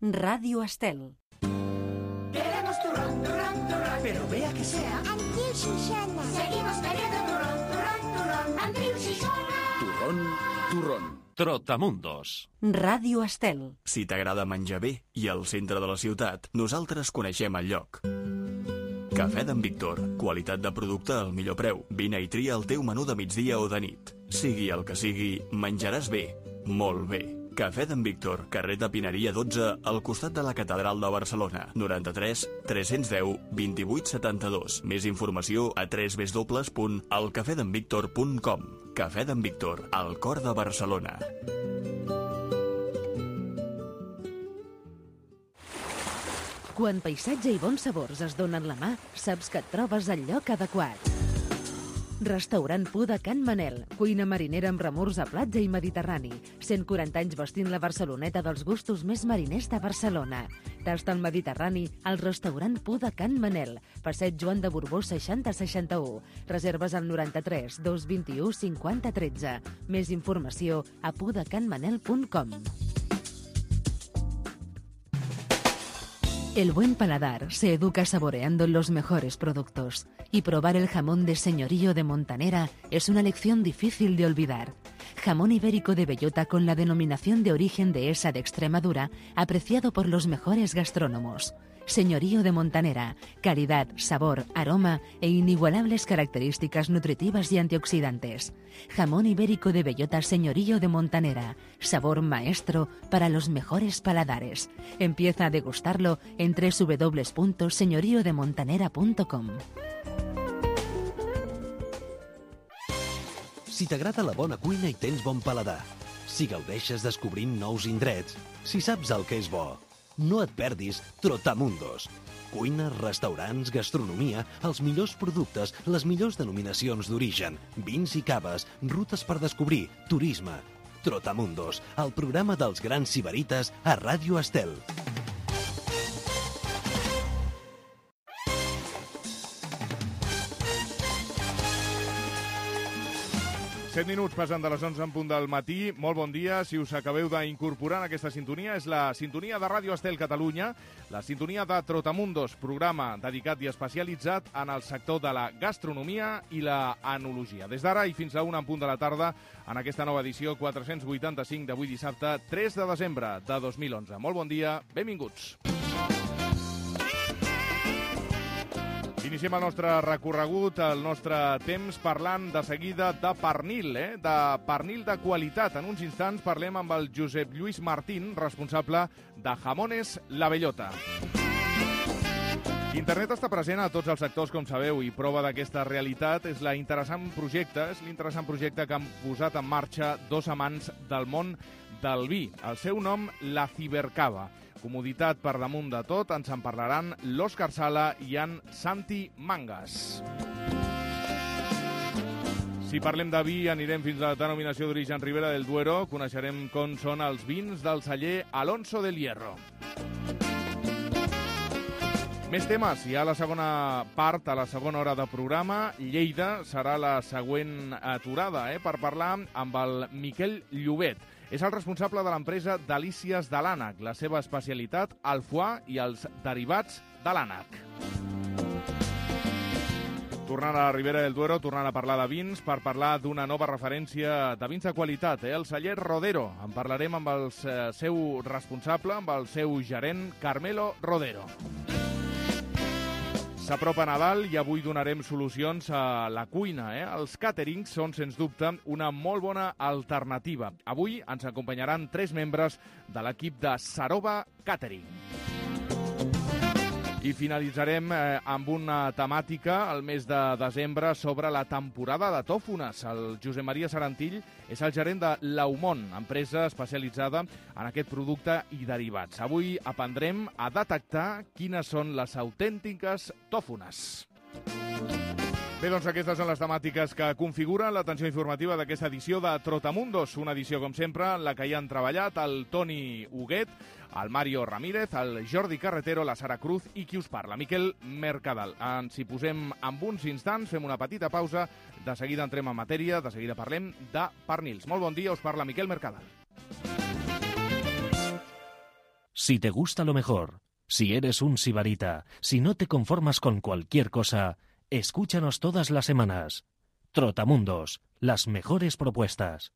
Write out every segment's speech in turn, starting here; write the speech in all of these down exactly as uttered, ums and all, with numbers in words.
Radio Estel. Queremos turrón, turrón, turrón, pero vea que sea Andreu Xixona. Seguimos queriendo turrón, turrón, turrón, Andreu Xixona. Turrón, turrón. Trotamundos. Radio Estel. Si t'agrada menjar bé i al centre de la ciutat, nosaltres coneixem el lloc. Cafè d'en Víctor. Qualitat de producte al millor preu. Vine i tria el teu menú de migdia o de nit. Sigui el que sigui, menjaràs bé. Molt bé. Cafè d'en Víctor, carrer de Pineria dotze, al costat de la Catedral de Barcelona. noranta-tres tres-cents deu vint-i-vuit setanta-dos. Més informació a w w w punt el cafè d'en víctor punt com. Cafè d'en Víctor, al cor de Barcelona. Quan paisatge i bons sabors es donen la mà, saps que et trobes al lloc adequat. Restaurant Pu de Can Manel, cuina marinera amb remors a platja i mediterrani. cent quaranta anys vestint la Barceloneta dels gustos més mariners de Barcelona. Tasta al Mediterrani al restaurant Pu de Can Manel, passeig Joan de Borbó seixanta seixanta-u. Reserves al noranta-tres dos vint-i-u cinquanta tretze. Més informació a pu de can manel punt com. El buen paladar se educa saboreando los mejores productos, y probar el jamón de Señorío de Montanera es una lección difícil de olvidar. Jamón ibérico de bellota con la denominación de origen de esa de Extremadura, apreciado por los mejores gastrónomos. Señorío de Montanera, calidad, sabor, aroma e inigualables características nutritivas y antioxidantes. Jamón ibérico de bellota Señorío de Montanera, sabor maestro para los mejores paladares. Empieza a degustarlo en w w w punto señorío de montanera punto com. Si t'agrada la bona cuina i tens bon paladar, si gaudeixes descobrint nous indrets, si saps el que és bo, no et perdis Trotamundos. Cuina, restaurants, gastronomia, els millors productes, les millors denominacions d'origen, vins i caves, rutes per descobrir, turisme. Trotamundos, el programa dels grans sibarites a Ràdio Estel. set minuts passen de les onze en punt del matí. Molt bon dia. Si us acabeu d'incorporar en aquesta sintonia, és la sintonia de Ràdio Estel Catalunya, la sintonia de Trotamundos, programa dedicat i especialitzat en el sector de la gastronomia i la enologia. Des d'ara i fins a una en punt de la tarda, en aquesta nova edició quatre-cents vuitanta-cinc d'avui dissabte, tres de desembre de dos mil onze. Molt bon dia, benvinguts. Iniciem el nostre recorregut, el nostre temps, parlant de seguida de pernil, eh? de pernil de qualitat. En uns instants parlem amb el Josep Lluís Martín, responsable de Jamones La Bellota. Internet està present a tots els sectors, com sabeu, i prova d'aquesta realitat és la interessant projecte, és l'interessant projecte que han posat en marxa dos amants del món del vi. El seu nom, la Cibercava. Comoditat per damunt de tot, ens en parlaran l'Òscar Sala i en Santi Mangas. Si parlem de vi, anirem fins a la denominació d'origen Ribera del Duero, coneixerem com són els vins del celler Alonso del Hierro. Més temes, hi ha la segona part, a la segona hora de programa. Lleida serà la següent aturada eh, per parlar amb el Miquel Llobet. És el responsable de l'empresa Delícies de l'Ànec, la seva especialitat, el foie i els derivats de l'ànec. Tornant a la Ribera del Duero, tornant a parlar de vins, per parlar d'una nova referència de vins de qualitat, eh? el celler Rodero. En parlarem amb el seu responsable, amb el seu gerent, Carmelo Rodero. S'apropa Nadal i avui donarem solucions a la cuina. Eh? Els càterings són, sens dubte, una molt bona alternativa. Avui ens acompanyaran tres membres de l'equip de Sarova Catering. I finalitzarem eh, amb una temàtica al mes de desembre sobre la temporada de tòfones. El Josep Maria Sarantill és el gerent de l'Aumont, empresa especialitzada en aquest producte i derivats. Avui aprendrem a detectar quines són les autèntiques tòfones. Bé, doncs aquestes són les temàtiques que configuren l'atenció informativa d'aquesta edició de Trotamundos. Una edició, com sempre, en la que hi han treballat el Toni Huguet, el Mario Ramírez, el Jordi Carretero, la Sara Cruz i qui us parla, Miquel Mercadal. Ens hi posem en uns instants, fem una petita pausa, de seguida entrem en matèria, de seguida parlem de pernils. Molt bon dia, us parla Miquel Mercadal. Si te gusta lo mejor, si eres un sibarita, si no te conformas con cualquier cosa, escúchanos todas las semanas. Trotamundos, las mejores propuestas.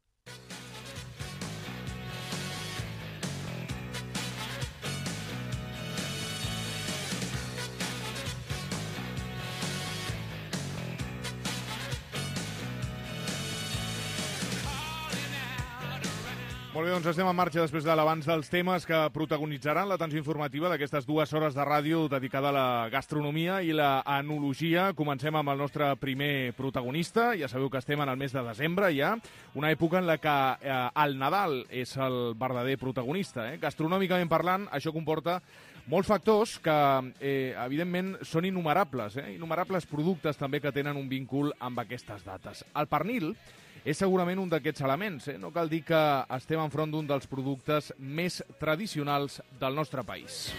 Molt bé, doncs estem en marxa després de l'abans dels temes que protagonitzaran l'atenció informativa d'aquestes dues hores de ràdio dedicada a la gastronomia i la enologia. Comencem amb el nostre primer protagonista. Ja sabeu que estem en el mes de desembre ja, una època en la que eh, el Nadal és el verdader protagonista. Eh? Gastronòmicament parlant, això comporta molts factors que, eh, evidentment, són innumerables. Eh? Innumerables productes també que tenen un víncul amb aquestes dates. El pernil és segurament un d'aquests elements. Eh? No cal dir que estem enfront d'un dels productes més tradicionals del nostre país.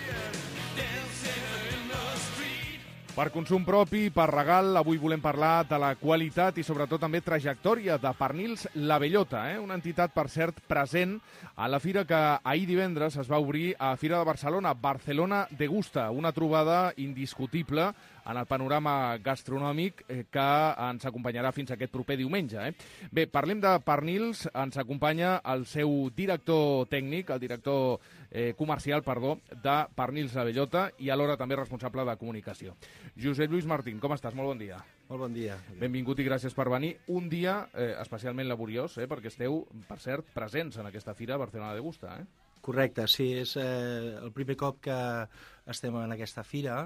Per consum propi, per regal, avui volem parlar de la qualitat i sobretot també trajectòria de Pernils La Bellota, eh? Una entitat, per cert, present a la fira que ahir divendres es va obrir a Fira de Barcelona, Barcelona Degusta, una trobada indiscutible en el panorama gastronòmic eh, que ens acompanyarà fins aquest proper diumenge. Eh? Bé, parlem de pernils, ens acompanya el seu director tècnic, el director eh, comercial, perdó, de Pernils La Bellota i alhora també responsable de comunicació. Josep Lluís Martín, com estàs? Molt bon dia. Molt bon dia. Benvingut i gràcies per venir. Un dia eh, especialment laboriós, eh, perquè esteu, per cert, presents en aquesta fira Barcelona Degusta. Eh? Correcte, sí, és eh, el primer cop que estem en aquesta fira.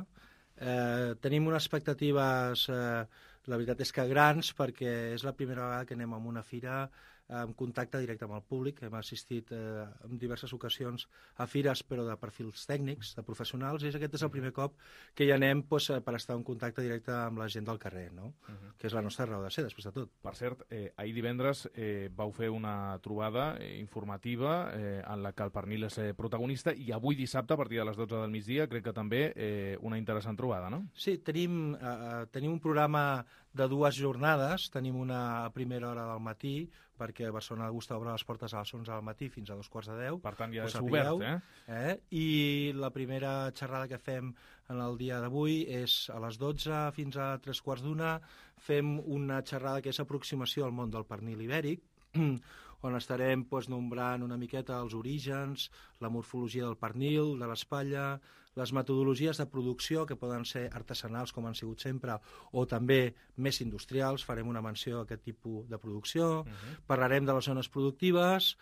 Eh, tenim unes expectatives, eh, la veritat és que grans, perquè és la primera vegada que anem a una fira en contacte directe amb el públic. Hem assistit eh, en diverses ocasions a fires, però de perfils tècnics, de professionals, i aquest és el primer cop que hi anem pues, per estar en contacte directe amb la gent del carrer, no? Uh-huh. Que és la nostra raó de ser, després de tot. Per cert, eh, ahir divendres eh, vau fer una trobada eh, informativa eh, en la que el pernil és eh, protagonista, i avui dissabte, a partir de les dotze del migdia, crec que també eh, una interessant trobada, no? Sí, tenim, eh, tenim un programa de dues jornades. Tenim una a primera hora del matí, perquè Barcelona Degusta obre les portes a les onze del matí fins a dos quarts de deu. Per tant, ja és obert, eh? eh? I la primera xerrada que fem en el dia d'avui és a les dotze fins a tres quarts d'una. Fem una xerrada que és aproximació al món del pernil ibèric, on estarem pues, nombrant una miqueta els orígens, la morfologia del pernil, de l'espatlla, les metodologies de producció, que poden ser artesanals, com han sigut sempre, o també més industrials. Farem una menció a aquest tipus de producció. Uh-huh. Parlarem de les zones productives.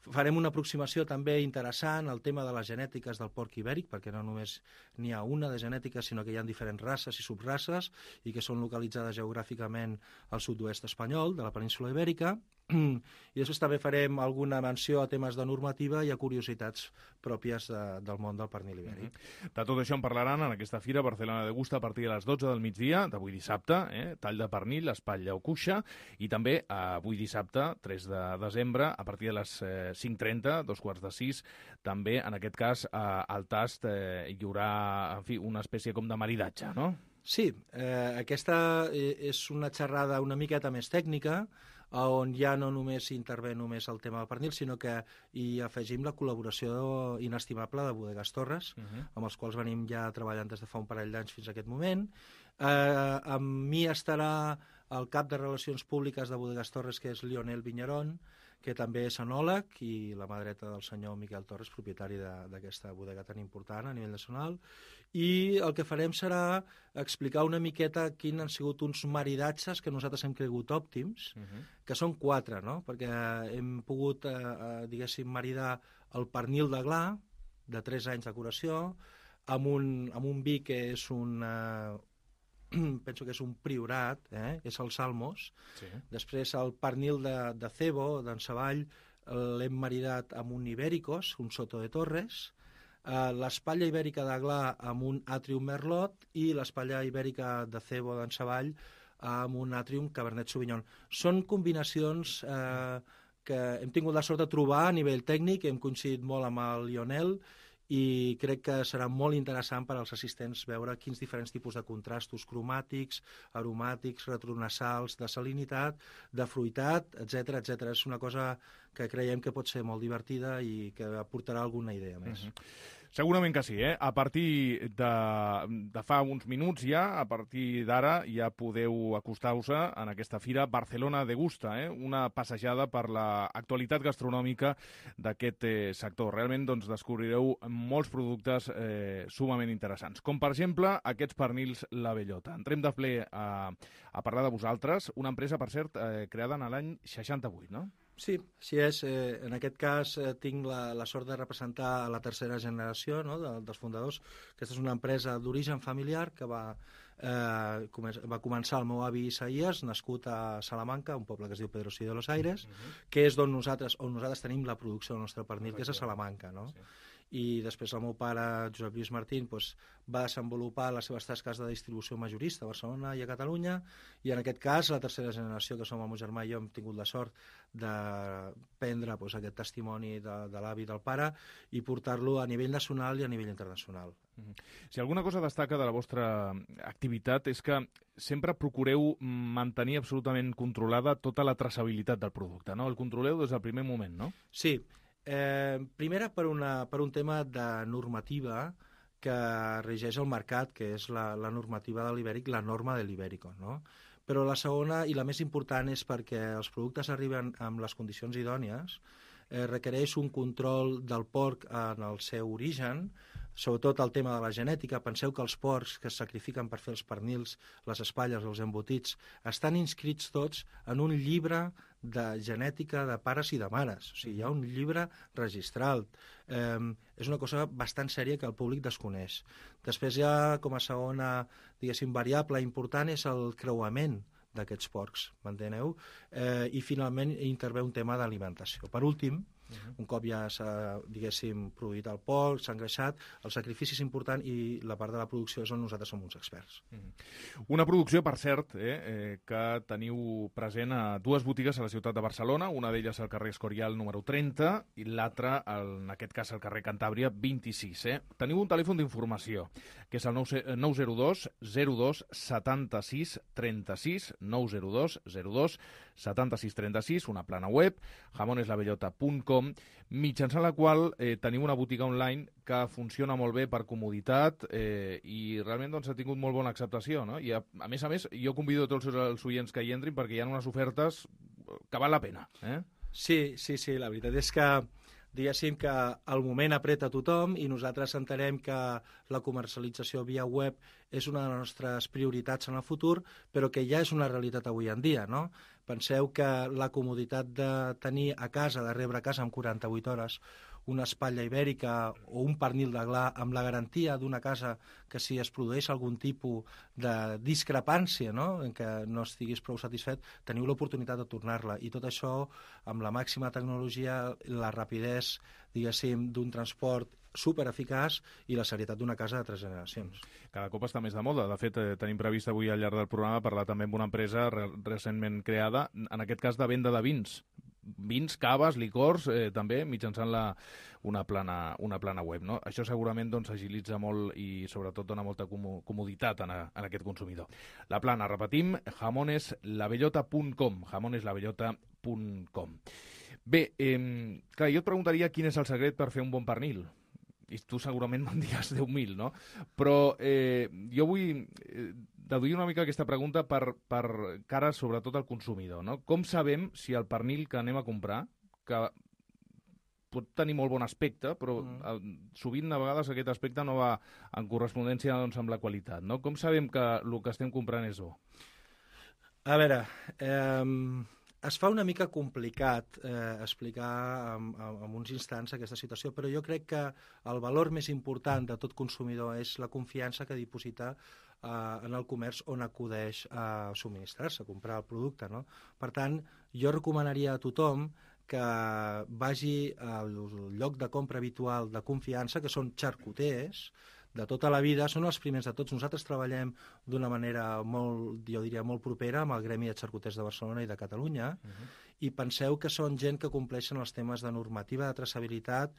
Farem una aproximació també interessant al tema de les genètiques del porc ibèric, perquè no només n'hi ha una de genètica, sinó que hi ha diferents races i subraces i que són localitzades geogràficament al sud-oest espanyol, de la península ibèrica. I després també farem alguna menció a temes de normativa i a curiositats pròpies de, del món del pernil ibèric. Mm-hmm. De tot això en parlaran en aquesta fira Barcelona Degusta a partir de les dotze del migdia d'avui dissabte, eh? Tall de pernil, espatlla o cuixa, i també avui dissabte, tres de desembre, a partir de les eh, cinc trenta, dos quarts de sis, també, en aquest cas, eh, al tast eh, hi haurà, en fi, una espècie com de maridatge, no? Sí, eh, aquesta és una xerrada una miqueta més tècnica, on ja no només intervé només el tema del pernil, sinó que hi afegim la col·laboració inestimable de Bodegas Torres, uh-huh. amb els quals venim ja treballant des de fa un parell d'anys fins a aquest moment. Eh, amb mi estarà el cap de Relacions Públiques de Bodegas Torres, que és Lionel Viñarón, que també és enòleg, i la mà dreta del senyor Miquel Torres, propietari d'aquesta bodega tan important a nivell nacional. I el que farem serà explicar una miqueta quins han sigut uns maridatges que nosaltres hem cregut òptims, uh-huh. que són quatre, no? Perquè hem pogut, eh, diguéssim, maridar el pernil de gla, de tres anys de curació, amb un, amb un vi que és un... Eh, penso que és un priorat, eh? És el Salmos. Sí. Després el pernil de, de cebo, d'Encavall, l'hem maridat amb un Ibéricos, un Soto de Torres, uh, l'espatlla ibèrica de gla amb un Atrium Merlot i l'espatlla ibèrica de cebo d'Encavall amb un Atrium Cabernet Sauvignon. Són combinacions eh, que hem tingut la sort de trobar a nivell tècnic, hem coincidit molt amb el Lionel, i crec que serà molt interessant per als assistents veure quins diferents tipus de contrastos cromàtics, aromàtics, retronasals, de salinitat, de fruitat, etcètera, etcètera. És una cosa que creiem que pot ser molt divertida i que aportarà alguna idea més. Uh-huh. Segurament que sí, eh? A partir de, de fa uns minuts ja, a partir d'ara, ja podeu acostar-vos en aquesta fira Barcelona Degusta, eh? Una passejada per l'actualitat gastronòmica d'aquest eh, sector. Realment doncs, descobrireu molts productes eh, sumament interessants, com per exemple aquests pernils La Bellota. Entrem de ple a, a parlar de vosaltres, una empresa, per cert, eh, creada en l'any seixanta-vuit, no? Sí, així és. Eh, en aquest cas eh, tinc la, la sort de representar la tercera generació, no?, de, dels fundadors. Aquesta és una empresa d'origen familiar que va, eh, va començar el meu avi Isaías, nascut a Salamanca, un poble que es diu Pedrosí de los Aires, uh-huh. que és d'on nosaltres, on nosaltres tenim la producció del nostre pernil, que és a Salamanca, no? Sí. I després el meu pare, Josep Lluís Martín, doncs, va desenvolupar les seves tasques de distribució majorista a Barcelona i a Catalunya, i en aquest cas la tercera generació, que som el meu germà i jo, hem tingut la sort de prendre doncs, aquest testimoni de, de l'avi i del pare i portar-lo a nivell nacional i a nivell internacional. Si alguna cosa destaca de la vostra activitat és que sempre procureu mantenir absolutament controlada tota la traçabilitat del producte, no? El controleu des del primer moment, no? Sí. Eh, primera, per, una, per un tema de normativa que regeix el mercat, que és la, la normativa de l'Ibèric, la norma de l'Ibèrico, no? Però la segona i la més important és perquè els productes arriben amb les condicions idònies, eh, requereix un control del porc en el seu origen, sobretot el tema de la genètica. Penseu que els porcs que es sacrifiquen per fer els pernils, les espatlles, els embotits, estan inscrits tots en un llibre de genètica de pares i de mares. O sigui, hi ha un llibre registral. Eh, és una cosa bastant sèria que el públic desconeix. Després ja, com a segona, diguéssim, variable important és el creuament d'aquests porcs, m'enteneu? Eh, I finalment intervé un tema d'alimentació. Per últim, Uh-huh. un cop ja s'ha, diguéssim, produït el porc, s'ha engreixat, el sacrifici és important i la part de la producció és on nosaltres som uns experts. Uh-huh. Una producció, per cert, eh, eh, que teniu present a dues botigues a la ciutat de Barcelona, una d'elles al carrer Escorial número trenta i l'altra, en aquest cas, al carrer Cantàbria vint-i-sis. Eh? Teniu un telèfon d'informació, que és el nou zero dos zero dos setanta-sis trenta-sis, nou zero dos zero dos setanta-sis trenta-sis, una plana web, jamoneslabellota punt com, mitjançant la qual eh, teniu una botiga online que funciona molt bé per comoditat eh, i realment doncs, ha tingut molt bona acceptació, no? I a, a més a més, jo convido tots els oients que hi entrin perquè hi ha unes ofertes que val la pena. Eh? Sí, sí, sí, la veritat és que diguéssim que el moment apreta a tothom i nosaltres entenem que la comercialització via web és una de les nostres prioritats en el futur, però que ja és una realitat avui en dia, no? Penseu que la comoditat de tenir a casa, de rebre a casa en quaranta-vuit hores, una espatlla ibèrica o un pernil de gla amb la garantia d'una casa que si es produeix algun tipus de discrepància, no?, en què no estiguis prou satisfet, teniu l'oportunitat de tornar-la. I tot això amb la màxima tecnologia, la rapidesa, diguéssim, d'un transport supereficaç i la serietat d'una casa de tres generacions. Cada cop està més de moda. De fet, eh, tenim previst avui al llarg del programa parlar també amb una empresa re recentment creada, en aquest cas de venda de vins. Vins, caves, licors, eh, també mitjançant la, una, plana, una plana web. No? Això segurament doncs, agilitza molt i sobretot dona molta comoditat en, a, en aquest consumidor. La plana, repetim, jamoneslabellota punt com, jamoneslabellota punt com. Bé, eh, clar, jo et preguntaria quin és el secret per fer un bon pernil. I tu segurament me'n diràs deu mil, no? Però eh, jo vull eh, deduir una mica aquesta pregunta per, per cara sobretot al consumidor, no? Com sabem si el pernil que anem a comprar, que pot tenir molt bon aspecte, però mm. sovint a vegades aquest aspecte no va en correspondència doncs, amb la qualitat, no? Com sabem que el que estem comprant és bo? A veure, eh, es fa una mica complicat eh, explicar en, en uns instants aquesta situació, però jo crec que el valor més important de tot consumidor és la confiança que diposita eh, en el comerç on acudeix a subministrar-se, a comprar el producte, no? Per tant, jo recomanaria a tothom que vagi al lloc de compra habitual de confiança, que són xarcuters, de tota la vida, són els primers de tots. Nosaltres treballem d'una manera molt, jo diria, molt propera amb el Gremi de Xarcuters de Barcelona i de Catalunya, uh-huh. i penseu que són gent que compleixen els temes de normativa de traçabilitat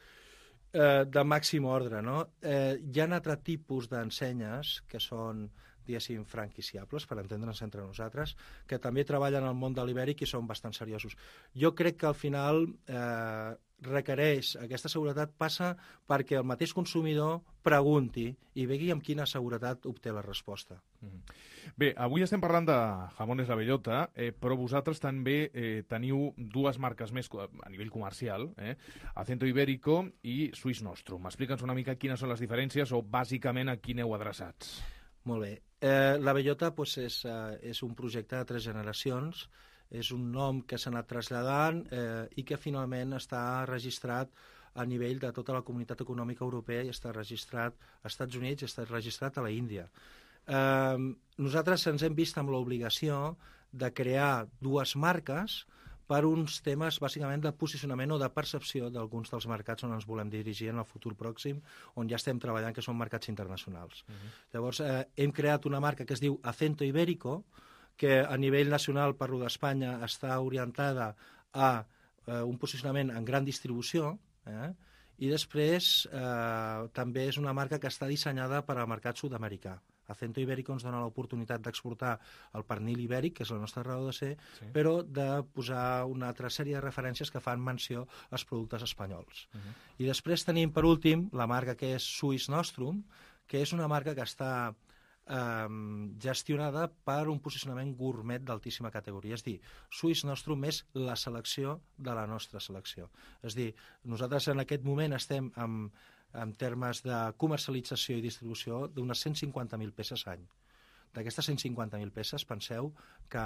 eh, de màxim ordre, no? Eh, hi ha altre tipus d'ensenyes que són diguéssim, franquiciables, per entendre'ns entre nosaltres, que també treballen al món de l'ibèric i són bastant seriosos. Jo crec que al final eh, requereix, aquesta seguretat passa perquè el mateix consumidor pregunti i vegi amb quina seguretat obté la resposta. Mm-hmm. Bé, avui estem parlant de Jamones La Bellota, eh, però vosaltres també eh, teniu dues marques més a nivell comercial, eh? Acento Ibérico i Swiss Nostrum. Explica'ns una mica quines són les diferències o bàsicament a qui aneu adreçats. Molt bé. Eh, la Bellota pues, és, eh, és un projecte de tres generacions, és un nom que s'ha anat traslladant eh, i que finalment està registrat a nivell de tota la comunitat econòmica europea i està registrat als Estats Units i està registrat a la Índia. Eh, nosaltres ens hem vist amb l'obligació de crear dues marques per uns temes bàsicament de posicionament o de percepció d'alguns dels mercats on ens volem dirigir en el futur pròxim, on ja estem treballant, que són mercats internacionals. Uh-huh. Llavors, eh, hem creat una marca que es diu Acento Ibérico, que a nivell nacional, parlo d'Espanya, està orientada a eh, un posicionament en gran distribució, eh? I després eh, també és una marca que està dissenyada per al mercat sud-americà. Acento Ibérico ens dona l'oportunitat d'exportar el pernil ibèric, que és la nostra raó de ser, sí. Però de posar una altra sèrie de referències que fan menció als productes espanyols. Uh-huh. I després tenim, per últim, la marca que és Swiss Nostrum, que és una marca que està eh, gestionada per un posicionament gourmet d'altíssima categoria. És dir, Swiss Nostrum és la selecció de la nostra selecció. És dir, nosaltres en aquest moment estem amb en termes de comercialització i distribució d'unes cent cinquanta mil peces any. D'aquestes cent cinquanta mil peces, penseu que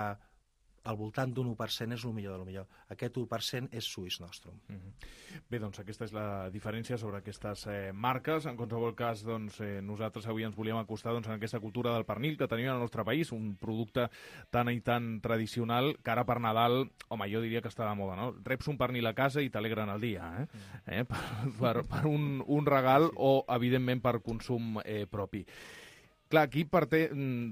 al voltant d'un u per cent és el millor del millor. Aquest u per cent és Swiss Nostrum. Mm-hmm. Bé, doncs aquesta és la diferència sobre aquestes eh, marques. En qualsevol cas, doncs, eh, nosaltres avui ens volíem acostar doncs, en aquesta cultura del pernil que tenim al nostre país, un producte tan i tan tradicional que ara per Nadal, home, jo diria que està de moda, no? Reps un pernil a casa i t'alegren el dia, eh? Mm. eh? Per, per, per un, un regal sí. O, evidentment, per consum eh, propi. Clar, aquí parte,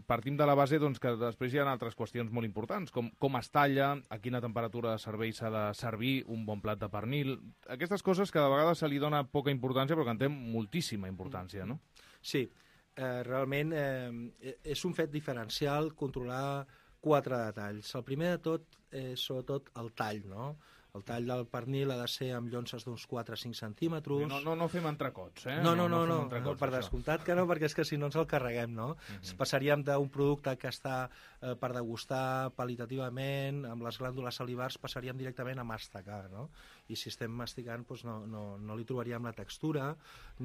partim de la base doncs, que després hi ha altres qüestions molt importants, com com es talla, a quina temperatura de servei s'ha de servir un bon plat de pernil. Aquestes coses que de vegades se li dona poca importància, però que en té moltíssima importància, no? Sí, eh, realment eh, és un fet diferencial controlar quatre detalls. El primer de tot és sobretot el tall, no? El tall del pernil ha de ser amb llonces d'uns quatre a cinc centímetres. No, no, no fem entrecots, eh? No, no, no, no, no, no per descomptat que no, perquè és que si no ens el carreguem, no? Uh-huh. Passaríem d'un producte que està eh, per degustar qualitativament, amb les glàndules salivars, passaríem directament a masticar, no? I si estem masticant, doncs no, no, no li trobaríem la textura,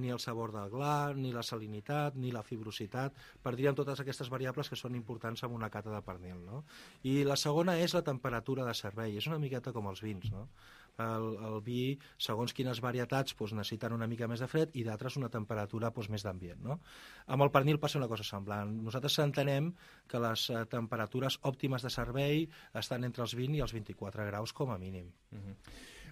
ni el sabor del gla, ni la salinitat, ni la fibrositat. Perdríem totes aquestes variables que són importants en una cata de pernil, no? I la segona és la temperatura de servei. És una miqueta com els vins, no? El, el vi, segons quines varietats, doncs, necessiten una mica més de fred i d'altres una temperatura doncs, més d'ambient, no? Amb el pernil passa una cosa semblant. Nosaltres entenem que les eh, temperatures òptimes de servei estan entre els vint i els vint-i-quatre graus com a mínim. Uh-huh.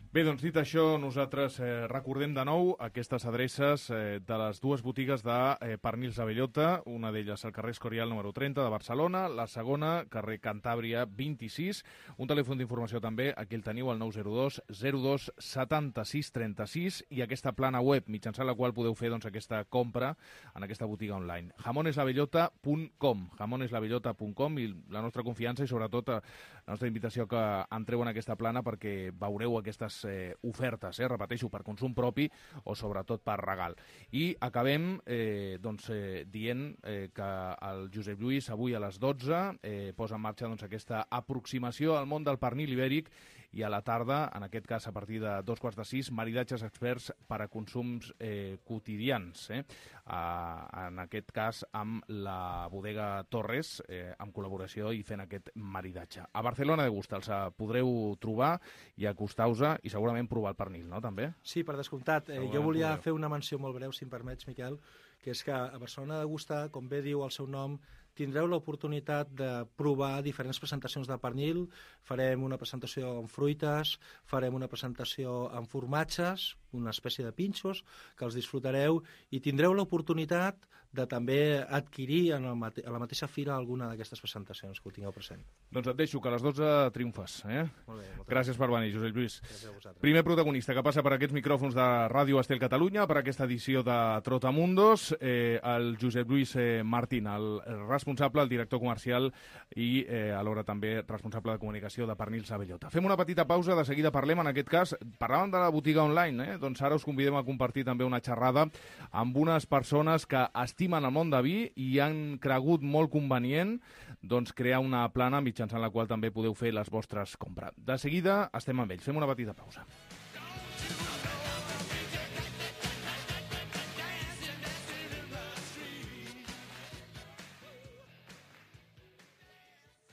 Bé, doncs dit això, nosaltres eh, recordem de nou aquestes adreces eh, de les dues botigues de eh, pernils de Bellota, una d'elles al carrer Escorial número trenta de Barcelona, la segona, carrer Cantàbria vint-i-sis, un telèfon d'informació també, aquí el teniu, el nou zero dos zero dos setanta-sis trenta-sis, i aquesta plana web, mitjançant la qual podeu fer doncs, aquesta compra en aquesta botiga online. jamones la bellota punt com, jamones la bellota punt com, i la nostra confiança i sobretot la nostra invitació que entreu en aquesta plana perquè veureu aquestes Eh, ofertes, eh, repeteixo, per consum propi o sobretot per regal. I acabem eh, doncs, eh, dient eh, que el Josep Lluís avui a les dotze eh, posa en marxa doncs, aquesta aproximació al món del pernil ibèric, i a la tarda, en aquest cas a partir de dos quarts de sis, maridatges experts per a consums eh, quotidians, eh? A, en aquest cas amb la bodega Torres, eh, amb col·laboració i fent aquest maridatge. A Barcelona de Gust els podreu trobar i acostar-vos i segurament provar el pernil, no, també? Sí, per descomptat. Eh, jo volia podreu. fer una menció molt breu, si em permets, Miquel, que és que a Barcelona de Gust, com bé diu el seu nom, tindreu l'oportunitat de provar diferents presentacions de pernil. Farem una presentació amb fruites, farem una presentació amb formatges, una espècie de pinxos, que els disfrutareu i tindreu l'oportunitat de també adquirir en el mate a la mateixa fira alguna d'aquestes presentacions, que ho tingueu present. Doncs et deixo, que a les dotze triomfes. Eh? Molt bé, gràcies per venir, Josep Lluís. Gràcies a vosaltres. Primer protagonista que passa per aquests micròfons de Ràdio Estel Catalunya, per aquesta edició de Trotamundos, eh, el Josep Lluís eh, Martín, el responsable, el director comercial i eh, alhora també responsable de comunicació de Pernils a Bellota. Fem una petita pausa, de seguida parlem, en aquest cas, parlàvem de la botiga online, eh? Doncs ara us convidem a compartir també una xerrada amb unes persones que estimen el món de vi i han cregut molt convenient doncs, crear una plana mitjançant la qual també podeu fer les vostres compres. De seguida estem amb ells. Fem una petita pausa.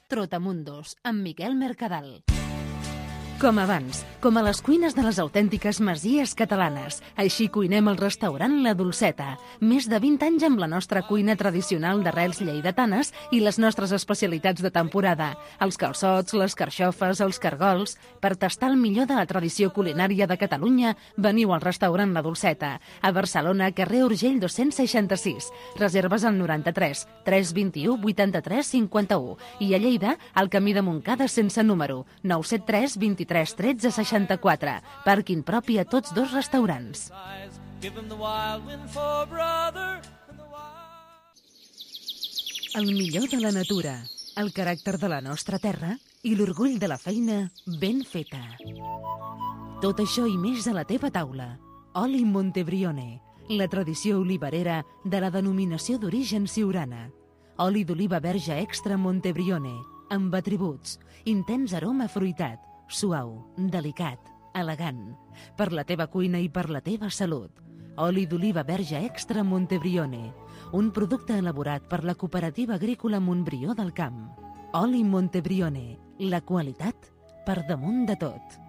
Trotamundos, amb Miquel Mercadal. Com abans, com a les cuines de les autèntiques masies catalanes. Així cuinem al restaurant La Dolceta. Més de vint anys amb la nostra cuina tradicional d'arrels lleidatanes i les nostres especialitats de temporada. Els calçots, les carxofes, els cargols. Per tastar el millor de la tradició culinària de Catalunya, veniu al restaurant La Dolceta. A Barcelona, carrer Urgell dos-cents seixanta-sis. Reserves al noranta-tres tres vint-i-u vuitanta-tres cinquanta-u. I a Lleida, al camí de Montcada sense número, nou set tres vint-i-tres tretze seixanta-quatre. Pàrquing propi a tots dos restaurants. El millor de la natura, el caràcter de la nostra terra i l'orgull de la feina ben feta. Tot això i més a la teva taula. Oli Montebrione, la tradició olivarera de la denominació d'origen siurana. Oli d'oliva verge extra Montebrione, amb atributs, intens aroma fruitat, suau, delicat, elegant, per la teva cuina i per la teva salut. Oli d'oliva verge extra Montebrione, un producte elaborat per la Cooperativa Agrícola Montbrió del Camp. Oli Montebrione, la qualitat per damunt de tot.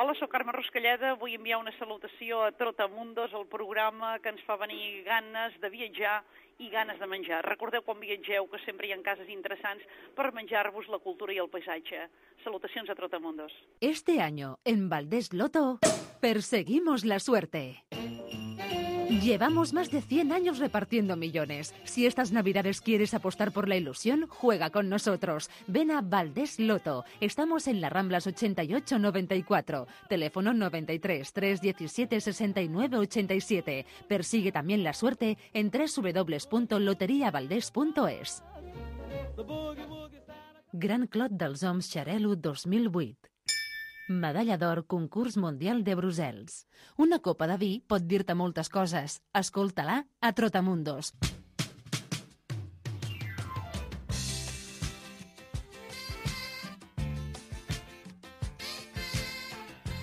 Hola, soc Carme Ruscalleda. Vull enviar una salutació a Trotamundos, el programa que ens fa venir ganes de viatjar i ganes de menjar. Recordeu quan viatgeu que sempre hi ha cases interessants per menjar-vos la cultura i el paisatge. Salutacions a Trotamundos. Este año, en Valdés Loto, perseguimos la suerte. Llevamos más de cien años repartiendo millones. Si estas navidades quieres apostar por la ilusión, juega con nosotros. Ven a Valdés Loto. Estamos en las Ramblas ochenta y ocho noventa y cuatro. Teléfono noventa y tres tres diecisiete sesenta y nueve ochenta y siete. Persigue también la suerte en doble u doble u doble u punto loteria valdés punto es. Gran Clot dels Oms Xarel·lo dos mil vuit. Medalla d'or Concurs Mundial de Brussels. Una copa de vi pot dir-te moltes coses. Escolta-la a Trotamundos.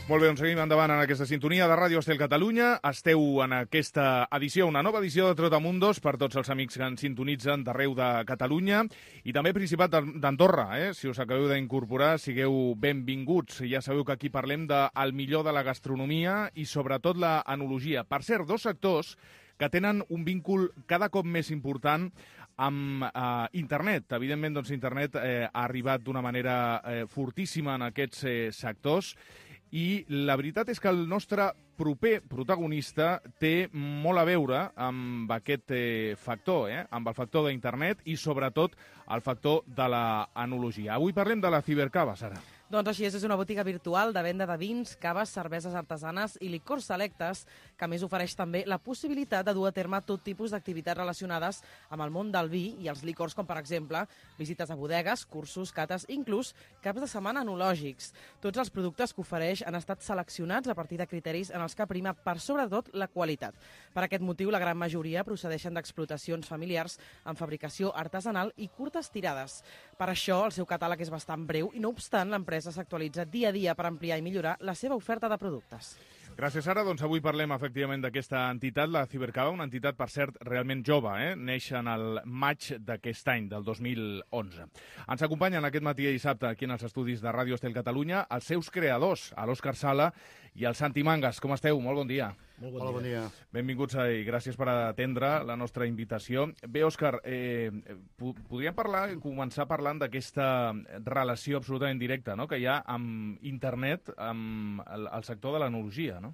Molt bé, doncs seguim endavant en aquesta sintonia de Ràdio Estel Catalunya. Esteu en aquesta edició, una nova edició de Trotamundos per tots els amics que ens sintonitzen d'arreu de Catalunya i també Principat d'Andorra. Eh? Si us acabeu d'incorporar, sigueu benvinguts. Ja sabeu que aquí parlem del millor de la gastronomia i sobretot la enologia. Per cert, dos sectors que tenen un víncul cada cop més important amb eh, internet. Evidentment, doncs, internet eh, ha arribat d'una manera eh, fortíssima en aquests eh, sectors. I la veritat és que el nostre proper protagonista té molt a veure amb aquest eh, factor, eh? amb el factor d'internet i sobretot el factor de l'enologia. Avui parlem de la Cibercava, Sara. Doncs així és, és una botiga virtual de venda de vins, caves, cerveses artesanes i licors selectes, que a més ofereix també la possibilitat de dur a terme tot tipus d'activitats relacionades amb el món del vi i els licors, com per exemple visites a bodegues, cursos, cates, inclús caps de setmana enològics. Tots els productes que ofereix han estat seleccionats a partir de criteris en els que prima per sobretot la qualitat. Per aquest motiu, la gran majoria procedeixen d'explotacions familiars en fabricació artesanal i curtes tirades. Per això, el seu catàleg és bastant breu i, no obstant, l'empresa s'actualitza dia a dia per ampliar i millorar la seva oferta de productes. Gràcies, Sara. Doncs avui parlem efectivament d'aquesta entitat, la Cibercava, una entitat, per cert, realment jove, eh? Neix en el maig d'aquest any, del dos mil onze. Ens acompanyen aquest matí i dissabte aquí en els estudis de Ràdio Estel Catalunya els seus creadors, l'Òscar Sala i el Santi Mangas. Com esteu? Molt bon dia. Molt bon Hola, bon dia. Benvinguts i gràcies per atendre la nostra invitació. Bé, Òscar, eh, podríem parlar, començar parlant d'aquesta relació absolutament directa, no?, que hi ha amb internet, amb el, el sector de l'enologia, no?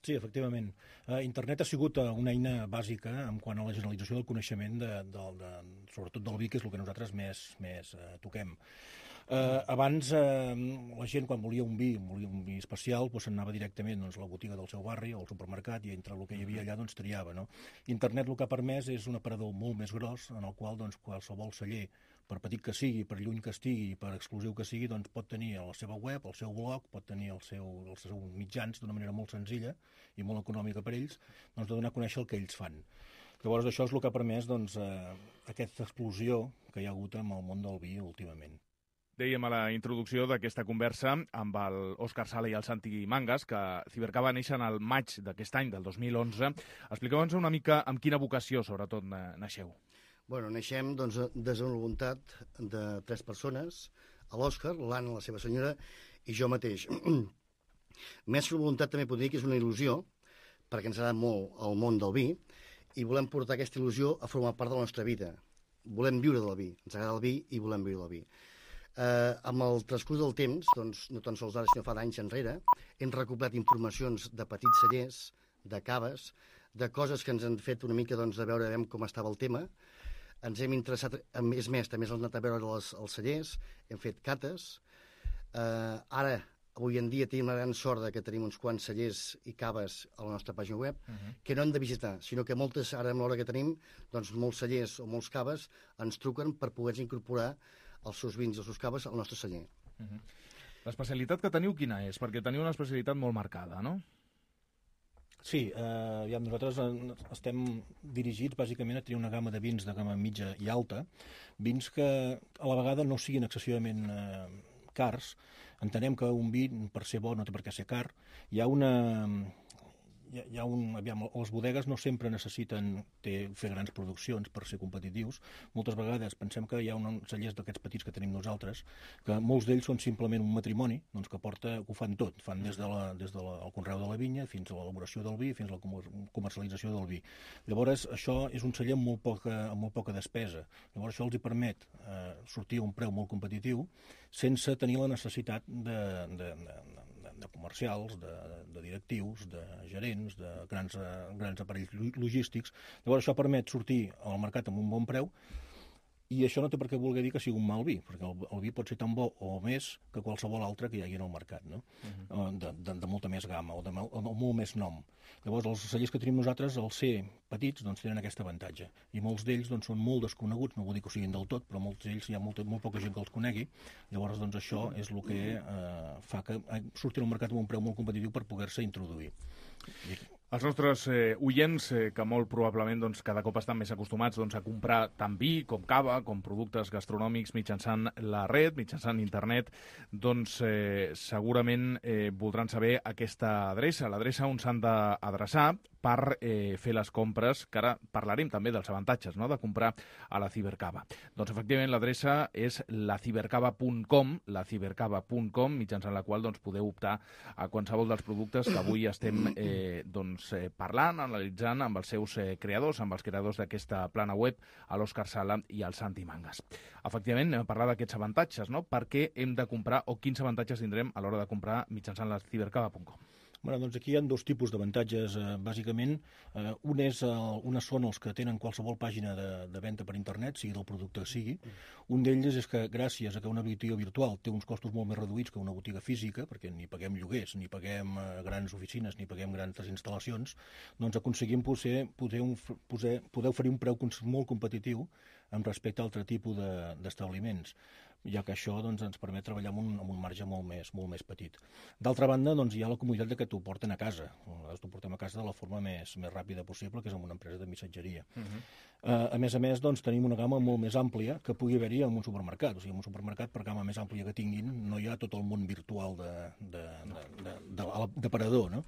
Sí, efectivament. Uh, internet ha sigut uh, una eina bàsica en quant a la generalització del coneixement, de, de, de, sobretot del vi, que és el que nosaltres més, més uh, toquem. Uh, abans, uh, la gent, quan volia un vi, volia un vi especial, doncs anava directament doncs, a la botiga del seu barri o al supermercat, i entre el que hi havia allà doncs, triava. No? Internet el que ha permès és un aparador molt més gros, en el qual doncs, qualsevol celler, per petit que sigui, per lluny que estigui, per exclusiu que sigui, doncs pot tenir a la seva web, el seu blog, pot tenir el seu, els seus mitjans d'una manera molt senzilla i molt econòmica per ells, doncs de donar a conèixer el que ells fan. Llavors això és el que ha permès doncs, eh, aquesta explosió que hi ha hagut amb el món del vi últimament. Dèiem a la introducció d'aquesta conversa amb l'Òscar Sala i el Santi Mangas que Cibercava va néixer en el maig d'aquest any, del dos mil onze. Expliqueu-nos una mica amb quina vocació, sobretot, naixeu. Bueno, naixem doncs, des de la voluntat de tres persones, l'Òscar, l'Anna, la seva senyora, i jo mateix. Més que una voluntat també podria dir que és una il·lusió, perquè ens agrada molt el món del vi, i volem portar aquesta il·lusió a formar part de la nostra vida. Volem viure del vi, ens agrada el vi i volem viure del vi. Eh, amb el transcurs del temps, doncs, no tan sols ara, sinó fa d'anys enrere, hem recuperat informacions de petits cellers, de caves, de coses que ens han fet una mica doncs, de veure com estava el tema. Ens hem interessat, a més més, també ens hem anat a veure els, els cellers, hem fet cates. Eh, ara, avui en dia, tenim la gran sort que tenim uns quants cellers i caves a la nostra pàgina web, uh -huh. que no hem de visitar, sinó que moltes, ara amb l'hora que tenim, doncs molts cellers o molts caves ens truquen per poder incorporar els seus vins i els seus caves al nostre celler. Uh -huh. L'especialitat que teniu quina és? Perquè teniu una especialitat molt marcada, no? Sí, eh, ja, nosaltres estem dirigits bàsicament a tenir una gamma de vins de gamma mitja i alta, vins que a la vegada no siguin excessivament eh, cars. Entenem que un vi, per ser bo, no té per què ser car. Hi ha una... Hi ha, hi ha un, aviam, les bodegues no sempre necessiten ter, fer grans produccions per ser competitius. Moltes vegades pensem que hi ha uns cellers d'aquests petits que tenim nosaltres, que molts d'ells són simplement un matrimoni, doncs que porta, que ho fan tot, fan des, de la, des del de conreu de la vinya fins a l'elaboració del vi, fins a la comercialització del vi. Llavors, això és un celler amb molt poca, amb molt poca despesa. Llavors, això els hi permet eh, sortir a un preu molt competitiu sense tenir la necessitat de, de, de, de comercials, de, de directius, de gerents, de grans, grans aparells logístics. Llavors això permet sortir al mercat amb un bon preu, i això no té per què voler dir que sigui un mal vi, perquè el, el vi pot ser tan bo o més que qualsevol altre que hi hagi en el mercat, no? Uh-huh. de, de, de molta més gamma o de, o de molt més nom. Llavors els cellers que tenim nosaltres, al ser petits, doncs tenen aquest avantatge, i molts d'ells doncs, són molt desconeguts, no vull dir que ho siguin del tot, però molts d'ells hi ha molta, molt poca gent que els conegui. Llavors doncs, això és el que eh, fa que surtin al mercat amb un preu molt competitiu per poder-se introduir. I... Els nostres eh, oients, eh, que molt probablement doncs, cada cop estan més acostumats doncs, a comprar tant vi com cava, com productes gastronòmics mitjançant la red, mitjançant internet, doncs eh, segurament eh, voldran saber aquesta adreça, l'adreça on s'han d'adreçar per eh, fer les compres, que ara parlarem també dels avantatges, no?, de comprar a la Cibercava. Doncs efectivament l'adreça és la cibercava punt com, la cibercava punt com, mitjançant la qual doncs, podeu optar a qualsevol dels productes que avui estem eh, doncs, eh, parlant, analitzant amb els seus eh, creadors, amb els creadors d'aquesta plana web, a l'Òscar Sala i al Santi Mangas. Efectivament, anem a parlar d'aquests avantatges, no?, per què hem de comprar o quins avantatges tindrem a l'hora de comprar mitjançant la cibercava punt com. Bueno, doncs aquí hi ha dos tipus d'avantatges, eh, bàsicament. Eh, un és, eh, una són els que tenen qualsevol pàgina de, de venda per internet, sigui del producte que sigui. Un d'ells és que gràcies a que una botiga virtual té uns costos molt més reduïts que una botiga física, perquè ni paguem lloguers, ni paguem eh, grans oficines, ni paguem grans instal·lacions, doncs aconseguim poder, poder, un, poder, poder oferir un preu molt competitiu amb respecte a altre tipus d'establiments, ja que això doncs, ens permet treballar amb un, amb un marge molt més, molt més petit. D'altra banda, doncs, hi ha la comoditat de que t'ho porten a casa. T'ho portem a casa de la forma més, més ràpida possible, que és amb una empresa de missatgeria. Uh-huh. uh, a més a més, doncs, tenim una gamma molt més àmplia que pugui haver-hi en un supermercat. O sigui, en un supermercat, per gamma més àmplia que tinguin, no hi ha tot el món virtual de, de, de, de, de, de, d'aparador, no?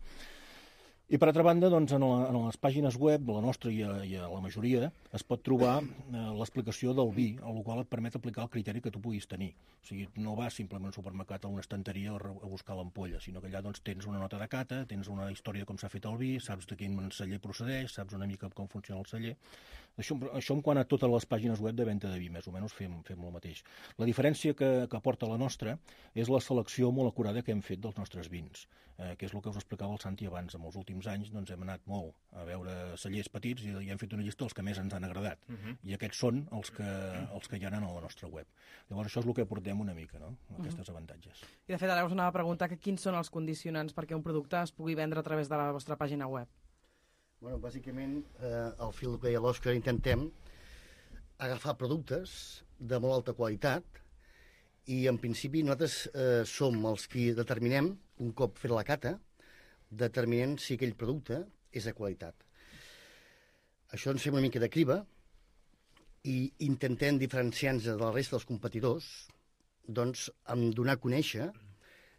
I, per altra banda, doncs, en, la, en les pàgines web, la nostra i a, i a la majoria, es pot trobar eh, l'explicació del vi, el qual et permet aplicar el criteri que tu puguis tenir. O sigui, no vas simplement al supermercat a una estanteria a, a buscar l'ampolla, sinó que allà doncs, tens una nota de cata, tens una història de com s'ha fet el vi, saps de quin celler procedeix, saps una mica com funciona el celler. Això, això en quant a totes les pàgines web de venda de vi, més o menys fem, fem el mateix. La diferència que, que aporta la nostra és la selecció molt acurada que hem fet dels nostres vins, eh, que és el que us explicava el Santi abans. En els últims anys doncs, hem anat molt a veure cellers petits i, i hem fet una llista dels que més ens han agradat. Uh-huh. I aquests són els que, els que hi ha a la nostra web. Llavors això és el que aportem una mica, no? Aquests uh-huh. avantatges. I de fet ara us anava a preguntar que quins són els condicionants perquè un producte es pugui vendre a través de la vostra pàgina web. Bueno, bàsicament, eh, al fil que deia l'Òscar, intentem agafar productes de molt alta qualitat i, en principi, nosaltres eh, som els qui determinem, un cop fet la cata, determinem si aquell producte és de qualitat. Això ens fem una mica de criba i intentem diferenciar-nos de la resta dels competidors, doncs, amb donar a conèixer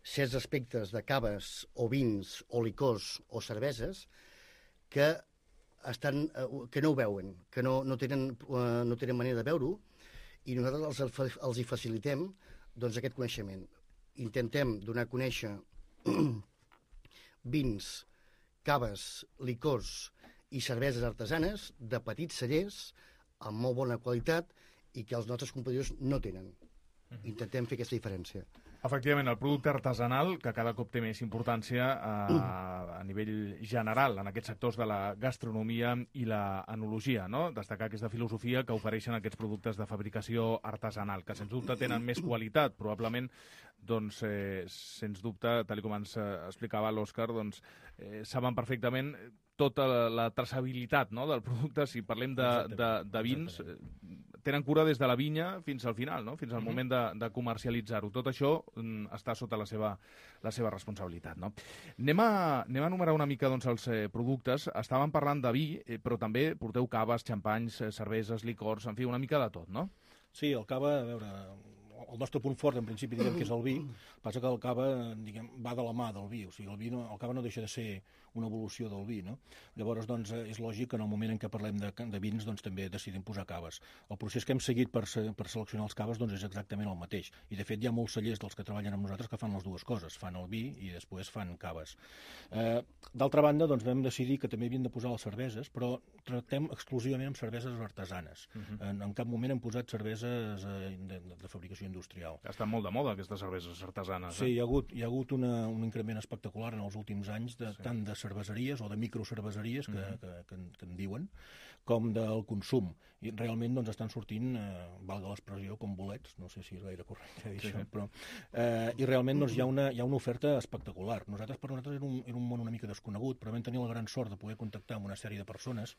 certs aspectes de caves o vins o licors o cerveses que, estan, que no ho veuen, que no, no, tenen, no tenen manera de veure-ho, i nosaltres els, els hi facilitem doncs, aquest coneixement. Intentem donar a conèixer vins, caves, licors i cerveses artesanes de petits cellers amb molt bona qualitat i que els nostres competidors no tenen. Intentem fer aquesta diferència. Efectivament, el producte artesanal, que cada cop té més importància a, a nivell general en aquests sectors de la gastronomia i la enologia, no? Destacar aquesta filosofia que ofereixen aquests productes de fabricació artesanal, que sens dubte tenen més qualitat, probablement, doncs, eh, sens dubte, tal com ens explicava l'Òscar, doncs, eh, saben perfectament tota la, la traçabilitat, no?, del producte. Si parlem de, de, de vins, eh, tenen cura des de la vinya fins al final, no?, fins al moment de, de comercialitzar-ho. Tot això mm, està sota la seva, la seva responsabilitat, no? Anem a, anem a enumerar una mica doncs, els eh, productes. Estàvem parlant de vi, eh, però també porteu caves, xampanys, eh, cerveses, licors, en fi, una mica de tot, no? Sí, el cava, a veure, el nostre punt fort, en principi, diguem que és el vi, passa que el cava, diguem, va de la mà del vi, o sigui, el, vi no, el cava no deixa de ser una evolució del vi, no? Llavors, doncs, és lògic que en el moment en què parlem de, de vins, doncs, també decidim posar caves. El procés que hem seguit per, per seleccionar els caves, doncs, és exactament el mateix. I, de fet, hi ha molts cellers dels que treballen amb nosaltres que fan les dues coses, fan el vi i després fan caves. Eh, D'altra banda, doncs, vam decidir que també havien de posar les cerveses, però tractem exclusivament amb cerveses artesanes. Uh-huh. en, en cap moment hem posat cerveses eh, de, de, de fabricació industrial. Estan molt de moda, aquestes cerveses artesanes. Sí, eh? hi ha hagut, hi ha hagut una, un increment espectacular en els últims anys, de, sí. tant de cerveseries o de microcerveseries, que, mm-hmm. que, que, que, que en diuen, com del consum. I realment doncs, estan sortint, eh, valga l'expressió, com bolets, no sé si és gaire correcte dir sí, això, sí. però... Eh, I realment doncs, hi, ha una, hi ha una oferta espectacular. Nosaltres, per nosaltres, era un, era un món una mica desconegut, però vam tenir la gran sort de poder contactar amb una sèrie de persones,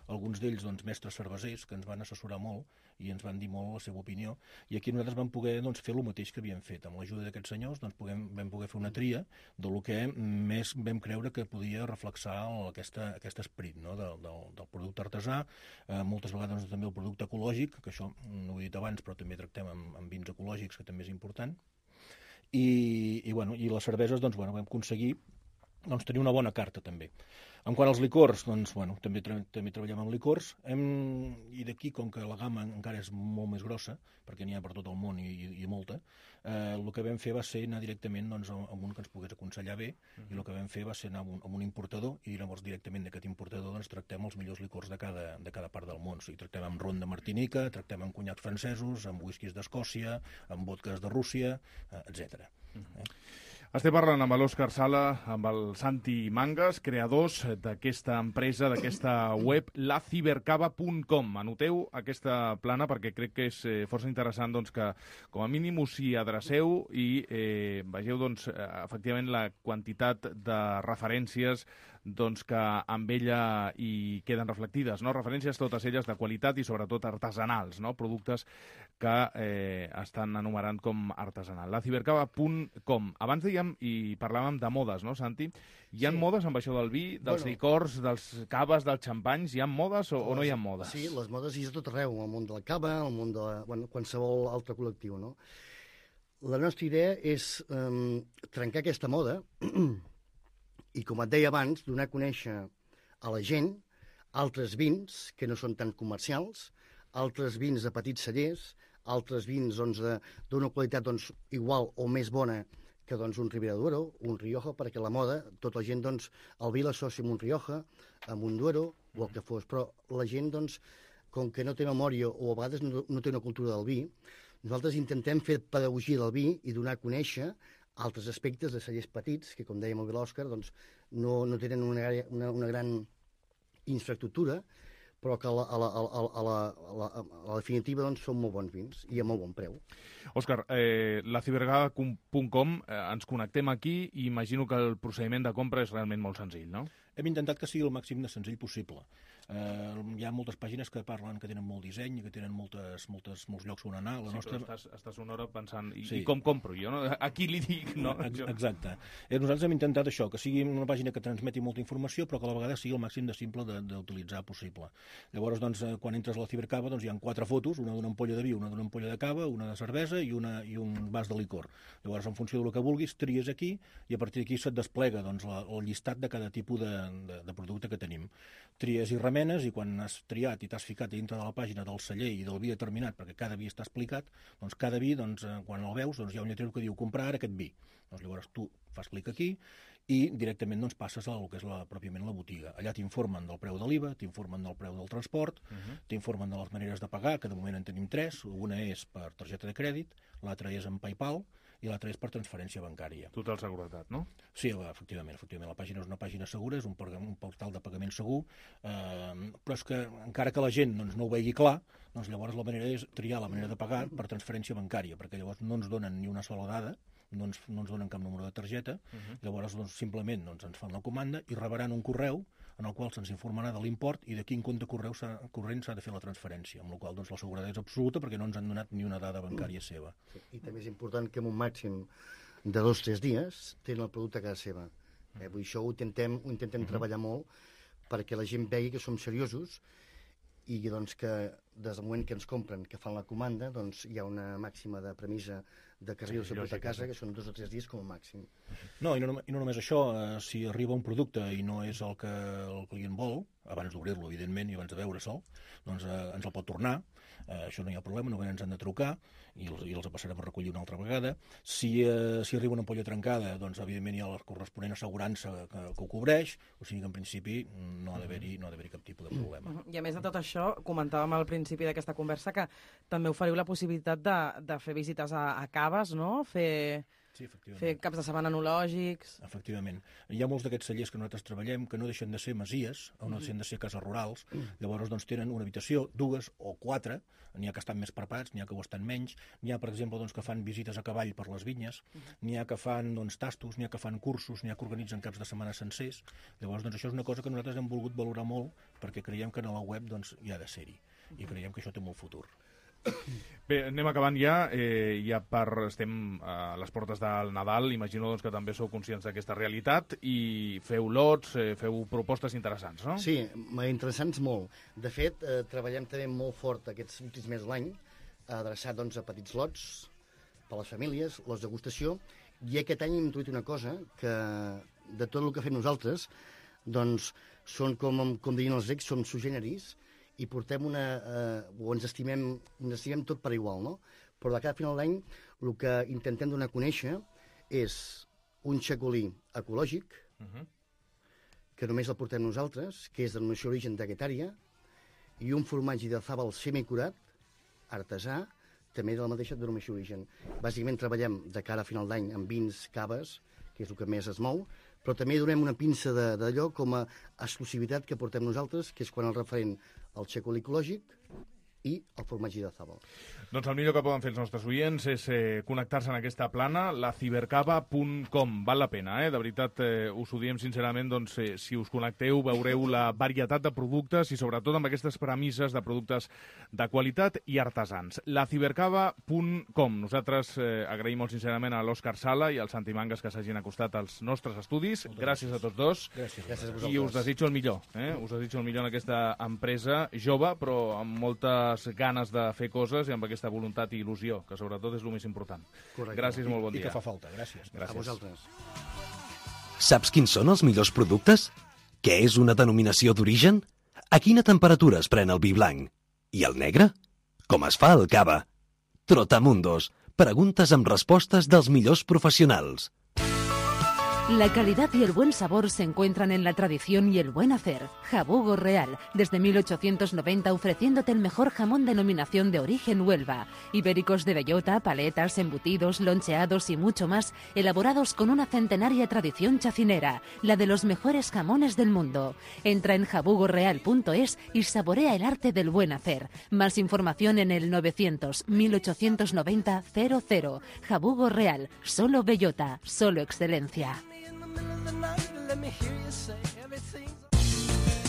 alguns d'ells doncs, mestres cervesers, que ens van assessorar molt i ens van dir molt la seva opinió, i aquí nosaltres vam poder doncs, fer el mateix que havíem fet. Amb l'ajuda d'aquests senyors doncs, puguem, vam poder fer una tria del que més vam creure que podia reflexar aquesta, aquest esperit, no?, del, del, del producte artesà, eh, moltes vegades doncs, també el producte ecològic, que això no ho he dit abans, però també tractem amb, amb vins ecològics, que també és important, i, i, bueno, i les cerveses doncs, bueno, vam aconseguir doncs, tenir una bona carta també. En quant als licors, doncs, bueno, també, tra també treballem amb licors, hem, i d'aquí, com que la gamma encara és molt més grossa, perquè n'hi ha per tot el món i, i, i molta, eh, el que vam fer va ser anar directament doncs, amb un que ens pogués aconsellar bé, uh-huh. i el que vam fer va ser anar amb un, amb un importador, i llavors directament d'aquest importador doncs, tractem els millors licors de cada, de cada part del món. O sigui, tractem amb ron de Martinica, tractem amb conyacs francesos, amb whiskies d'Escòcia, amb vodkas de Rússia, eh, etcètera. Uh-huh. eh? Estem parlant amb l'Òscar Sala, amb el Santi Mangas, creadors d'aquesta empresa, d'aquesta web, la cibercava punt com. Anoteu aquesta plana perquè crec que és eh, força interessant doncs, que com a mínim us hi adreceu i eh, vegeu doncs, efectivament la quantitat de referències doncs, que amb ella hi queden reflectides, no? Referències totes elles de qualitat i sobretot artesanals, no? Productes que eh, estan enumerant com artesanal. la cibercava punt com. Abans dèiem i parlàvem de modes, no, Santi? Hi ha sí. modes amb això del vi, dels bueno, licors, dels caves, dels xampanys? Hi ha modes o, o no hi ha modes? Sí, les modes hi ha tot arreu, al món de la cava, al món de la, bueno, qualsevol altre col·lectiu, no? La nostra idea és um, trencar aquesta moda I com et deia abans, donar a conèixer a la gent altres vins que no són tan comercials, altres vins de petits cellers, altres vins doncs, d'una qualitat doncs, igual o més bona que doncs, un Ribera Duero, un Rioja, perquè la moda, tota la gent, doncs, el vi l'associa amb un Rioja, amb un Duero, o el que fos, però la gent, doncs, com que no té memòria o a vegades no, no té una cultura del vi, nosaltres intentem fer pedagogia del vi i donar a conèixer altres aspectes de cellers petits, que, com deia molt bé l'Òscar, doncs, no, no tenen una, una, una gran infraestructura, però que a la, a la, a la, a la, a la, a la definitiva doncs, són molt bons vins i a molt bon preu. Òscar, eh, la cibergada punt com, eh, ens connectem aquí i imagino que el procediment de compra és realment molt senzill, no? Hem intentat que sigui el màxim de senzill possible. Eh, hi ha moltes pàgines que parlen que tenen molt disseny i que tenen moltes, moltes, molts llocs on anar. La sí, nostra... però estàs, estàs una hora pensant, i, sí. i com compro jo? No? A qui li dic? No? Exacte. Eh, nosaltres hem intentat això, que sigui una pàgina que transmeti molta informació, però que a la vegada sigui el màxim de simple d'utilitzar possible. Llavors, doncs, quan entres a la cibercava, doncs, hi ha quatre fotos, una d'una ampolla de vi, una d'una ampolla de cava, una de cervesa i, una, i un vas de licor. Llavors, en funció del que vulguis, tries aquí i a partir d'aquí se't desplega doncs, la, el llistat de cada tipus de, de, de producte que tenim. Tries i remenes i quan has triat i t'has ficat dintre de la pàgina del celler i del vi determinat, perquè cada vi està explicat, doncs cada vi, doncs, quan el veus, doncs, hi ha un lletrero que diu comprar ara aquest vi. Doncs llavors tu fas clic aquí i directament doncs, passes al que és la, pròpiament la botiga. Allà t'informen del preu de l'I V A, t'informen del preu del transport, uh-huh. t'informen de les maneres de pagar, que de moment en tenim tres. Una és per targeta de crèdit, l'altra és en PayPal i l'altra és per transferència bancària. Total seguretat, no? Sí, efectivament, efectivament. La pàgina és una pàgina segura, és un, un portal de pagament segur, eh, però és que encara que la gent doncs, no ho vegi clar, doncs llavors la manera és triar la manera de pagar per transferència bancària, perquè llavors no ens donen ni una sola dada, no ens, no ens donen cap número de targeta, uh-huh. llavors doncs, simplement doncs, ens fan la comanda i rebran un correu en el qual se'ns informarà de l'import i de quin compte correu corrent s'ha de fer la transferència, amb la qual doncs, la seguretat és absoluta perquè no ens han donat ni una dada bancària seva. Sí, i també és important que en un màxim de dos o tres dies tenen el producte a casa seva. Eh, vull dir, això ho intentem, ho intentem uh-huh. treballar molt perquè la gent vegi que som seriosos i doncs, que des del moment que ens compren, que fan la comanda, doncs, hi ha una màxima de premissa de que arriba sí, a casa, que són dos o tres dies com a màxim. No, i no, i no només això, eh, si arriba un producte i no és el que el client vol, abans d'obrir-lo, evidentment, i abans de veure-se'l, doncs eh, ens el pot tornar, eh, això no hi ha problema, només ens han de trucar i els, i els passarem a recollir una altra vegada. Si, eh, si arriba una ampolla trencada, doncs evidentment hi ha la corresponent assegurança que, que ho cobreix, o sigui que en principi no ha d'haver-hi no ha d'haver-hi cap tipus de problema. I a més de tot això, comentàvem al principi d'aquesta conversa que també oferiu la possibilitat de, de fer visites a, a caves, no? Fer... Sí, fer caps de setmana enològics... Efectivament. Hi ha molts d'aquests cellers que nosaltres treballem que no deixen de ser masies, o no deixen de ser cases rurals, llavors doncs, tenen una habitació, dues o quatre, n'hi ha que estan més preparats, n'hi ha que ho estan menys, n'hi ha, per exemple, doncs, que fan visites a cavall per les vinyes, n'hi ha que fan doncs, tastos, n'hi ha que fan cursos, n'hi ha que organitzen caps de setmana sencers. Llavors, doncs, això és una cosa que nosaltres hem volgut valorar molt perquè creiem que a la web doncs, hi ha de ser-hi i creiem que això té molt futur. Bé, anem acabant ja. Eh, ja per, estem a les portes del Nadal. Imagino doncs, que també sou conscients d'aquesta realitat i feu lots, eh, feu propostes interessants, no? Sí, interessants molt. De fet, eh, treballem també molt fort aquests últims mesos de l'any, adreçat doncs, a petits lots per a les famílies, lots de degustació, i aquest any hem introduït una cosa que de tot el que fem nosaltres doncs són, com, com diuen els grecs, som sui generis, i portem una... Eh, o ens estimem, ens estimem tot per igual, no? Però de cada final d'any el que intentem donar a conèixer és un xacolí ecològic, uh-huh. que només el portem nosaltres, que és de denominació d'origen d'aquetària, i un formatge de zàbal semicurat, artesà, també de la mateixa denominació d'origen. Bàsicament treballem de cara a final d'any amb vins, caves, que és el que més es mou, però també donem una pinça d'allò com a exclusivitat que portem nosaltres, que és quan el referent al xacolí ecològic i el formatge de zàbal. Doncs el millor que poden fer els nostres oients és eh, connectar-se en aquesta plana, la cibercava punt com. Val la pena, eh? De veritat, eh, us ho diem sincerament, doncs, eh, si us connecteu veureu la varietat de productes i sobretot amb aquestes premisses de productes de qualitat i artesans. La cibercava punt com. Nosaltres eh, agraïm molt sincerament a l'Òscar Sala i al Santi Mangas que s'hagin acostat als nostres estudis. Moltes gràcies a tots dos. Gràcies. Gràcies a vosaltres. I us desitjo el millor. Eh? Us desitjo el millor en aquesta empresa jove, però amb moltes ganes de fer coses i amb aquesta voluntat i il·lusió, que sobretot és el més important. Correcte. Gràcies, molt bon dia. I que fa falta. Gràcies. Gràcies. A vosaltres. Saps quins són els millors productes? Què és una denominació d'origen? A quina temperatura es pren el vi blanc? I el negre? Com es fa el cava? Trotamundos. Preguntes amb respostes dels millors professionals. La calidad y el buen sabor se encuentran en la tradición y el buen hacer. Jabugo Real, desde mil ochocientos noventa ofreciéndote el mejor jamón denominación de origen Huelva. Ibéricos de bellota, paletas, embutidos, loncheados y mucho más, elaborados con una centenaria tradición chacinera, la de los mejores jamones del mundo. Entra en jabugo real punto es y saborea el arte del buen hacer. Más información en el novecientos mil ochocientos noventa cero cero. Jabugo Real, solo bellota, solo excelencia.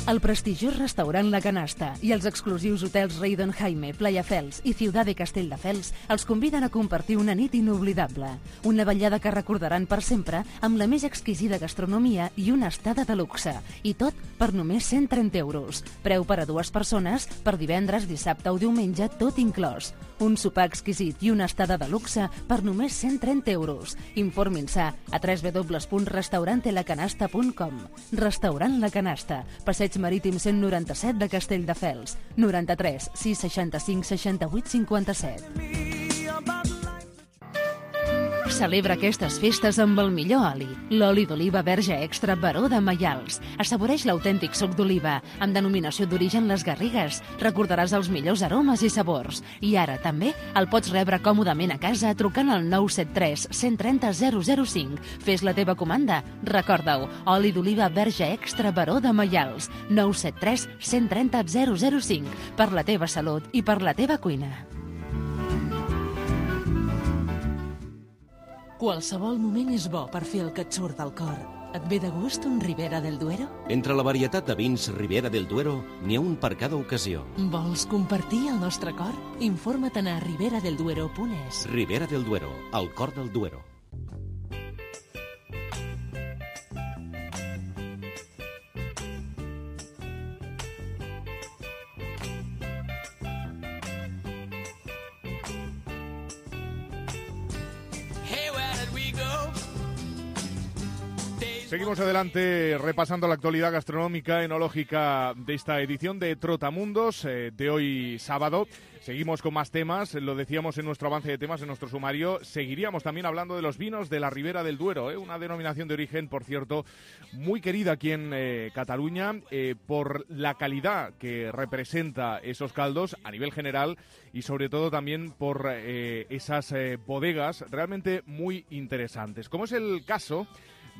El prestigiós restaurant La Canasta i els exclusius hotels Rei Don Jaime, Playa Fels i Ciutat de Castelldefels els conviden a compartir una nit inoblidable. Una vetllada que recordaran per sempre amb la més exquisida gastronomia i una estada de luxe. I tot per només cent trenta euros. Preu per a dues persones per divendres, dissabte o diumenge, tot inclòs. Un sopar exquisit i una estada de luxe per només cent trenta euros. Informin-se a w w w punt restaurante la canasta punt com. Restaurant La Canasta, Passeig Marítim cent noranta-set de Castelldefels, noranta-tres sis seixanta-cinc seixanta-vuit cinquanta-set. Celebra aquestes festes amb el millor oli, l'oli d'oliva verge extra Baró de Maials. Assaboreix l'autèntic suc d'oliva, amb denominació d'origen Les Garrigues. Recordaràs els millors aromes i sabors. I ara també el pots rebre còmodament a casa trucant al nou set tres cent trenta zero zero cinc. Fes la teva comanda. Recorda-ho, oli d'oliva verge extra Baró de Maials. nou set tres cent trenta zero zero cinc. Per la teva salut i per la teva cuina. Qualsevol moment és bo per fer el que et surt del cor. Et ve de gust un Ribera del Duero? Entre la varietat de vins Ribera del Duero, n'hi ha un per cada ocasió. Vols compartir el nostre cor? Informa-te'n a ribera del duero punt es. Ribera del Duero, el cor del Duero. Seguimos adelante repasando la actualidad gastronómica enológica de esta edición de Trotamundos eh, de hoy sábado. Seguimos con más temas, lo decíamos en nuestro avance de temas, en nuestro sumario. Seguiríamos también hablando de los vinos de la Ribera del Duero, ¿eh? Una denominación de origen, por cierto, muy querida aquí en eh, Cataluña eh, por la calidad que representa esos caldos a nivel general y sobre todo también por eh, esas eh, bodegas realmente muy interesantes. Como es el caso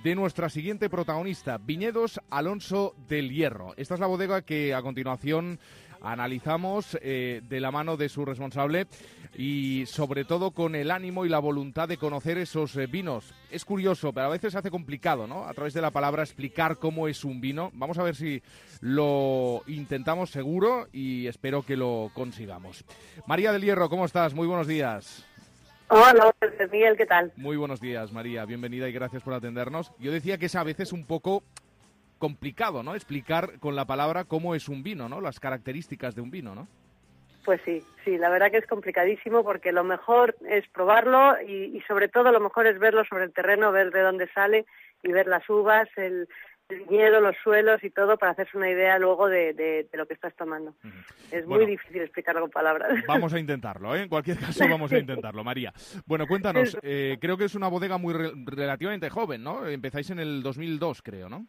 de nuestra siguiente protagonista, Viñedos Alonso del Hierro. Esta es la bodega que a continuación analizamos eh, de la mano de su responsable y sobre todo con el ánimo y la voluntad de conocer esos eh, vinos. Es curioso, pero a veces se hace complicado, ¿no? A través de la palabra explicar cómo es un vino. Vamos a ver si lo intentamos seguro y espero que lo consigamos. María del Hierro, ¿cómo estás? Muy buenos días. Hola, Miguel, ¿qué tal? Muy buenos días, María. Bienvenida y gracias por atendernos. Yo decía que es a veces un poco complicado, ¿no? Explicar con la palabra cómo es un vino, ¿no? Las características de un vino, ¿no? Pues sí, sí, la verdad que es complicadísimo porque lo mejor es probarlo y, y sobre todo lo mejor es verlo sobre el terreno, ver de dónde sale y ver las uvas, el, el viñedo, los suelos y todo para hacerse una idea luego de, de, de lo que estás tomando. Uh-huh. Es bueno, muy difícil explicarlo con palabras. Vamos a intentarlo, ¿eh? En cualquier caso vamos a intentarlo, María. Bueno, cuéntanos, eh, creo que es una bodega muy re- relativamente joven, ¿no? Empezáis en el dos mil dos, creo, ¿no?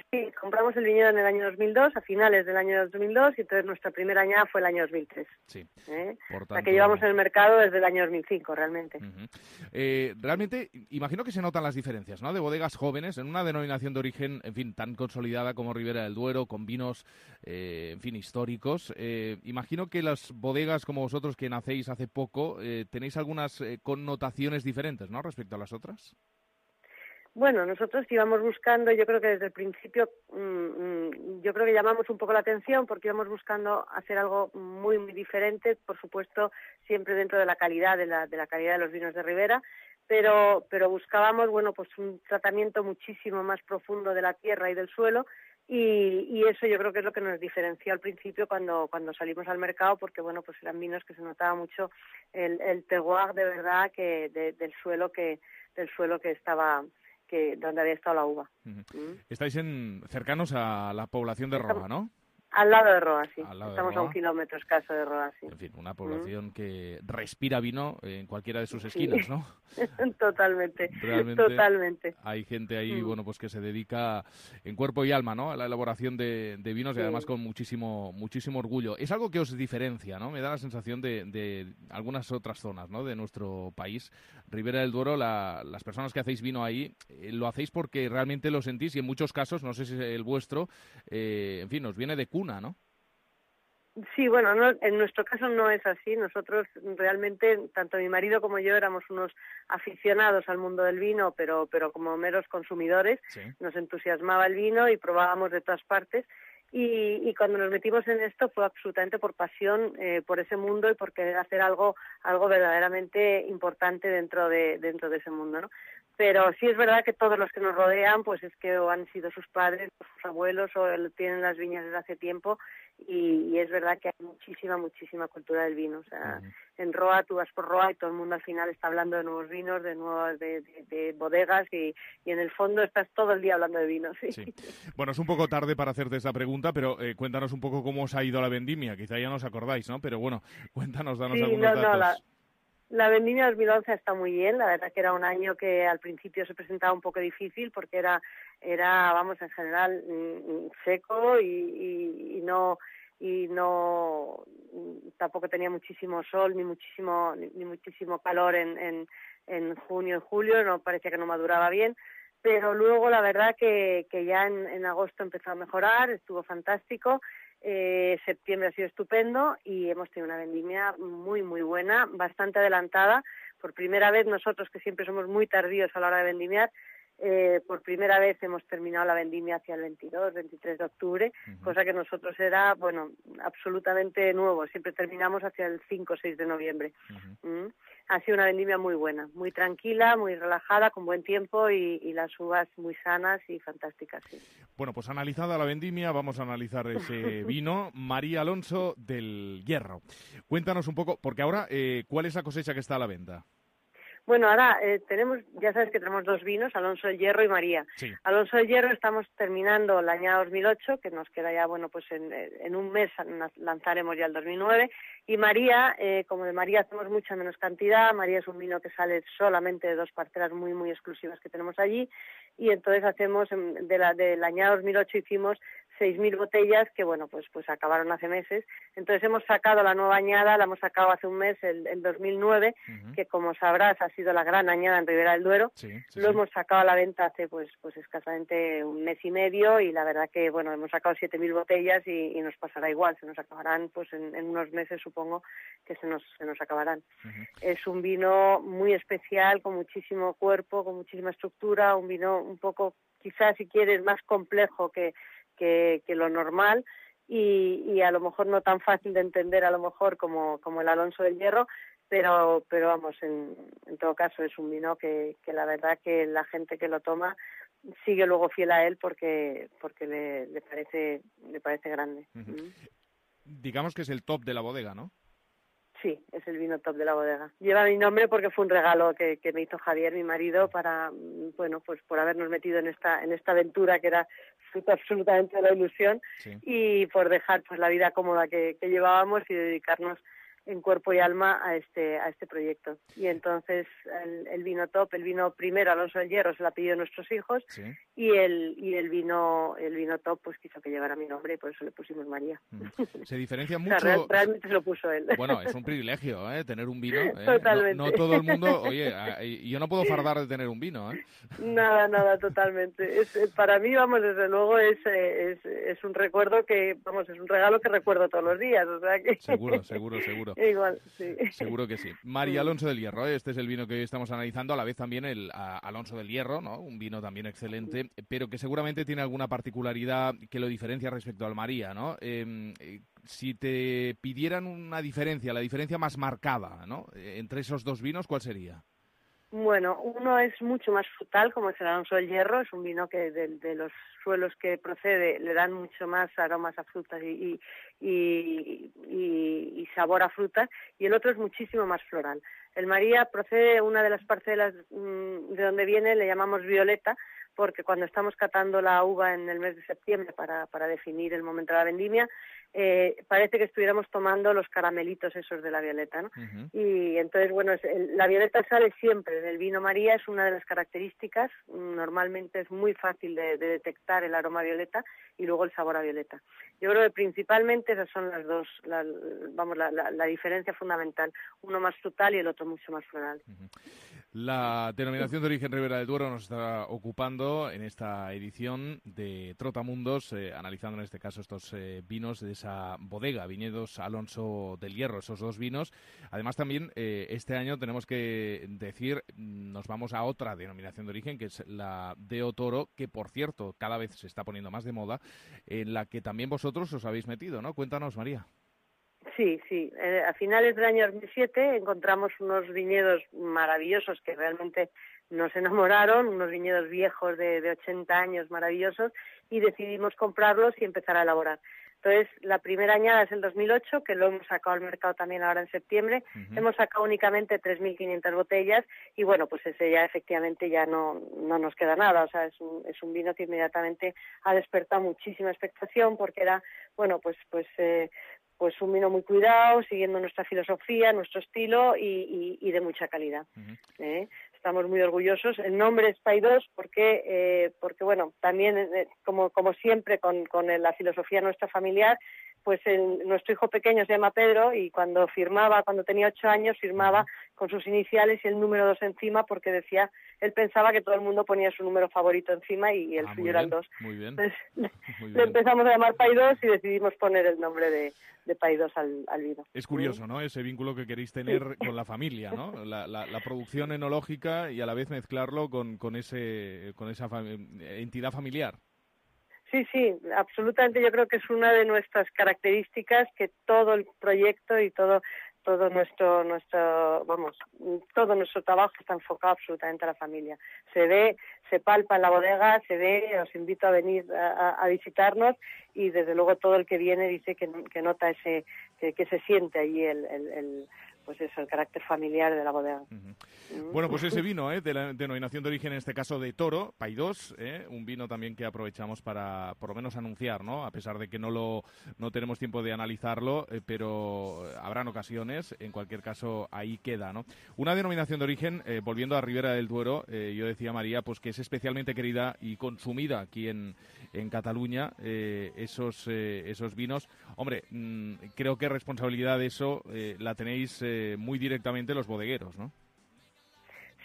Sí, compramos el viñedo en el año dos mil dos, a finales del año dos mil dos, y entonces nuestra primera añada fue el año dos mil tres. Sí. ¿Eh? Por tanto... La que llevamos en el mercado desde el año dos mil cinco, realmente. Uh-huh. Eh, realmente, imagino que se notan las diferencias, ¿no? De bodegas jóvenes en una denominación de origen, en fin, tan consolidada como Ribera del Duero, con vinos, eh, en fin, históricos. Eh, imagino que las bodegas como vosotros, que nacéis hace poco, eh, tenéis algunas eh, connotaciones diferentes, ¿no? Respecto a las otras. Bueno, nosotros íbamos buscando, yo creo que desde el principio, mmm, yo creo que llamamos un poco la atención porque íbamos buscando hacer algo muy, muy diferente, por supuesto, siempre dentro de la calidad, de la, de la calidad de los vinos de Ribera, pero, pero buscábamos, bueno, pues un tratamiento muchísimo más profundo de la tierra y del suelo y, y eso yo creo que es lo que nos diferenció al principio cuando, cuando salimos al mercado porque, bueno, pues eran vinos que se notaba mucho el, el terroir de verdad que de, del suelo que, del suelo que estaba que donde había estado la uva. Uh-huh. ¿Mm? Estáis en, cercanos a la población de Roa, ¿no? Al lado de Roa, sí. Al lado de Estamos Roa. a un kilómetro escaso de Roa, sí. En fin, una población mm. que respira vino en cualquiera de sus esquinas, sí. ¿no? Totalmente, Realmente totalmente. Hay gente ahí, mm. bueno, pues que se dedica en cuerpo y alma, ¿no?, a la elaboración de, de vinos sí. y además con muchísimo muchísimo orgullo. Es algo que os diferencia, ¿no? Me da la sensación de, de algunas otras zonas, ¿no?, de nuestro país. Ribera del Duero, la, las personas que hacéis vino ahí, eh, lo hacéis porque realmente lo sentís y en muchos casos, no sé si es el vuestro, eh, en fin, os viene de cuna, ¿no? Sí, bueno, no, en nuestro caso no es así. Nosotros realmente, tanto mi marido como yo, éramos unos aficionados al mundo del vino, pero, pero como meros consumidores. Sí. Nos entusiasmaba el vino y probábamos de todas partes. Y, y cuando nos metimos en esto fue absolutamente por pasión eh, por ese mundo y por querer hacer algo algo verdaderamente importante dentro de dentro de ese mundo, ¿no? Pero sí es verdad que todos los que nos rodean, pues es que o han sido sus padres, o sus abuelos, o tienen las viñas desde hace tiempo, y, y es verdad que hay muchísima, muchísima cultura del vino. O sea, uh-huh. en Roa, tú vas por Roa y todo el mundo al final está hablando de nuevos vinos, de nuevas de, de, de bodegas, y, y en el fondo estás todo el día hablando de vino, sí. sí. Bueno, es un poco tarde para hacerte esta pregunta, pero eh, cuéntanos un poco cómo os ha ido la vendimia. Quizá ya no os acordáis, ¿no? Pero bueno, cuéntanos, danos sí, algunos no, datos. No, la... La vendimia dos mil once está muy bien, la verdad que era un año que al principio se presentaba un poco difícil porque era, era vamos, en general mm, seco y, y, y no y no tampoco tenía muchísimo sol ni muchísimo ni, ni muchísimo calor en, en, en junio y julio, no parecía que no maduraba bien, pero luego la verdad que, que ya en, en agosto empezó a mejorar, estuvo fantástico. Eh, septiembre ha sido estupendo y hemos tenido una vendimia muy, muy buena, bastante adelantada. Por primera vez nosotros, que siempre somos muy tardíos a la hora de vendimiar, eh, por primera vez hemos terminado la vendimia hacia el veintidós, veintitrés de octubre, uh-huh. cosa que nosotros era, bueno, absolutamente nuevo. Siempre terminamos hacia el cinco o seis de noviembre. Uh-huh. ¿Mm? Ha sido una vendimia muy buena, muy tranquila, muy relajada, con buen tiempo y, y las uvas muy sanas y fantásticas. Sí. Bueno, pues analizada la vendimia, vamos a analizar ese vino. María Alonso del Hierro. Cuéntanos un poco, porque ahora, eh, ¿cuál es la cosecha que está a la venta? Bueno, ahora eh, tenemos, ya sabes que tenemos dos vinos, Alonso del Hierro y María. Sí. Alonso del Hierro estamos terminando la añada dos mil ocho, que nos queda ya, bueno, pues en, en un mes lanzaremos ya el dos mil nueve. Y María, eh, como de María hacemos mucha menos cantidad, María es un vino que sale solamente de dos parcelas muy, muy exclusivas que tenemos allí. Y entonces hacemos, de la, de la añada dos mil ocho hicimos seis mil botellas que, bueno, pues pues acabaron hace meses. Entonces hemos sacado la nueva añada, la hemos sacado hace un mes, el, el dos mil nueve, uh-huh. que como sabrás ha sido la gran añada en Ribera del Duero. Sí, sí, Lo sí. hemos sacado a la venta hace pues pues escasamente un mes y medio y la verdad que, bueno, hemos sacado siete mil botellas y, y nos pasará igual, se nos acabarán pues en, en unos meses, supongo que se nos, se nos acabarán. Uh-huh. Es un vino muy especial, con muchísimo cuerpo, con muchísima estructura, un vino un poco, quizás si quieres, más complejo que Que, que lo normal y, y a lo mejor no tan fácil de entender a lo mejor como, como el Alonso del Hierro, pero pero vamos, en, en todo caso es un vino que, que la verdad que la gente que lo toma sigue luego fiel a él porque porque le, le parece le parece grande. Uh-huh. ¿Mm? Digamos que es el top de la bodega, ¿no? Sí, es el vino top de la bodega. Lleva mi nombre porque fue un regalo que, que me hizo Javier, mi marido, para, bueno, pues por habernos metido en esta en esta aventura que era fruto absolutamente de la ilusión, sí. Y por dejar pues la vida cómoda que, que llevábamos y dedicarnos en cuerpo y alma a este a este proyecto. Y entonces el, el vino top, el vino primero Alonso del Hierro se lo ha pedido a nuestros hijos, sí. y el y el vino el vino top pues quiso que llevara mi nombre y por eso le pusimos María. Mm. Se diferencia mucho. O sea, real, realmente se lo puso él. Bueno, es un privilegio, ¿eh? Tener un vino. ¿eh? Totalmente. No, no todo el mundo, oye, yo no puedo fardar de tener un vino, ¿eh? Nada, nada, totalmente. Es, para mí, vamos, desde luego es, es es un recuerdo que, vamos, es un regalo que recuerdo todos los días, o sea que. Seguro, seguro, seguro. Igual, sí. Seguro que sí. María Alonso del Hierro, este es el vino que hoy estamos analizando, a la vez también el a, Alonso del Hierro, ¿no? Un vino también excelente, pero que seguramente tiene alguna particularidad que lo diferencia respecto al María, ¿no? Eh, eh, si te pidieran una diferencia, la diferencia más marcada, ¿no? Entre esos dos vinos, ¿cuál sería? Bueno, uno es mucho más frutal, como es el Alonso del Hierro, es un vino que de, de los suelos que procede le dan mucho más aromas a frutas y, y, y, y, y sabor a frutas, y el otro es muchísimo más floral. El María procede de una de las parcelas mmm, de donde viene, le llamamos Violeta, porque cuando estamos catando la uva en el mes de septiembre para, para definir el momento de la vendimia, eh, parece que estuviéramos tomando los caramelitos esos de la violeta, ¿no? Uh-huh. Y entonces, bueno, es, el, la violeta sale siempre del vino María, es una de las características, normalmente es muy fácil de, de detectar el aroma violeta y luego el sabor a violeta. Yo creo que principalmente esas son las dos, la, vamos, la, la, la diferencia fundamental, uno más frutal y el otro mucho más floral. Uh-huh. La denominación de origen Ribera del Duero nos está ocupando en esta edición de Trotamundos, eh, analizando en este caso estos eh, vinos de esa bodega, Viñedos Alonso del Hierro, esos dos vinos. Además también eh, este año tenemos que decir, nos vamos a otra denominación de origen, que es la Deo Toro, que por cierto cada vez se está poniendo más de moda, en la que también vosotros os habéis metido, ¿no? Cuéntanos, María. Sí, sí. Eh, a finales del año dos mil siete encontramos unos viñedos maravillosos que realmente nos enamoraron, unos viñedos viejos de, de ochenta años maravillosos, y decidimos comprarlos y empezar a elaborar. Entonces, la primera añada es el dos mil ocho, que lo hemos sacado al mercado también ahora en septiembre. Uh-huh. Hemos sacado únicamente tres mil quinientas botellas y, bueno, pues ese ya efectivamente ya no, no nos queda nada. O sea, es un, es un vino que inmediatamente ha despertado muchísima expectación porque era, bueno, pues pues eh, pues un vino muy cuidado, siguiendo nuestra filosofía, nuestro estilo y, y, y de mucha calidad. Uh-huh. ¿Eh? Estamos muy orgullosos. El nombre es Paidós porque, eh, porque bueno, también, eh, como, como siempre, con, con la filosofía nuestra familiar, pues el, nuestro hijo pequeño se llama Pedro y cuando firmaba, cuando tenía ocho años, firmaba con sus iniciales y el número dos encima porque decía, él pensaba que todo el mundo ponía su número favorito encima y el ah, suyo era el dos. Muy bien. Entonces, muy le bien. empezamos a llamar Paidós y decidimos poner el nombre de, de Paidós al, al vino. Es curioso, ¿no? Ese vínculo que queréis tener sí. con la familia, ¿no? La, la, la producción enológica y a la vez mezclarlo con, con, ese, con esa fam- entidad familiar. Sí, sí, absolutamente. Yo creo que es una de nuestras características que todo el proyecto y todo todo nuestro nuestro vamos todo nuestro trabajo está enfocado absolutamente a la familia. Se ve, se palpa en la bodega, se ve. Os invito a venir a, a visitarnos y desde luego todo el que viene dice que, que nota ese que, que se siente allí el, el, el pues eso, el carácter familiar de la bodega. Uh-huh. Bueno, pues ese vino, ¿eh? de la denominación de origen, en este caso de Toro, Paidós, ¿eh? un vino también que aprovechamos para, por lo menos, anunciar, ¿no? A pesar de que no lo no tenemos tiempo de analizarlo, eh, pero habrán ocasiones, en cualquier caso, ahí queda, ¿no? Una denominación de origen, eh, volviendo a Ribera del Duero, eh, yo decía, María, pues que es especialmente querida y consumida aquí en, en Cataluña, eh, esos, eh, esos vinos. Hombre, mmm, creo que responsabilidad de eso eh, la tenéis eh, muy directamente los bodegueros, ¿no?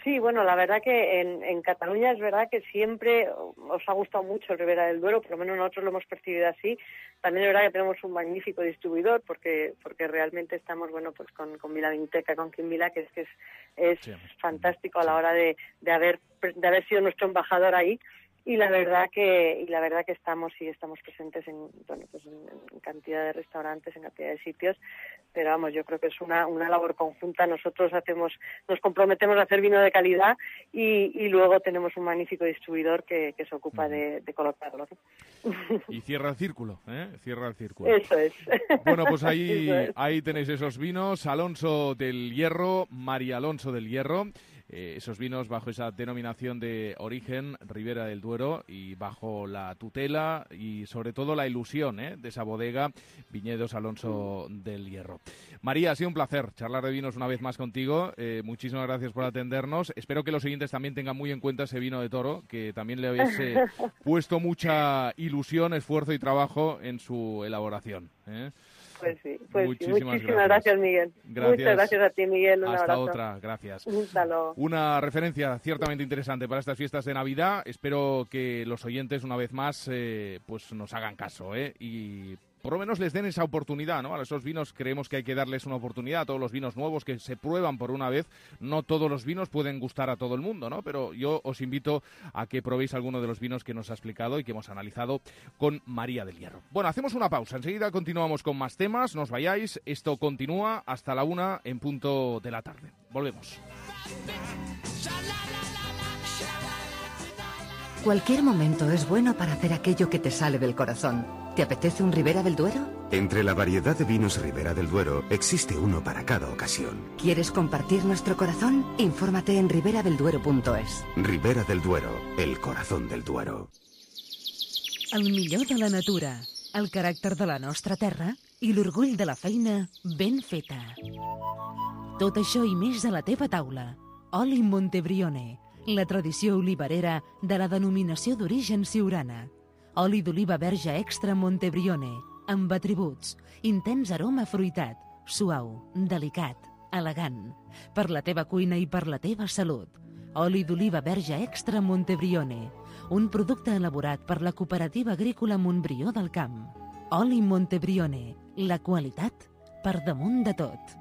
Sí, bueno, la verdad que en, en Cataluña es verdad que siempre os ha gustado mucho el Ribera del Duero, por lo menos nosotros lo hemos percibido así. También es verdad que tenemos un magnífico distribuidor porque porque realmente estamos, bueno, pues con, con Vilavinoteca, con Quimvila, que es que es, es sí, fantástico a la hora de, de haber de haber sido nuestro embajador ahí. Y la verdad que y la verdad que estamos y estamos presentes en bueno pues en, en cantidad de restaurantes, en cantidad de sitios, pero vamos, yo creo que es una una labor conjunta. Nosotros hacemos nos comprometemos a hacer vino de calidad y, y luego tenemos un magnífico distribuidor que, que se ocupa uh-huh. de, de colocarlo, ¿no? Y cierra el círculo, ¿eh? Cierra el círculo. Eso es. Bueno, pues ahí es. ahí tenéis esos vinos, Alonso del Hierro, María Alonso del Hierro. Eh, esos vinos bajo esa denominación de origen Ribera del Duero y bajo la tutela y sobre todo la ilusión ¿eh? de esa bodega Viñedos Alonso del Hierro. María, ha sido un placer charlar de vinos una vez más contigo. Eh, muchísimas gracias por atendernos. Espero que los siguientes también tengan muy en cuenta ese vino de Toro, que también le habéis eh, puesto mucha ilusión, esfuerzo y trabajo en su elaboración. ¿eh? Pues sí, pues muchísimas, sí. Muchísimas gracias, gracias Miguel. Gracias. Muchas gracias a ti, Miguel. Un Hasta abrazo. otra, gracias. Un saludo. Una referencia ciertamente interesante para estas fiestas de Navidad. Espero que los oyentes, una vez más, eh, pues nos hagan caso, ¿eh? Y por lo menos les den esa oportunidad, ¿no? A esos vinos creemos que hay que darles una oportunidad, a todos los vinos nuevos que se prueban por una vez. No todos los vinos pueden gustar a todo el mundo, ¿no? Pero yo os invito a que probéis alguno de los vinos que nos ha explicado y que hemos analizado con María del Hierro. Bueno, hacemos una pausa. Enseguida continuamos con más temas. No os vayáis. Esto continúa hasta la una en punto de la tarde. Volvemos. Cualquier momento es bueno para hacer aquello que te sale del corazón. ¿Te apetece un Ribera del Duero? Entre la variedad de vinos Ribera del Duero existe uno para cada ocasión. ¿Quieres compartir nuestro corazón? Infórmate en ribera del duero punto es. Ribera del Duero, el corazón del Duero. El millor de la natura, el caràcter de la nostra terra i l'orgull de la feina ben feta. Tot això i més a la teva taula. Oli Montebrione, la tradició olivarera de la denominació d'origen siurana. Oli d'oliva verge extra Montebrione, amb atributs, intens aroma fruitat, suau, delicat, elegant, per la teva cuina i per la teva salut. Oli d'oliva verge extra Montebrione, un producte elaborat per la Cooperativa Agrícola Montbrió del Camp. Oli Montebrione, la qualitat per damunt de tot.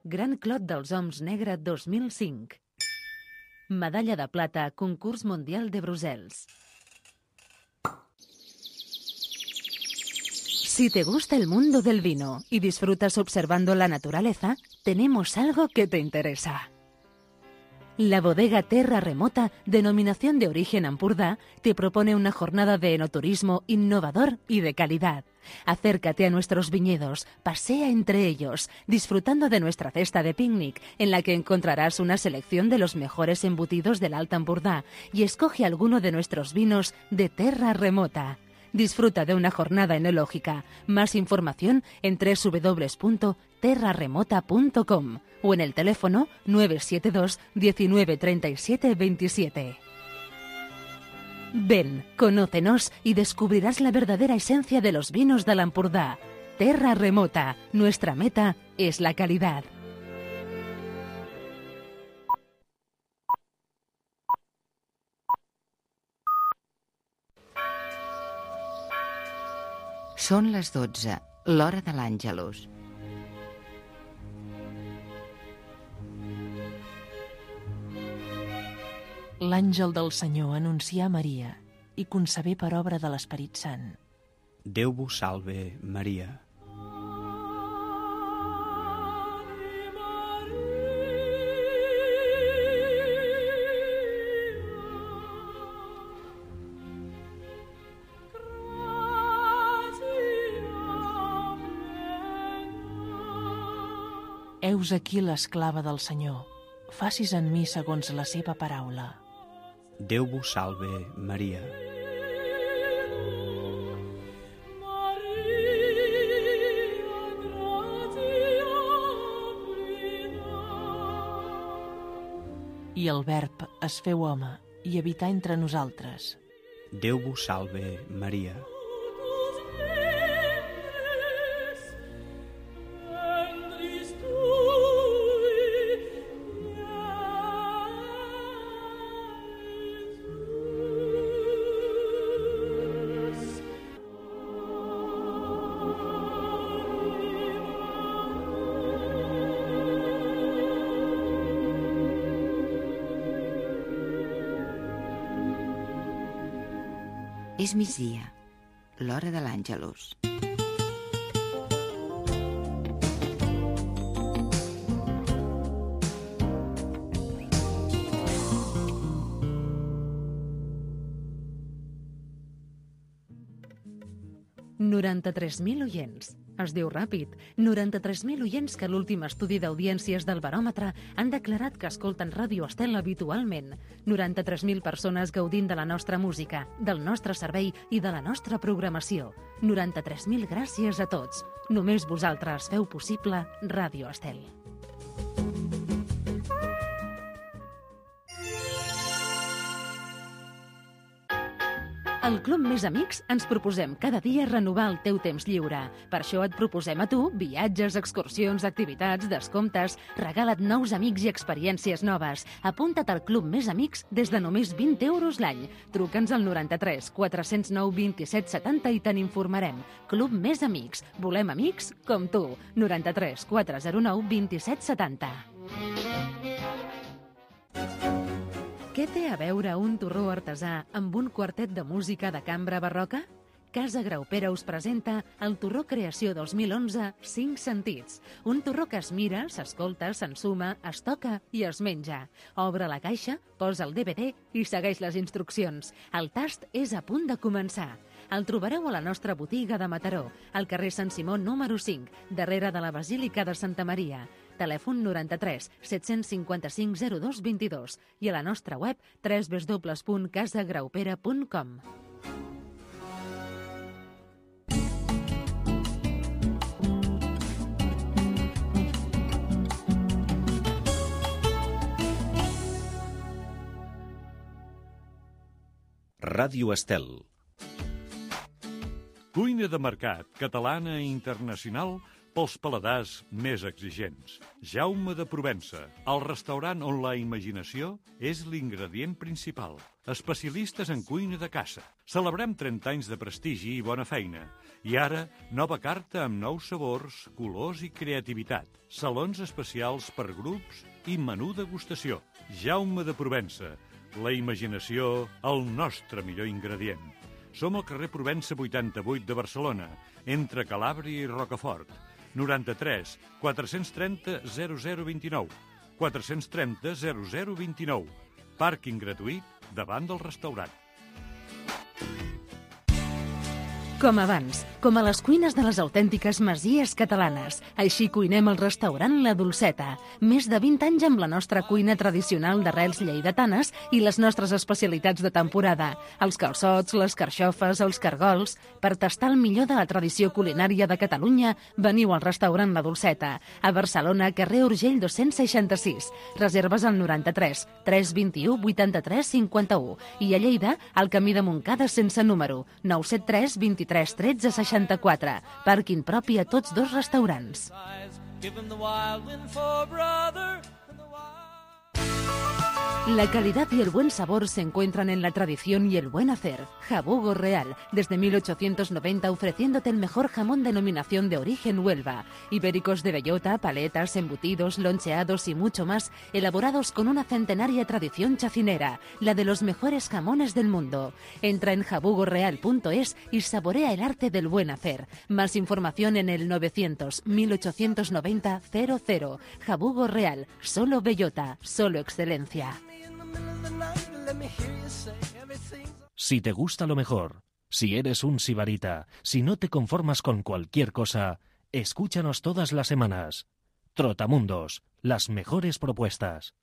Gran Clot dels Oms Negre dos mil cinc. Medalla de plata, concurs mundial de Brussels. Si te gusta el mundo del vino y disfrutas observando la naturaleza, tenemos algo que te interesa. La bodega Terra Remota, denominación de origen Ampurdá, te propone una jornada de enoturismo innovador y de calidad. Acércate a nuestros viñedos, pasea entre ellos, disfrutando de nuestra cesta de picnic, en la que encontrarás una selección de los mejores embutidos del Alta Ampurdá, y escoge alguno de nuestros vinos de Terra Remota. Disfruta de una jornada enológica. Más información en doble u doble u doble u punto terra remota punto com o en el teléfono nueve siete dos diecinueve treinta y siete veintisiete. Ven, conócenos y descubrirás la verdadera esencia de los vinos del Ampurdá. Terra Remota, nuestra meta es la calidad. Són les dotze, l'hora de l'Àngelus. L'àngel del Senyor anuncià a Maria i concebé per obra de l'Esperit Sant. Déu vos salve, Maria. Heus aquí l'esclava del Senyor. Facis en mi segons la seva paraula. Déu vos salve, Maria. I el Verb es feu home i habità entre nosaltres. Déu vos salve, Maria. És migdia, l'hora de l'Àngelus. noranta-tres mil oients. Es diu ràpid. noranta-tres mil oients que a l'últim estudi d'audiències del baròmetre han declarat que escolten Ràdio Estel habitualment. noranta-tres mil persones gaudint de la nostra música, del nostre servei i de la nostra programació. noranta-tres mil gràcies a tots. Només vosaltres feu possible Ràdio Estel. Al Club Més Amics ens proposem cada dia renovar el teu temps lliure. Per això et proposem a tu viatges, excursions, activitats, descomptes. Regala't nous amics i experiències noves. Apunta't al Club Més Amics des de només vint euros l'any. Truca'ns al noranta-tres quatre zero nou vint-i-set setanta i te n'informarem. Club Més Amics. Volem amics com tu. noranta-tres quatre zero nou vint-i-set setanta. Què té a veure un torró artesà amb un quartet de música de cambra barroca? Casa Graupera us presenta el Torró Creació dos mil onze Cinc Sentits. Un torró que es mira, s'escolta, s'ensuma, es toca i es menja. Obre la caixa, posa el D V D i segueix les instruccions. El tast és a punt de començar. El trobareu a la nostra botiga de Mataró, al carrer Sant Simó número cinc, darrere de la Basílica de Santa Maria. Telèfon noranta-tres set-cents cinquanta-cinc zero dos vint-i-dos i a la nostra web w w w punt casa graupera punt com. Ràdio Estel. Cuina de mercat, catalana i internacional, pels paladars més exigents. Jaume de Provença, el restaurant on la imaginació és l'ingredient principal. Especialistes en cuina de caça. Celebrem trenta anys de prestigi i bona feina. I ara, nova carta amb nous sabors, colors i creativitat. Salons especials per grups i menú degustació. Jaume de Provença, la imaginació, el nostre millor ingredient. Som al carrer Provença vuitanta-vuit de Barcelona, entre Calàbria i Rocafort. noranta-tres quatre-cents trenta zero zero vint-i-nou. quatre-cents trenta zero zero vint-i-nou. Pàrquing gratuït davant del restaurant. Com abans, com a les cuines de les autèntiques masies catalanes. Així cuinem al restaurant La Dolceta. Més de vint anys amb la nostra cuina tradicional d'arrels lleidatanes i les nostres especialitats de temporada. Els calçots, les carxofes, els cargols. Per tastar el millor de la tradició culinària de Catalunya, veniu al restaurant La Dolceta. A Barcelona, carrer Urgell dos-cents seixanta-sis. Reserves al noranta-tres tres vint-i-u vuitanta-tres cinquanta-u. I a Lleida, al camí de Montcada sense número, nou set tres vint-i-tres tretze seixanta-quatre. Pàrquing propi a tots dos restaurants. La calidad y el buen sabor se encuentran en la tradición y el buen hacer. Jabugo Real, desde mil ochocientos noventa ofreciéndote el mejor jamón denominación de origen Huelva. Ibéricos de bellota, paletas, embutidos, loncheados y mucho más, elaborados con una centenaria tradición chacinera, la de los mejores jamones del mundo. Entra en jabugo real punto es y saborea el arte del buen hacer. Más información en el novecientos mil ochocientos noventa cero cero. Jabugo Real, solo bellota, solo excelencia. Si te gusta lo mejor, si eres un sibarita, si no te conformas con cualquier cosa, escúchanos todas las semanas. Trotamundos, las mejores propuestas.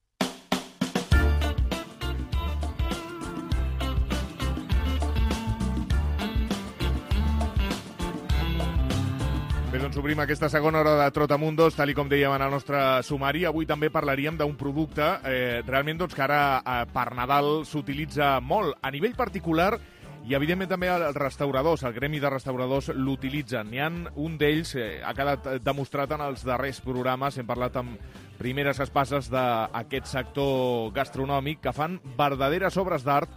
Bé, doncs obrim aquesta segona hora de Trotamundos, tal i com dèiem en el nostre sumari. Avui també parlaríem d'un producte eh, realment doncs, que ara eh, per Nadal s'utilitza molt. A nivell particular, i evidentment també els restauradors, el gremi de restauradors l'utilitzen. N'hi ha un d'ells, eh, ha quedat demostrat en els darrers programes, hem parlat amb primeres espases d'aquest sector gastronòmic, que fan verdaderes obres d'art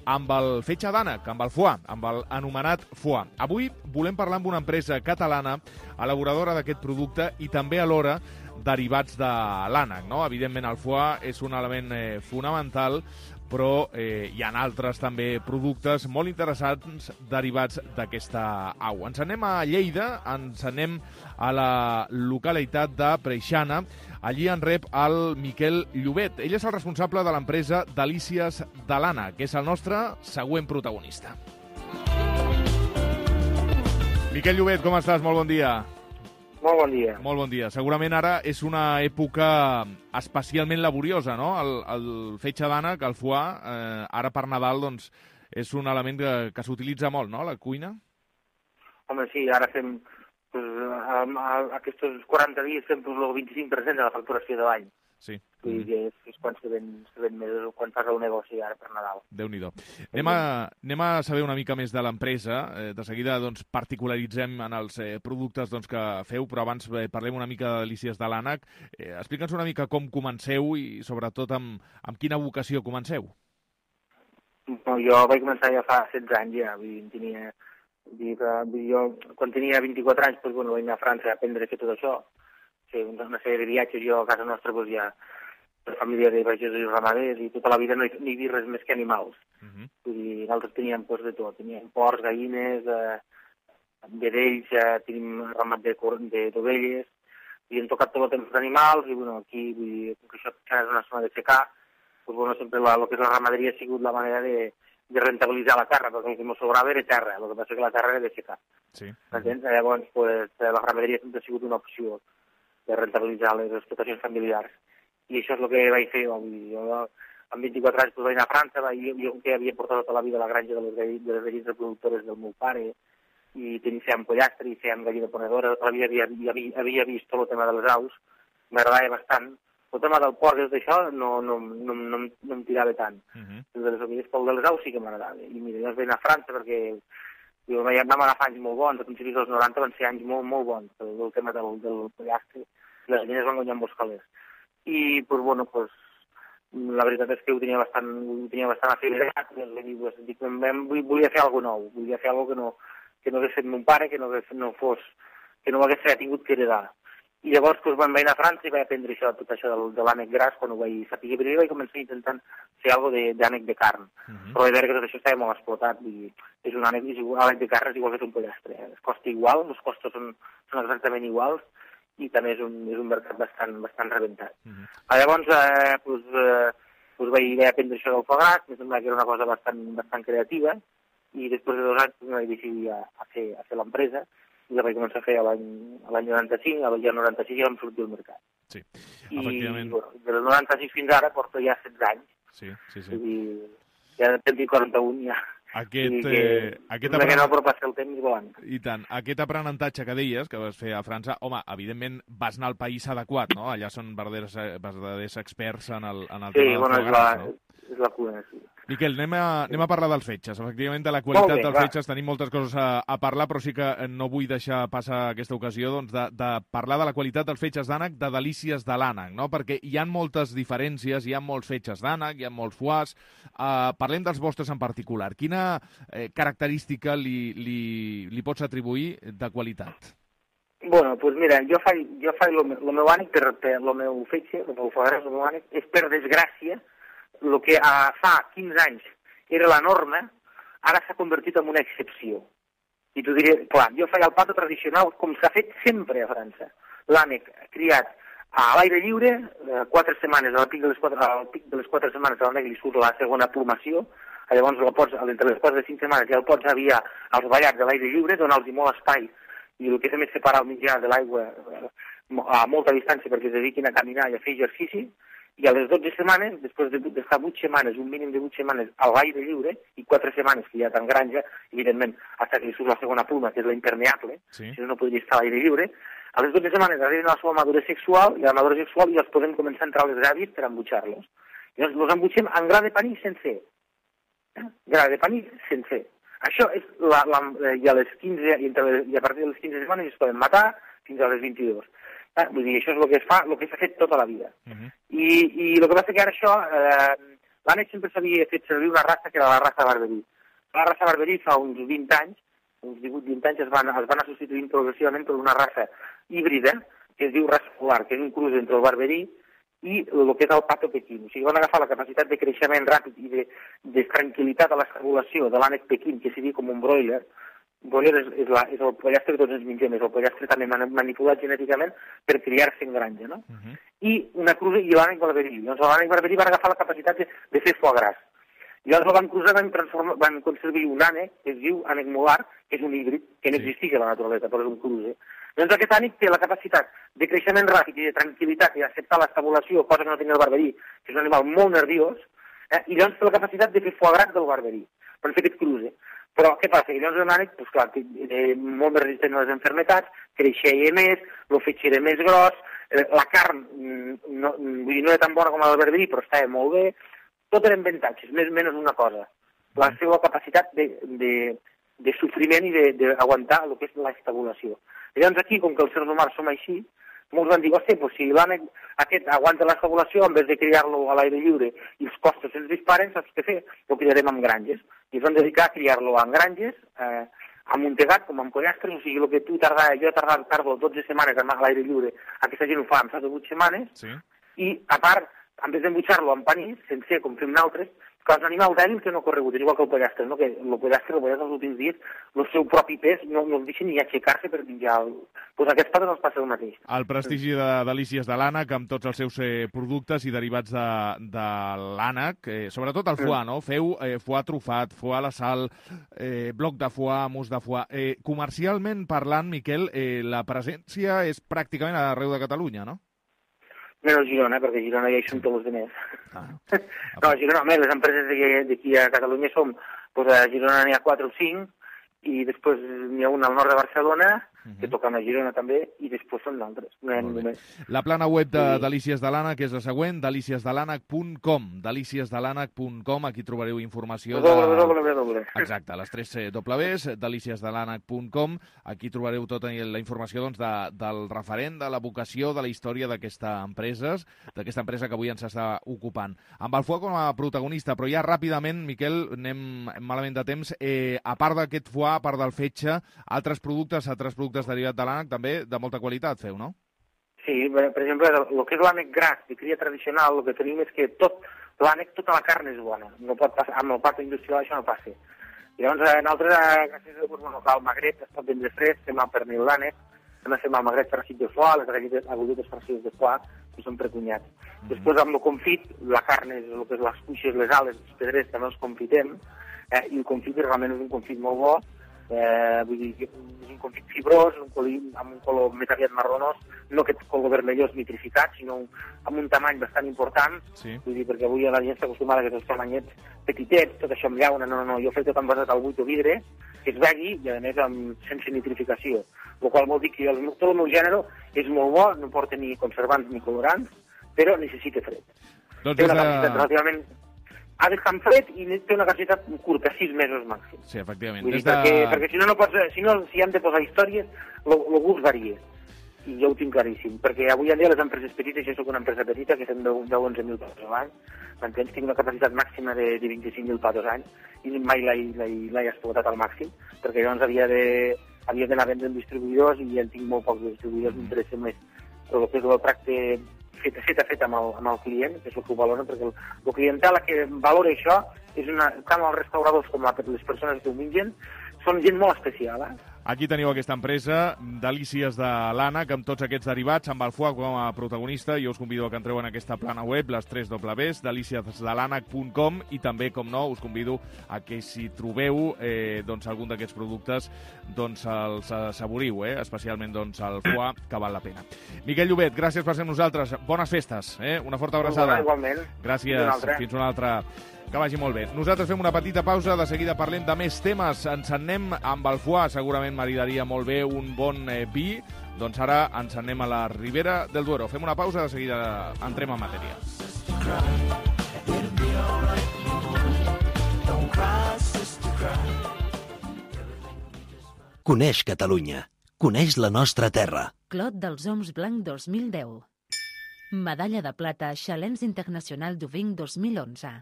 amb el fetge d'ànec, amb el foie, amb el anomenat foie. Avui volem parlar amb una empresa catalana, elaboradora d'aquest producte i també alhora derivats de l'ànec, no? Evidentment el foie és un element eh, fonamental, però eh, hi ha altres també productes molt interessants derivats d'aquesta au. Ens anem a Lleida, ens anem a la localitat de Preixana. Allí en rep el Miquel Llobet. Ell és el responsable de l'empresa Delícies de l'Ànec, que és el nostre següent protagonista. Miquel Llobet, com estàs? Molt bon dia. Molt bon dia. Molt bon dia. Segurament ara és una època especialment laboriosa, no? El, el fetge d'ànec, el foie, eh, ara per Nadal, doncs, és un element que, que s'utilitza molt, no?, a la cuina. Home, sí, ara fem, pues, a, a, a aquests quaranta dies fem pues, el vint-i-cinc per cent de la facturació de l'any. Sí. I mm. és, és quan se ven, se ven més, quan fas el negoci ara per Nadal. Déu-n'hi-do. Anem, a, anem a saber una mica més de l'empresa. Eh, de seguida doncs, particularitzem en els eh, productes doncs, que feu, però abans eh, parlem una mica de Delícies de l'Ànec. Eh, Explica'ns una mica com comenceu i sobretot amb, amb quina vocació comenceu. No, jo vaig començar ja fa setze anys, ja. Vull dir, tenia, vull dir, jo, quan tenia vint-i-quatre anys, doncs, bueno, vaig anar a França a aprendre a fer tot això. Sí, una sèrie de viatges, jo a casa nostra doncs, ja, de família de pagesos i ramaders, i tota la vida no hi, no hi havia res més que animals. Uh -huh. Vull dir, nosaltres teníem pues, de tot, teníem porcs, gallines, eh, vedells, eh, tenim ramat d'ovelles, i hem tocat tot el temps d'animals, i bueno, aquí, vull dir, com que això és una zona de secà, pues, bueno, sempre la, el que és la ramaderia ha sigut la manera de, de rentabilitzar la terra, perquè el que ens sobrava era terra, el que passa que la terra era de secà. Sí. Entens? Llavors, pues, la ramaderia sempre ha sigut una opció de rentabilitzar les explotacions familiars. I això és el que vaig fer. Vull dir, jo, amb vint-i-quatre anys pues, vaig anar a França, vaig, jo, jo que havia portat tota la vida a la granja de les, de les gallines reproductores del meu pare, i tenia, fèiem pollastre i fèiem gallina ponedora, tota la vida havia, havia, havia vist tot el tema de les aus, m'agradava bastant. El tema del porc i d'això no, no, no, no, no em tirava tant. Uh -huh. El de les ovelles, pel de les aus sí que m'agradava. I mira, jo vaig anar a França perquè jo vam agafar anys molt bons, a principis dels noranta van ser anys molt, molt bons, el, el tema del, del pollastre, les gallines van guanyar molts calés. I, pues, bueno, pues, la veritat és que ho tenia bastant, ho tenia bastant afiliat, i pues, dic, volia fer alguna cosa nou, volia fer alguna cosa que no, que no hagués fet mon pare, que no, hagués, no fos, que no m'hagués tingut que heredar. I llavors doncs, vaig anar a França i vaig aprendre això, tot això de, de l'ànec gras quan ho vaig saber. Primer vaig començar intentant fer alguna cosa d'ànec de, de carn, uh -huh. però vaig veure que tot això estava molt explotat. I és un ànec, és igual, ànec de carn és igual que és un pollastre. Es costa igual, els costos són, són exactament iguals i també és un, és un mercat bastant, bastant rebentat. Uh -huh. Llavors eh, doncs, eh, doncs vaig, vaig aprendre això del foie gras, em sembla que era una cosa bastant, bastant creativa, i després de dos anys doncs, vaig decidir a, a fer, a fer l'empresa, i la vaig començar a fer l'any noranta-cinc, a l'any noranta-sis ja vam sortir al mercat. Sí, I efectivament. Bueno, del noranta-sis fins ara porto ja setze anys. Sí, sí, sí. I ja tinc quaranta-un ja. Aquest, que, eh, aquest apren... que no, però passa el temps volant. I tant. Aquest aprenentatge que deies, que vas fer a França, home, evidentment vas anar al país adequat, no? Allà són verdaders, verdaders experts en el, en el sí, tema bueno, del foie gras, no? És la cuna, sí. Miquel, anem a, anem a parlar dels fetges. Efectivament, de la qualitat bé, dels va. fetges tenim moltes coses a, a parlar, però sí que no vull deixar passar aquesta ocasió doncs, de, de parlar de la qualitat dels fetges d'ànec, de delícies de l'ànec, no? Perquè hi ha moltes diferències, hi ha molts fetges d'ànec, hi ha molts foies. Uh, parlem dels vostres en particular. Quina eh, característica li, li, li pots atribuir de qualitat? Bueno, doncs pues mira, jo faig, jo faig el meu ànec, per, per el meu fetge, el meu foie gras, el meu ànec, és per desgràcia, el que uh, fa quinze anys era la norma, ara s'ha convertit en una excepció. I t'ho diré, clar, jo faig el pato tradicional com s'ha fet sempre a França. L'ànec criat a l'aire lliure, eh, quatre setmanes, al pic de les quatre, al pic de les quatre setmanes a l'ànec li surt la segona plumació, llavors el pots, entre les quatre de cinc setmanes ja el pots aviar als ballats de l'aire lliure, donar-los molt espai, i el que fem és separar el mitjà de l'aigua a molta distància perquè es dediquin a caminar i a fer exercici, i a les dotze setmanes, després d'estar vuit setmanes, un mínim de vuit setmanes a l'aire lliure, i quatre setmanes que ja està en granja, evidentment, fins que li surt la segona pluma, que és la impermeable, sí. Si no, no podria estar a l'aire lliure, a les dotze setmanes arriben a la seva maduresa sexual, i a la maduresa sexual ja els podem començar a entrar a les gàbies per embutxar-los. Llavors, els embutxem en gra de panís sencer. Eh? Gra de panís sencer. Això és, la, la, i, a les quinze, i, entre, i a partir de les quinze setmanes es poden matar fins a les vint-i-dues. Eh? Vull dir, això és el que es fa, el que s'ha fet tota la vida. Uh -huh. I, I el que passa que ara això, eh, l'ànec sempre s'havia fet servir una raça que era la raça barberí. La raça barberí fa uns vint anys, uns divuit vint anys, es van, es van anar substituint progressivament per una raça híbrida, que es diu raça polar, que és un cruz entre el barberí i el que és el pato pequín. O sigui, van agafar la capacitat de creixement ràpid i de, de tranquil·litat a l'estabulació de l'ànec pequín, que seria com un broiler. Broiler és, és, la, és el pollastre que tots ens mengem, és el pollastre també manipulat genèticament per criar-se en granja, no? Uh -huh. I una cruza i l'ànec barberí. Llavors l'ànec barberí van agafar la capacitat de, de fer foie gras. I llavors van cruzar, van, van conservar un ànec que es diu ànec molar, que és un híbrid, que no sí. existeix a la naturalesa, però és un cruze. Doncs aquest ànec té la capacitat de creixement ràpid i de tranquil·litat i d'acceptar l'estabulació, cosa que no tenia el barberí, que és un animal molt nerviós, eh? I llavors té la capacitat de fer foie gras del barberí, per fer aquest cruze. Però què passa? Que llavors l'ànec, doncs clar, és molt més resistent a les enfermetats, creixia més, el fetge era més gros, la carn no, vull dir, no era tan bona com la del barberí, però estava molt bé. Tot eren avantatges, més o menys una cosa. La seva capacitat de, de, de sofriment i d'aguantar el que és l'estabulació. Llavors aquí, com que els seres humans som així, molts van dir, hòstia, doncs si l'ànec aquest aguanta l'estabulació, en vez de criar-lo a l'aire lliure i els costos se'ns disparen, saps què fer? Lo criarem en granges. I es van dedicar a criar-lo en granges, eh, amuntegat, com en pollastres, o sigui, el que tu tardava, jo tardava, tardo dotze setmanes a l'aire lliure, aquesta gent ho fa en fa de vuit setmanes, sí. I a part en vez d'embutxar-lo en panís, sencer, com fem nosaltres, que és un animal dèbil que no ha corregut, igual que el pollastre, no? Que el pollastre, el pollastre els últims dies, el seu propi pes no, no el deixen ni aixecar-se per menjar. El... Pues aquests patres els passa el mateix. El prestigi de Delícies de l'ànec, amb tots els seus eh, productes i derivats de, de l'ànec, eh, sobretot el foie, no? Feu eh, foie trufat, foie a la sal, eh, bloc de foie, mus de foie. Eh, comercialment parlant, Miquel, eh, la presència és pràcticament arreu de Catalunya, no? Menys a Girona, perquè a Girona ja hi són tots els diners. Ah. No, a Girona, més, les empreses d'aquí a Catalunya som, doncs a Girona n'hi ha quatre o cinc, i després n'hi ha una al nord de Barcelona, uh-huh. que toquen a Girona també, i després són d'altres. No només. La plana web de sí. Delícies de l'ànec és la següent, delícies de l'ànec punt com. delícies de l'ànec punt com, aquí trobareu informació de... Exacte, les tres Ws, delícies de l'ànec punt com, aquí trobareu tota la informació doncs, de, del referent, de la vocació, de la història d'aquesta empresa, d'aquesta empresa que avui ens està ocupant. Amb el foie com a protagonista, però ja ràpidament, Miquel, anem malament de temps, eh, a part d'aquest foie, a part del fetge, altres productes, altres productes derivats de l'ànec, també de molta qualitat feu, no? Sí, per exemple, el que és l'ànec gras de cria tradicional, el que tenim és que tot l'ànec, tota la carn és bona. No pot passar, amb el part industrial això no passa. I llavors, nosaltres, gràcies a bueno, el magret es pot vendre fresc, fem el pernil d'ànec, també fem el magret farcit de foie, les galletes agulletes farcides de foie, que són precunyats. Mm-hmm. Després, amb el confit, la carn, és el que és les cuixes, les ales, els pedrers, també els confitem, eh, i el confit realment és un confit molt bo. Eh, vull dir, és un confit fibrós, un colí, amb un color més aviat marronós, no aquest color vermellós nitrificat, sinó un, amb un tamany bastant important, sí. Vull dir, perquè avui la gent està acostumada a aquests tamanyets petitets, tot això amb llauna, no, no, no, jo he fet tot envasat al buit o vidre, que es vegui, i a més amb, sense nitrificació, el qual vol dir que el, tot el meu gènere és molt bo, no porta ni conservants ni colorants, però necessita fred. Doncs té una capacitat relativament... ha d'estar en fred i té una capacitat curta, sis mesos màxim. Sí, efectivament. Vull dir, Des de... perquè, perquè si no, no pots, si no, si hem de posar històries, el gust varia. I jo ho tinc claríssim. Perquè avui en dia les empreses petites, jo soc una empresa petita, que fem deu a onze mil patos l'any, m'entens? Tinc una capacitat màxima de, de vint-i-cinc mil patos l'any, i mai l'he explotat al màxim, perquè llavors havia de havia d'anar a vendre en distribuïdors, i ja en tinc molt pocs distribuïdors, m'interessa més el que és el tracte fet, fet a fet amb el, amb el client, que és el que ho valora, perquè el, el clientel que valora això és una, tant els restauradors com les persones que ho mengen, són gent molt especial, eh? Aquí teniu aquesta empresa, Delícies de l'ànec, amb tots aquests derivats, amb el foie com a protagonista. Jo us convido a que entreu en aquesta plana web, les tres Ws, delícies de l'ànec punt com, i també, com no, us convido a que si trobeu eh, doncs, algun d'aquests productes, doncs els assaboriu, eh? Especialment doncs, el foie, que val la pena. Miquel Llobet, gràcies per ser amb nosaltres. Bones festes, eh? Una forta abraçada. Igualment. Gràcies. Fins una altra. Que vagi molt bé. Nosaltres fem una petita pausa, de seguida parlem de més temes. Ens anem amb el foie, segurament maridaria molt bé un bon eh, vi. Doncs ara ens anem a la Ribera del Duero. Fem una pausa, de seguida entrem en matèria. Coneix Catalunya. Coneix la nostra terra. Clot dels Oms Blanc dos mil deu. Medalla de plata Challenge Internacional du Vin dos mil onze.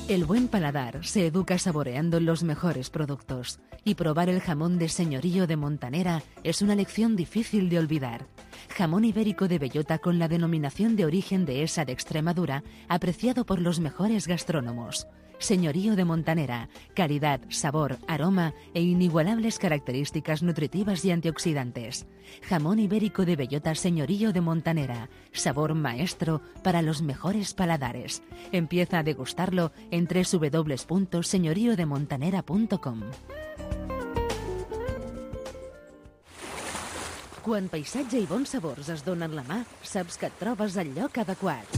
El buen paladar se educa saboreando los mejores productos, y probar el jamón de señorío de Montanera es una lección difícil de olvidar. Jamón ibérico de bellota con la denominación de origen de esa de Extremadura, apreciado por los mejores gastrónomos. Señorío de Montanera, calidad, sabor, aroma e inigualables características nutritivas y antioxidantes. Jamón ibérico de bellota Señorío de Montanera, sabor maestro para los mejores paladares. Empieza a degustarlo en doble u doble u doble u punto señorío de montanera punto com. Quan paisatge i bons sabors es donen la mà, saps que et trobes al lloc adequat.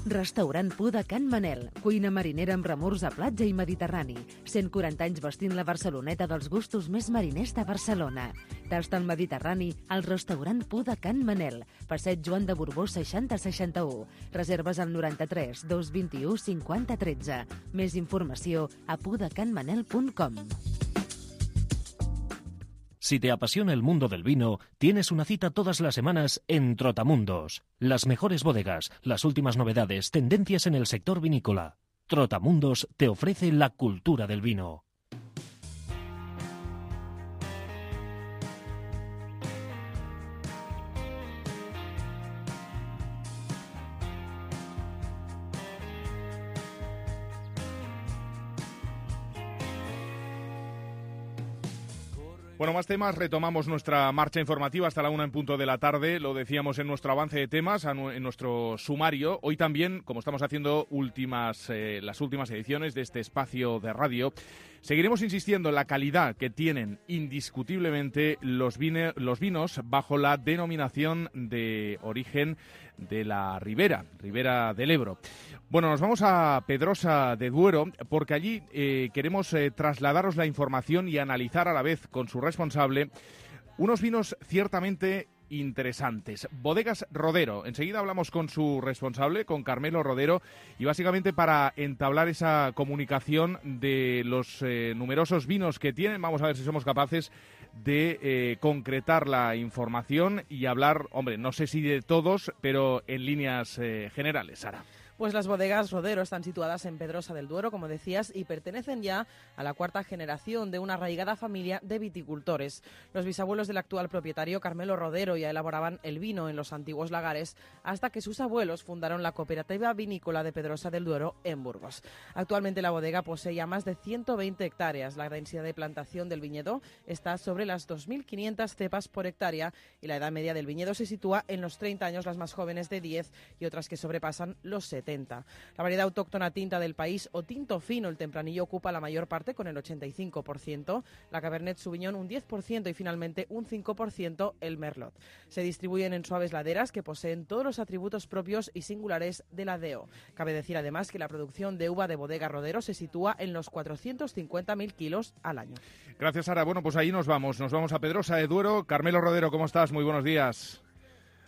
Restaurant Pu de Can Manel, cuina marinera amb remors a platja i mediterrani. cent quaranta anys vestint la Barceloneta dels gustos més mariners de Barcelona. Tasta el Mediterrani al restaurant Pu de Can Manel, passeig Joan de Borbó seixanta seixanta-u. Reserves al noranta-tres dos vint-i-u cinquanta tretze. Més informació a pu de can manel punt com. Si te apasiona el mundo del vino, tienes una cita todas las semanas en Trotamundos. Las mejores bodegas, las últimas novedades, tendencias en el sector vinícola. Trotamundos te ofrece la cultura del vino. Bueno, más temas. Retomamos nuestra marcha informativa hasta la una en punto de la tarde. Lo decíamos en nuestro avance de temas, en nuestro sumario. Hoy también, como estamos haciendo últimas, eh, las últimas ediciones de este espacio de radio, seguiremos insistiendo en la calidad que tienen indiscutiblemente los, vine, los vinos bajo la denominación de origen de la Ribera, Ribera del Ebro. Bueno, nos vamos a Pedrosa de Duero porque allí eh, queremos eh, trasladaros la información y analizar a la vez con su responsable unos vinos ciertamente interesantes. Bodegas Rodero. Enseguida hablamos con su responsable, con Carmelo Rodero, y básicamente para entablar esa comunicación de los eh, numerosos vinos que tienen, vamos a ver si somos capaces de eh, concretar la información y hablar, hombre, no sé si de todos, pero en líneas eh, generales, Sara. Pues las bodegas Rodero están situadas en Pedrosa del Duero, como decías, y pertenecen ya a la cuarta generación de una arraigada familia de viticultores. Los bisabuelos del actual propietario, Carmelo Rodero, ya elaboraban el vino en los antiguos lagares hasta que sus abuelos fundaron la cooperativa vinícola de Pedrosa del Duero en Burgos. Actualmente la bodega posee ya más de ciento veinte hectáreas. La densidad de plantación del viñedo está sobre las dos mil quinientas cepas por hectárea y la edad media del viñedo se sitúa en los treinta años, las más jóvenes de diez y otras que sobrepasan los setenta. La variedad autóctona tinta del país o tinto fino, el tempranillo, ocupa la mayor parte con el ochenta y cinco por ciento, la Cabernet Sauvignon un diez por ciento y finalmente un cinco por ciento el Merlot. Se distribuyen en suaves laderas que poseen todos los atributos propios y singulares de la D E O. Cabe decir además que la producción de uva de Bodega Rodero se sitúa en los cuatrocientos cincuenta mil kilos al año. Gracias, Sara. Bueno, pues ahí nos vamos. Nos vamos a Pedrosa de Duero. Carmelo Rodero, ¿cómo estás? Muy buenos días.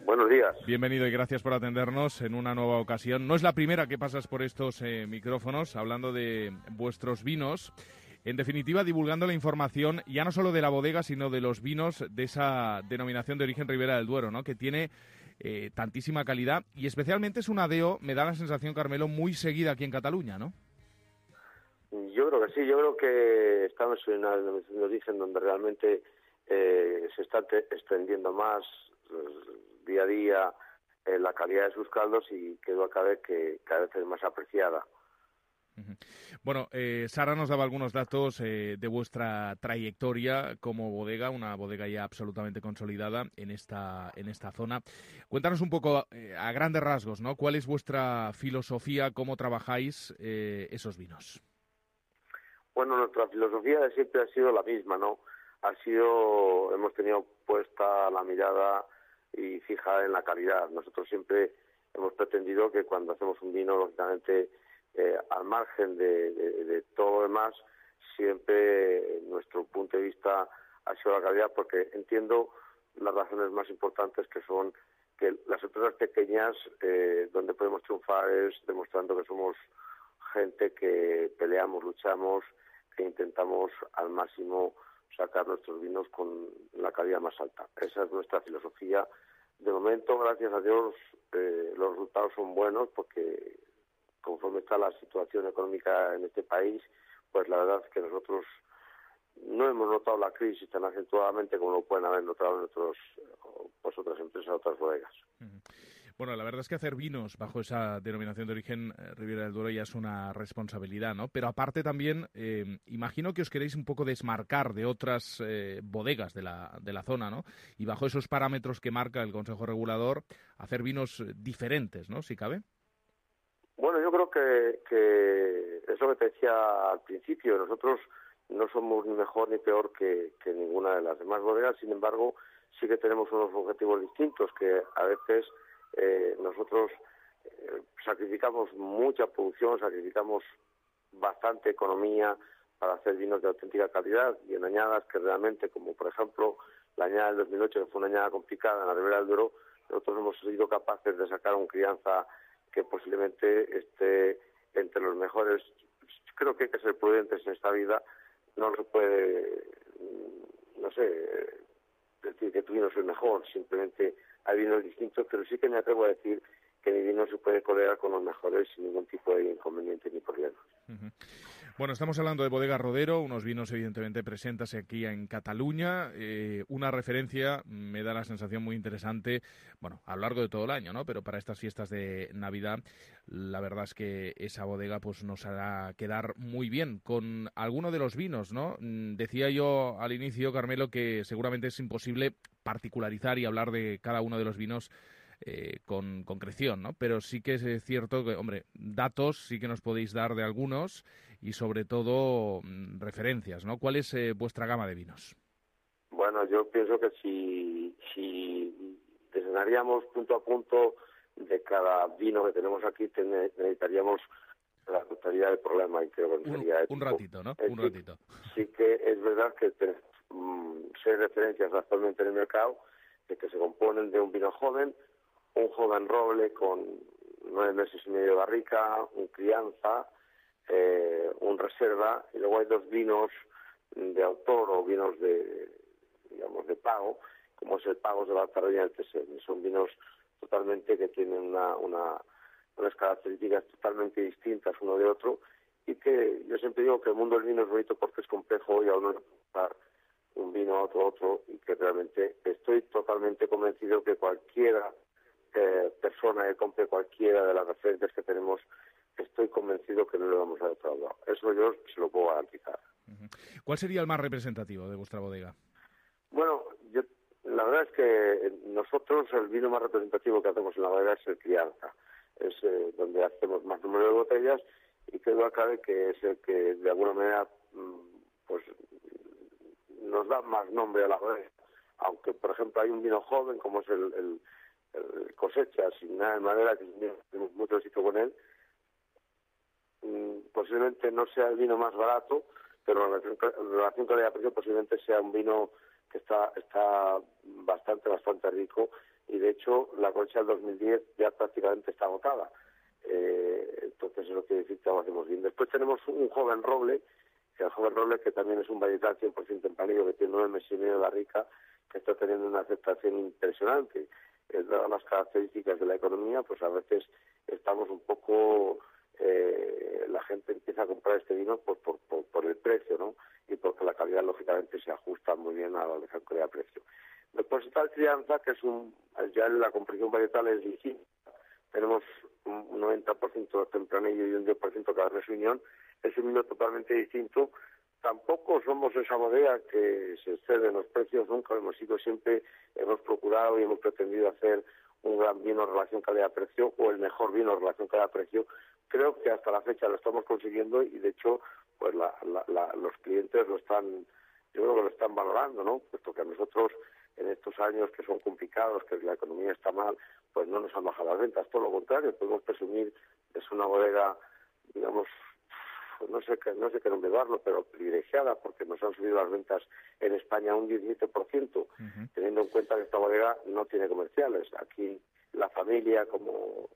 Buenos días. Bienvenido y gracias por atendernos en una nueva ocasión. No es la primera que pasas por estos eh, micrófonos hablando de vuestros vinos. En definitiva, divulgando la información ya no solo de la bodega, sino de los vinos de esa denominación de origen Ribera del Duero, ¿no? Que tiene eh, tantísima calidad y especialmente es una D E O, me da la sensación, Carmelo, muy seguida aquí en Cataluña, ¿no? Yo creo que sí, yo creo que estamos en una denominación de origen donde realmente eh, se está te- extendiendo más eh, día a día eh, la calidad de sus caldos y que duda cabe que cada vez es más apreciada. Bueno, eh, Sara nos daba algunos datos eh, de vuestra trayectoria como bodega, una bodega ya absolutamente consolidada en esta en esta zona. Cuéntanos un poco eh, a grandes rasgos, ¿no? ¿Cuál es vuestra filosofía, cómo trabajáis eh, esos vinos? Bueno, nuestra filosofía siempre ha sido la misma, ¿no? Ha sido, hemos tenido puesta la mirada y fija en la calidad. Nosotros siempre hemos pretendido que cuando hacemos un vino, lógicamente, eh, al margen de, de, de todo lo demás, siempre nuestro punto de vista ha sido la calidad, porque entiendo las razones más importantes, que son que las empresas pequeñas eh, donde podemos triunfar es demostrando que somos gente que peleamos, luchamos, que intentamos al máximo sacar nuestros vinos con la calidad más alta. Esa es nuestra filosofía. De momento, gracias a Dios, eh, los resultados son buenos porque conforme está la situación económica en este país, pues la verdad es que nosotros no hemos notado la crisis tan acentuadamente como lo pueden haber notado en otros, pues otras empresas, otras bodegas. Bueno, la verdad es que hacer vinos bajo esa denominación de origen eh, Ribera del Duero ya es una responsabilidad, ¿no? Pero aparte también, eh, imagino que os queréis un poco desmarcar de otras eh, bodegas de la, de la zona, ¿no? Y bajo esos parámetros que marca el Consejo Regulador, hacer vinos diferentes, ¿no? Si cabe. Bueno, yo creo que, que es lo que te decía al principio. Nosotros no somos ni mejor ni peor que, que ninguna de las demás bodegas. Sin embargo, sí que tenemos unos objetivos distintos que a veces eh, nosotros eh, sacrificamos mucha producción, sacrificamos bastante economía para hacer vinos de auténtica calidad y en añadas que realmente, como por ejemplo la añada del dos mil ocho, que fue una añada complicada en la Ribera del Duero, nosotros hemos sido capaces de sacar un crianza que posiblemente esté entre los mejores. Creo que hay que ser prudentes en esta vida. No se puede, no sé, decir que tu vino es el mejor. Simplemente hay vinos distintos, pero sí que me atrevo a decir que mi vino se puede codear con los mejores sin ningún tipo de inconveniente ni problema. Uh-huh. Bueno, estamos hablando de Bodega Rodero, unos vinos evidentemente presentes aquí en Cataluña, eh, una referencia, me da la sensación muy interesante, bueno, a lo largo de todo el año, ¿no? Pero para estas fiestas de Navidad, la verdad es que esa bodega pues nos hará quedar muy bien con alguno de los vinos, ¿no? Decía yo al inicio, Carmelo, que seguramente es imposible particularizar y hablar de cada uno de los vinos Eh, con concreción, ¿no? Pero sí que es cierto que, hombre, datos sí que nos podéis dar de algunos y sobre todo mmm, referencias, ¿no? ¿Cuál es eh, vuestra gama de vinos? Bueno, yo pienso que si, si desgranaríamos punto a punto de cada vino que tenemos aquí, ten, necesitaríamos la totalidad del problema y creo que un, sería ético. Un ratito, ¿no? Es un sí, ratito. Sí que es verdad que tenemos mmm, seis referencias actualmente en el mercado de que se componen de un vino joven, un joven roble con nueve meses y medio de barrica, un crianza, eh, un reserva, y luego hay dos vinos de autor o vinos de, digamos, de pago, como es el Pagos de Baltarroya y el Tesén. Son vinos totalmente que tienen una, una, unas características totalmente distintas uno de otro, y que yo siempre digo que el mundo del vino es bonito porque es complejo y a uno le puede dar un vino a otro a otro, y que realmente estoy totalmente convencido que cualquiera Eh, persona que compre cualquiera de las referencias que tenemos, estoy convencido que no le vamos a defraudar. Eso yo se lo puedo garantizar. Uh-huh. ¿Cuál sería el más representativo de vuestra bodega? Bueno, yo, la verdad es que nosotros el vino más representativo que hacemos en la bodega es el crianza. Es eh, donde hacemos más número de botellas y que duda cabe que es el que de alguna manera pues nos da más nombre a la bodega. Aunque, por ejemplo, hay un vino joven como es el, el Cosecha, sin nada de madera, que tenemos mucho éxito con él, mm, posiblemente no sea el vino más barato, pero en relación calidad-precio posiblemente sea un vino que está está bastante, bastante rico, y de hecho la cosecha del dos mil diez ya prácticamente está agotada. Eh, entonces eso quiere decir que lo hacemos bien. Después tenemos un joven roble, que el joven roble que también es un varietal cien por ciento tempranillo, que tiene nueve meses y medio de barrica, que está teniendo una aceptación impresionante. Dadas las características de la economía, pues a veces estamos un poco, eh, la gente empieza a comprar este vino por, por, por, por el precio, ¿no? Y porque la calidad lógicamente se ajusta muy bien a la relación calidad-precio. Después está el crianza, que es un, ya la composición varietal es distinta. Tenemos un noventa por ciento tempranillo y un diez por ciento Cabernet Sauvignon. Es un vino totalmente distinto. Tampoco somos esa bodega que se excede en los precios, nunca lo hemos sido, siempre hemos procurado y hemos pretendido hacer un gran vino en relación calidad-precio o el mejor vino en relación calidad-precio. Creo que hasta la fecha lo estamos consiguiendo y de hecho pues la, la, la, los clientes lo están, yo creo que lo están valorando, ¿no? Puesto que a nosotros en estos años que son complicados, que la economía está mal, pues no nos han bajado las ventas, todo lo contrario, podemos presumir que es una bodega, digamos, no sé qué no sé qué nombre darlo, pero privilegiada, porque nos han subido las ventas en España un diecisiete por ciento, uh-huh. Teniendo en cuenta que esta bodega no tiene comerciales. Aquí la familia, como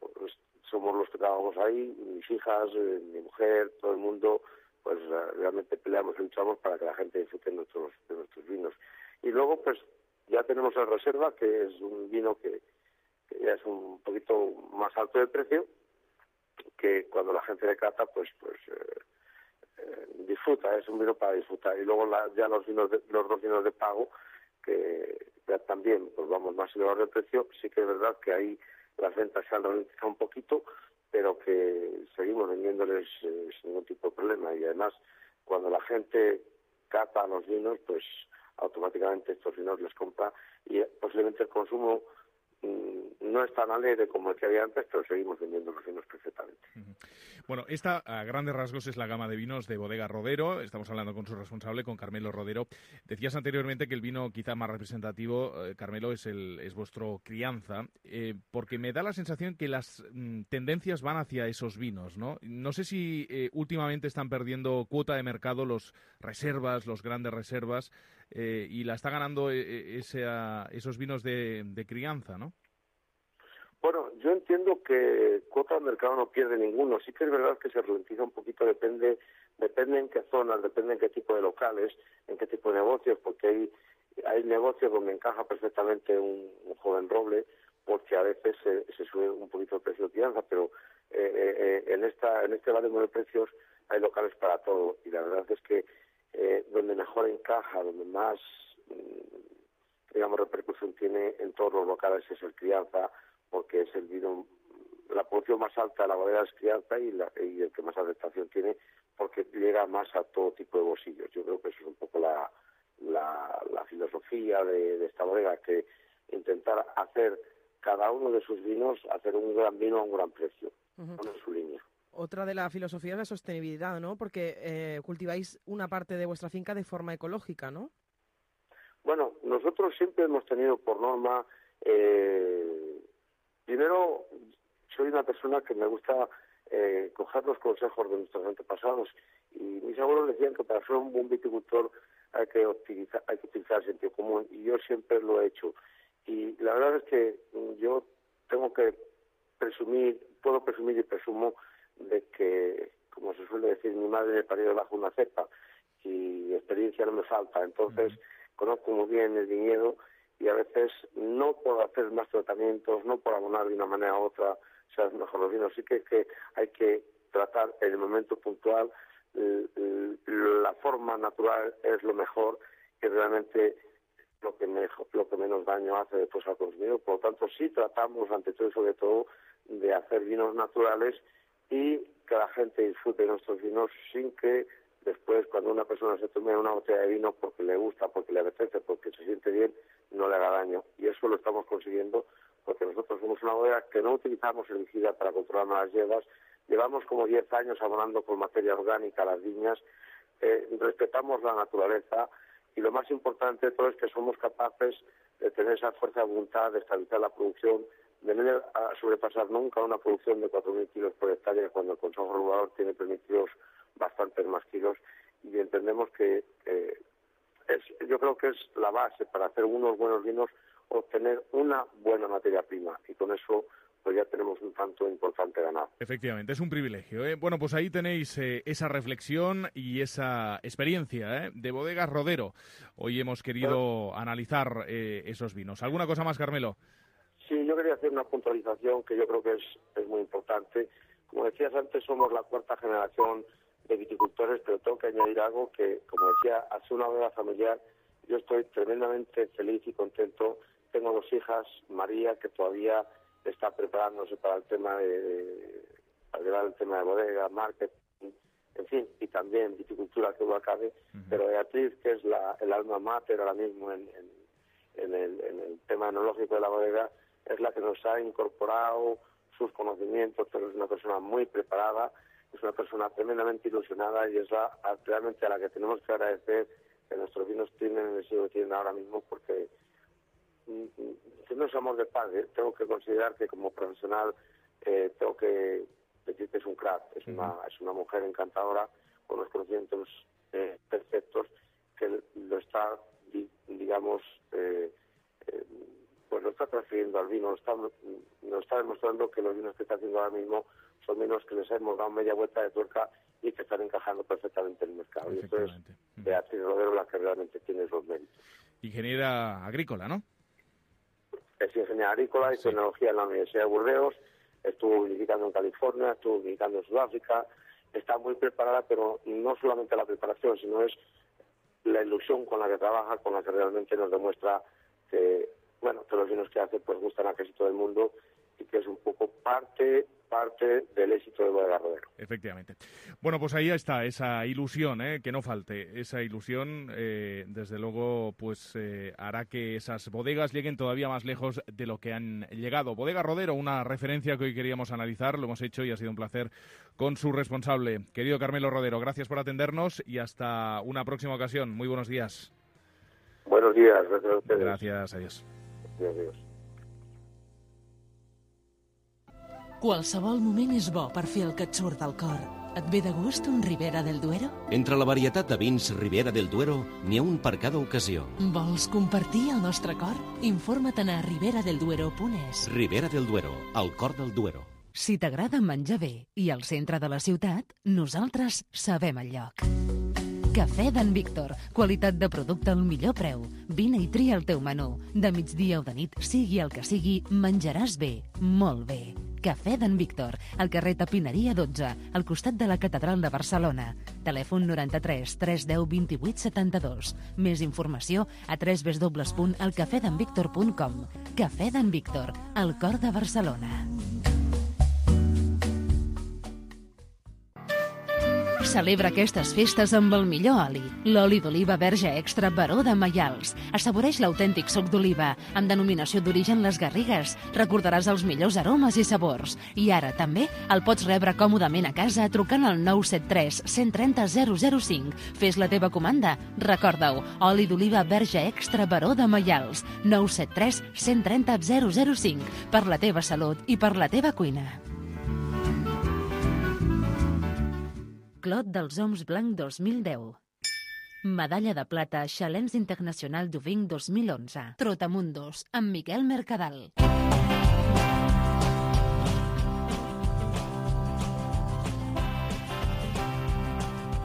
somos los que trabajamos ahí, mis hijas, eh, mi mujer, todo el mundo, pues realmente peleamos y luchamos para que la gente disfrute de nuestros, de nuestros vinos. Y luego, pues ya tenemos el Reserva, que es un vino que, que ya es un poquito más alto de precio, que cuando la gente le cata, pues pues eh, eh, disfruta, es un vino para disfrutar. Y luego la, ya los vinos de, los dos vinos de pago, que ya también, pues vamos, más elevados de precio. Sí que es verdad que ahí las ventas se han ralentizado un poquito, pero que seguimos vendiéndoles eh, sin ningún tipo de problema. Y además, cuando la gente cata los vinos, pues automáticamente estos vinos les compra y posiblemente el consumo no es tan alegre como el que había antes, pero seguimos vendiendo los vinos perfectamente. Uh-huh. Bueno, esta a grandes rasgos es la gama de vinos de Bodega Rodero. Estamos hablando con su responsable, con Carmelo Rodero. Decías anteriormente que el vino quizá más representativo, eh, Carmelo, es el es vuestro crianza, eh, porque me da la sensación que las mm, tendencias van hacia esos vinos, ¿no? No sé si eh, últimamente están perdiendo cuota de mercado los reservas, los grandes reservas, eh, y la está ganando eh, ese, uh, esos vinos de, de crianza, ¿no? Bueno, yo entiendo que cuota de mercado no pierde ninguno. Sí que es verdad que se ralentiza un poquito, depende depende en qué zonas, depende en qué tipo de locales, en qué tipo de negocios, porque hay hay negocios donde encaja perfectamente un, un joven roble, porque a veces se, se sube un poquito el precio de crianza, pero eh, eh, en esta en este baremo de precios hay locales para todo, y la verdad es que eh, donde mejor encaja, donde más, digamos, repercusión tiene en todos los locales es el crianza, porque es el vino, la producción más alta de la bodega es crianza y, la, y el que más aceptación tiene, porque llega más a todo tipo de bolsillos. Yo creo que eso es un poco la, la, la filosofía de, de esta bodega, que intentar hacer cada uno de sus vinos, hacer un gran vino a un gran precio, uh-huh. en su línea. Otra de la filosofía es la sostenibilidad, ¿no? Porque eh, cultiváis una parte de vuestra finca de forma ecológica, ¿no? Bueno, nosotros siempre hemos tenido por norma, eh, primero, soy una persona que me gusta eh, coger los consejos de nuestros antepasados, y mis abuelos decían que para ser un buen viticultor hay que utilizar, hay que utilizar el sentido común, y yo siempre lo he hecho. Y la verdad es que yo tengo que presumir, puedo presumir y presumo de que, como se suele decir, mi madre me parió bajo una cepa y experiencia no me falta. Entonces, uh-huh. conozco muy bien el viñedo, y a veces no por hacer más tratamientos, no por abonar de una manera u otra, sean mejor los vinos. Sí que, que hay que tratar en el momento puntual, la forma natural es lo mejor, que realmente lo que, mejor, lo que menos daño hace después al consumidor. Por lo tanto, sí tratamos, ante todo y sobre todo, de hacer vinos naturales y que la gente disfrute de nuestros vinos sin que después, cuando una persona se tome una botella de vino porque le gusta, porque le apetece, porque se siente bien, no le haga daño. Y eso lo estamos consiguiendo porque nosotros somos una bodega que no utilizamos herbicida para controlar las hierbas. Llevamos como diez años abonando con materia orgánica las viñas, eh, respetamos la naturaleza, y lo más importante de todo es que somos capaces de tener esa fuerza de voluntad, de estabilizar la producción, de no a sobrepasar nunca una producción de cuatro mil kilos por hectárea, cuando el Consejo Regulador tiene permitidos bastantes más kilos, y entendemos que eh, es, yo creo que es la base para hacer unos buenos vinos, obtener una buena materia prima, y con eso pues ya tenemos un tanto importante ganado. Efectivamente, es un privilegio, ¿eh? Bueno, pues ahí tenéis eh, esa reflexión y esa experiencia ¿eh? de Bodegas Rodero. Hoy hemos querido bueno, analizar eh, esos vinos. ¿Alguna cosa más, Carmelo? Sí, yo quería hacer una puntualización que yo creo que es, es muy importante. Como decías antes, somos la cuarta generación de viticultores, pero tengo que añadir algo que, como decía, hace una bodega familiar, yo estoy tremendamente feliz y contento. Tengo dos hijas, María, que todavía está preparándose para el tema de, para llevar el tema de bodega, marketing, en fin, y también viticultura, que lo acabe, uh-huh. pero Beatriz, que es la, el alma mater ahora mismo en, en, en, el, en el tema enológico de la bodega, es la que nos ha incorporado sus conocimientos, pero es una persona muy preparada, es una persona tremendamente ilusionada, y es la, realmente a la que tenemos que agradecer que nuestros vinos tienen el estilo que tienen ahora mismo, porque si no es amor de padre, tengo que considerar que como profesional eh, tengo que decir que es un crack, es uh-huh. una es una mujer encantadora, con los conocimientos eh, perfectos, que lo está, digamos, eh, eh, pues lo está transfiriendo al vino, nos está, nos está demostrando que los vinos que está haciendo ahora mismo son vinos que les hemos dado media vuelta de tuerca y que están encajando perfectamente en el mercado. Y esto es Beatriz Rodero la que realmente tiene esos méritos. Ingeniera agrícola, ¿no? Es ingeniera agrícola y sí. tecnología en la Universidad de Burdeos, estuvo vinificando en California, estuvo vinificando en Sudáfrica, está muy preparada, pero no solamente la preparación, sino es la ilusión con la que trabaja, con la que realmente nos demuestra que, bueno, que los vinos que hace pues gustan a casi todo el mundo, y que es un poco parte parte del éxito de Bodegas Rodero. Efectivamente. Bueno, pues ahí está esa ilusión, ¿eh? Que no falte. Esa ilusión, eh, desde luego, pues eh, hará que esas bodegas lleguen todavía más lejos de lo que han llegado. Bodegas Rodero, una referencia que hoy queríamos analizar, lo hemos hecho y ha sido un placer con su responsable. Querido Carmelo Rodero, gracias por atendernos y hasta una próxima ocasión. Muy buenos días. Buenos días. Gracias a ustedes. Gracias, adiós. Adiós, adiós. Qualsevol moment és bo per fer el que et surt del cor. Et ve de gust un Ribera del Duero? Entre la varietat de vins Ribera del Duero, n'hi ha un per cada ocasió. Vols compartir el nostre cor? Informa't a ribera del duero punt es. Ribera del Duero, el cor del Duero. Si t'agrada menjar bé i al centre de la ciutat, nosaltres sabem el lloc. Cafè d'en Víctor. Qualitat de producte al millor preu. Vine i tria el teu menú. De migdia o de nit, sigui el que sigui, menjaràs bé, molt bé. Cafè d'en Víctor, al carrer Tapineria dotze, al costat de la Catedral de Barcelona. Telèfon noranta-tres tres deu vint-i-vuit setanta-dos. Més informació a w w w punt el cafè d'en víctor punt com. Cafè d'en Víctor, al cor de Barcelona. Celebra aquestes festes amb el millor oli. L'oli d'oliva verge extra Baró de Maials. Assaboreix l'autèntic suc d'oliva, amb denominació d'origen Les Garrigues. Recordaràs els millors aromes i sabors. I ara també el pots rebre còmodament a casa trucant al nou set tres, cent trenta, zero zero cinc. Fes la teva comanda. Recorda-ho, oli d'oliva verge extra Baró de Maials. nou set tres, cent trenta, zero zero cinc. Per la teva salut i per la teva cuina. Clot dels Oms Blanc dos mil deu. Medalla de plata Challenge Internacional du Vin dos mil onze. Trotamundos, amb Miquel Mercadal.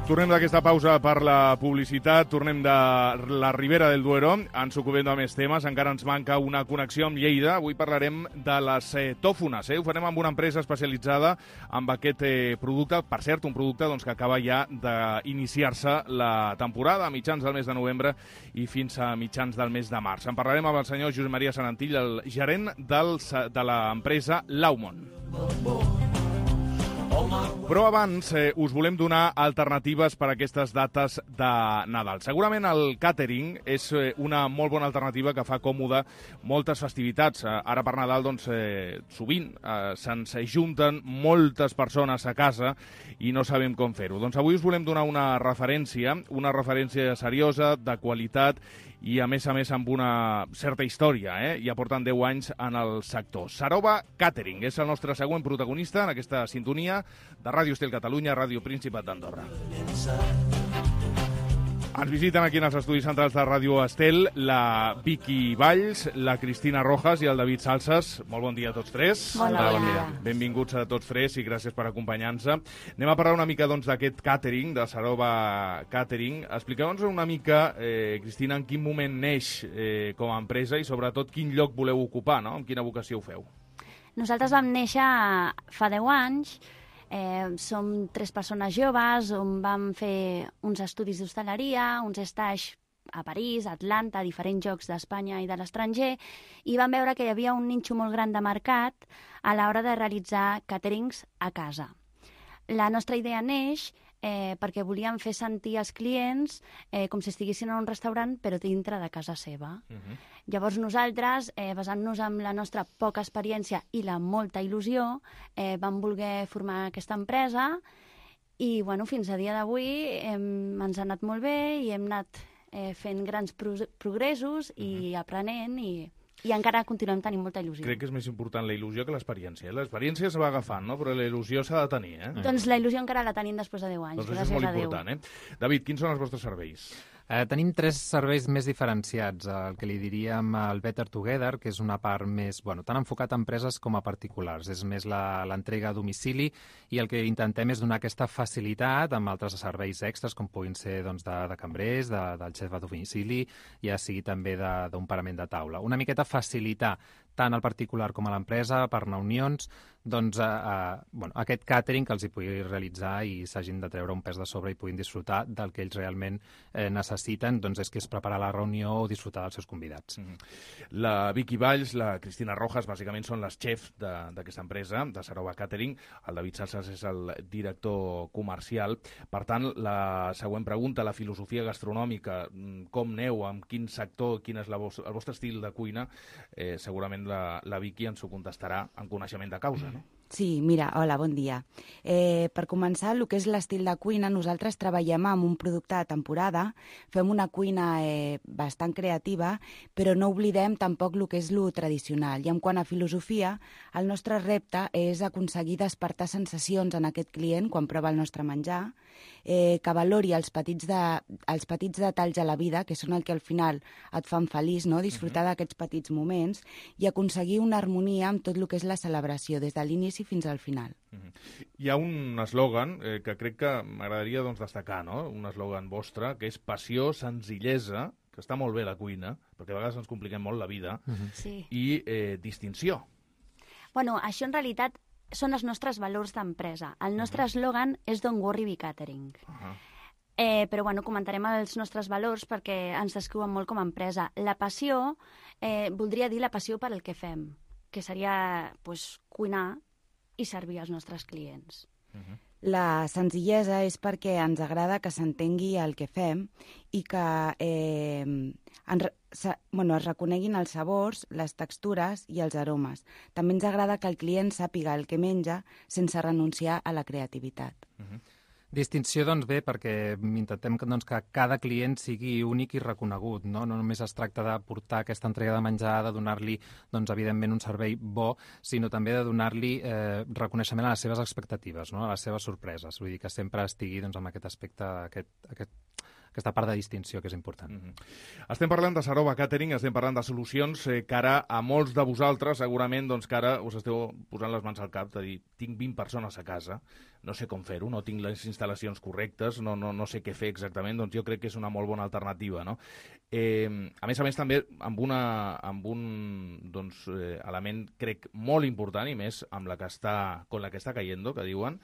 Tornem d'aquesta pausa per la publicitat, tornem de la Ribera del Duero, ens ocupem de més temes, encara ens manca una connexió amb Lleida, avui parlarem de les eh, tòfones, eh? Ho farem amb una empresa especialitzada amb aquest eh, producte, per cert, un producte doncs, que acaba ja d'iniciar-se la temporada, a mitjans del mes de novembre i fins a mitjans del mes de març. En parlarem amb el senyor Josep Maria Sarantill, el gerent del, de l'empresa Laumon. Però abans eh, us volem donar alternatives per a aquestes dates de Nadal. Segurament el càtering és eh, una molt bona alternativa que fa còmode moltes festivitats. Eh, ara per Nadal, doncs, eh, sovint eh, se'ns junten moltes persones a casa i no sabem com fer-ho. Doncs avui us volem donar una referència, una referència seriosa, de qualitat i, a més a més, amb una certa història, eh? Ja porten deu anys en el sector. Sarova Catering és el nostre següent protagonista en aquesta sintonia de Ràdio Estel Catalunya, Ràdio Principat d'Andorra. Ens visiten aquí en els estudis centrals de Ràdio Estel la Vicky Valls, la Cristina Rojas i el David Salsas. Molt bon dia a tots tres. Bon dia. Bon dia. Benvinguts a tots tres i gràcies per acompanyar-nos. Anem a parlar una mica doncs, d'aquest catering, de Sarova Catering. Expliqueu-nos una mica, eh, Cristina, en quin moment neix eh, com a empresa i sobretot quin lloc voleu ocupar, no? Amb quina vocació ho feu? Nosaltres vam néixer fa deu anys. Eh, som tres persones joves on vam fer uns estudis d'hostaleria, uns stages a París, a Atlanta, a diferents llocs d'Espanya i de l'estranger, i vam veure que hi havia un ninxo molt gran de mercat a l'hora de realitzar caterings a casa. La nostra idea neix eh, perquè volíem fer sentir als clients eh, com si estiguessin en un restaurant, però dintre de casa seva. Uh-huh. Llavors nosaltres, eh, basant-nos en la nostra poca experiència i la molta il·lusió, eh, vam voler formar aquesta empresa i bueno, fins a dia d'avui eh, ens ha anat molt bé i hem anat eh, fent grans pro progressos i uh-huh. aprenent i... I encara continuem tenint molta il·lusió. Crec que és més important la il·lusió que l'experiència. L'experiència se va agafant, no? Però la il·lusió s'ha de tenir, eh? Doncs la il·lusió encara la tenim després de deu anys. Doncs això és molt important, eh? David, quins són els vostres serveis? Eh, tenim tres serveis més diferenciats. El que li diríem el Better Together, que és una part més, bueno, tan enfocat a empreses com a particulars. És més l'entrega a domicili i el que intentem és donar aquesta facilitat amb altres serveis extras, com puguin ser doncs, de, de cambrers, de, del xef a domicili, ja sigui també d'un parament de taula. Una miqueta facilitar tant al particular com a l'empresa, per reunions, doncs, eh, eh, bueno, aquest càtering que els hi pugui realitzar i s'hagin de treure un pes de sobre i puguin disfrutar del que ells realment eh, necessiten, doncs és que és preparar la reunió o disfrutar dels seus convidats. Mm-hmm. La Vicky Valls, la Cristina Rojas, bàsicament són les xefs d'aquesta empresa, de Sarova Catering. El David Salsas és el director comercial. Per tant, la següent pregunta, la filosofia gastronòmica, com neu, amb quin sector, quin és la vos el vostre estil de cuina, eh, segurament la, la Vicky ens ho contestarà en coneixement de causa, no? Sí, mira, hola, bon dia. Eh, per començar, el que és l'estil de cuina, nosaltres treballem amb un producte de temporada, fem una cuina eh, bastant creativa, però no oblidem tampoc el que és lo tradicional. I en quant a filosofia, el nostre repte és aconseguir despertar sensacions en aquest client quan prova el nostre menjar, eh, que valori els petits, de, els petits detalls a la vida, que són el que al final et fan feliç, no? Disfrutar uh-huh. d'aquests petits moments i aconseguir una harmonia amb tot el que és la celebració, des de l'inici fins al final. Uh-huh. Hi ha un eslògan eh, que crec que m'agradaria doncs, destacar, no? Un eslògan vostre, que és passió, senzillesa, que està molt bé la cuina, perquè a vegades ens compliquem molt la vida, uh-huh. sí. i eh, distinció. Bueno, això en realitat són els nostres valors d'empresa. El nostre eslògan és Don't Worry, Be Catering. Uh-huh. Eh, però bueno, comentarem els nostres valors perquè ens descriuen molt com a empresa. La passió, eh, voldria dir la passió per al que fem, que seria pues, cuinar i servir als nostres clients. Uh-huh. La senzillesa és perquè ens agrada que s'entengui el que fem i que eh, en, se, bueno, es reconeguin els sabors, les textures i els aromes. També ens agrada que el client sàpiga el que menja sense renunciar a la creativitat. Uh-huh. Distinció, doncs, bé, perquè intentem que, doncs, que cada client sigui únic i reconegut, no? No només es tracta de portar aquesta entrega de menjar, de donar-li, doncs, evidentment, un servei bo, sinó també de donar-li eh, reconeixement a les seves expectatives, no? A les seves sorpreses. Vull dir que sempre estigui, doncs, amb aquest aspecte, aquest, aquest, aquesta part de distinció que és important. Mm-hmm. Estem parlant de Saroba Catering, estem parlant de solucions eh, que ara a molts de vosaltres segurament doncs, que ara us esteu posant les mans al cap de dir tinc vint persones a casa, no sé com fer-ho, no tinc les instal·lacions correctes, no, no, no sé què fer exactament, doncs jo crec que és una molt bona alternativa, no? Eh, a més a més també amb, una, amb un doncs, eh, element crec molt important i més amb la que està, con la que està cayendo, que diuen,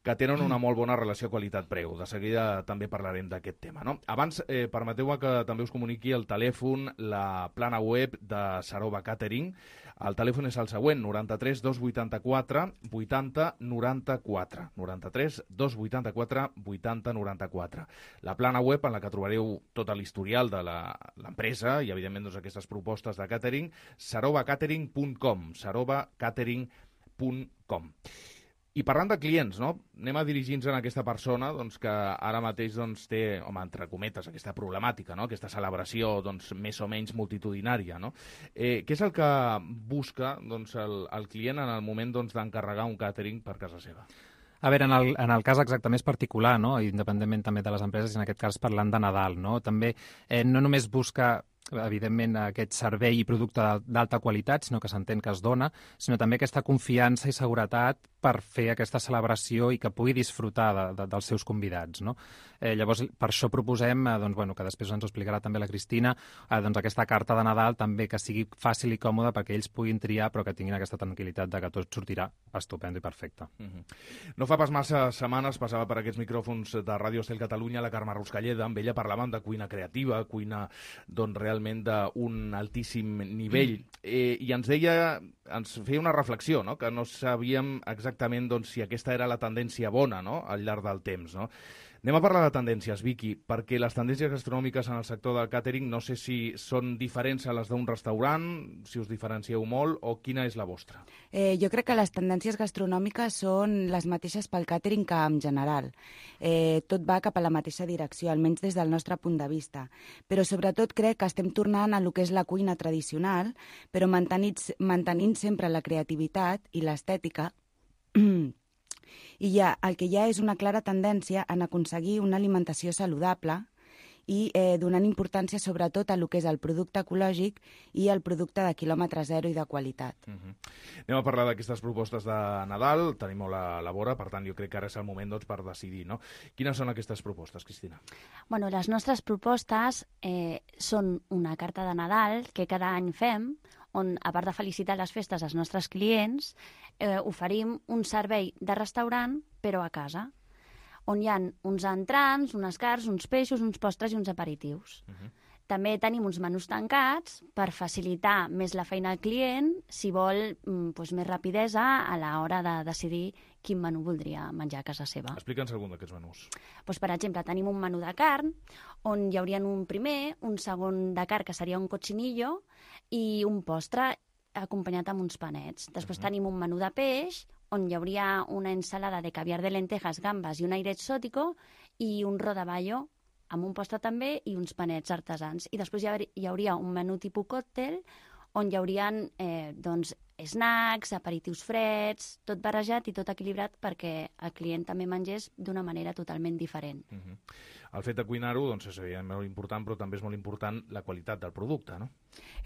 que tenen una molt bona relació qualitat-preu. De seguida també parlarem d'aquest tema, no? Abans, eh, permeteu-me que també us comuniqui el telèfon, la plana web de Saroba Catering. El telèfon és el següent, noranta-tres dos vuitanta-quatre vuitanta noranta-quatre. noranta-tres dos vuitanta-quatre vuitanta noranta-quatre. La plana web en la que trobareu tot l'historial de l'empresa i, evidentment, doncs, aquestes propostes de catering, saroba catering punt com, saroba catering punt com. I parlant de clients, no? Anem a dirigir-nos a aquesta persona doncs, que ara mateix doncs, té, home, entre cometes, aquesta problemàtica, no? Aquesta celebració doncs, més o menys multitudinària. No? Eh, què és el que busca doncs, el, el client en el moment doncs, d'encarregar un càtering per casa seva? A veure, en el, en el cas exacte més particular, no? Independentment també de les empreses, en aquest cas parlant de Nadal, no? També eh, no només busca evidentment aquest servei i producte d'alta qualitat, sinó que s'entén que es dona, sinó també aquesta confiança i seguretat per fer aquesta celebració i que pugui disfrutar de, de, dels seus convidats. No? Eh, llavors, per això proposem, eh, doncs, bueno, que després ens ho explicarà també la Cristina, eh, doncs, aquesta carta de Nadal també que sigui fàcil i còmoda perquè ells puguin triar, però que tinguin aquesta tranquil·litat de que tot sortirà estupendo i perfecte. Mm-hmm. No fa pas massa setmanes passava per aquests micròfons de Ràdio Estel Catalunya la Carme Ruscalleda, amb ella parlàvem de cuina creativa, cuina doncs, realment d'un altíssim nivell, eh, i ens deia, ens feia una reflexió, no? Que no sabíem exactament doncs, si aquesta era la tendència bona, no? Al llarg del temps. No? Anem a parlar de tendències, Vicky, perquè les tendències gastronòmiques en el sector del càtering no sé si són diferents a les d'un restaurant, si us diferencieu molt, o quina és la vostra? Eh, jo crec que les tendències gastronòmiques són les mateixes pel càtering que en general. Eh, tot va cap a la mateixa direcció, almenys des del nostre punt de vista. Però sobretot crec que estem tornant a lo que és la cuina tradicional, però mantenint, mantenint sempre la creativitat i l'estètica. I ja, el que hi ha és una clara tendència en aconseguir una alimentació saludable i eh, donant importància sobretot a lo que és el producte ecològic i el producte de quilòmetre zero i de qualitat. Uh-huh. Anem a parlar d'aquestes propostes de Nadal, tenim molt a la vora, per tant jo crec que ara és el moment doncs, per decidir. No? Quines són aquestes propostes, Cristina? Bueno, les nostres propostes eh, són una carta de Nadal que cada any fem, on, a part de felicitar les festes als nostres clients, eh, oferim un servei de restaurant, però a casa, on hi ha uns entrants, unes carns, uns peixos, uns postres i uns aperitius. Uh-huh. També tenim uns menús tancats per facilitar més la feina al client si vol doncs, més rapidesa a l'hora de decidir quin menú voldria menjar a casa seva. Explica'ns algun d'aquests menús. Doncs, per exemple, tenim un menú de carn on hi haurien un primer, un segon de carn que seria un cochinillo i un postre acompanyat amb uns panets. Després uh-huh. tenim un menú de peix on hi hauria una ensalada de caviar de lentejas, gambes i un aire exótico i un rodaballo amb un postre també i uns panets artesans. I després hi hauria un menú tipus còctel on hi haurien eh, doncs, snacks, aperitius freds, tot barrejat i tot equilibrat perquè el client també mengés d'una manera totalment diferent. Uh-huh. El fet de cuinar-ho doncs, és molt important, però també és molt important la qualitat del producte, no?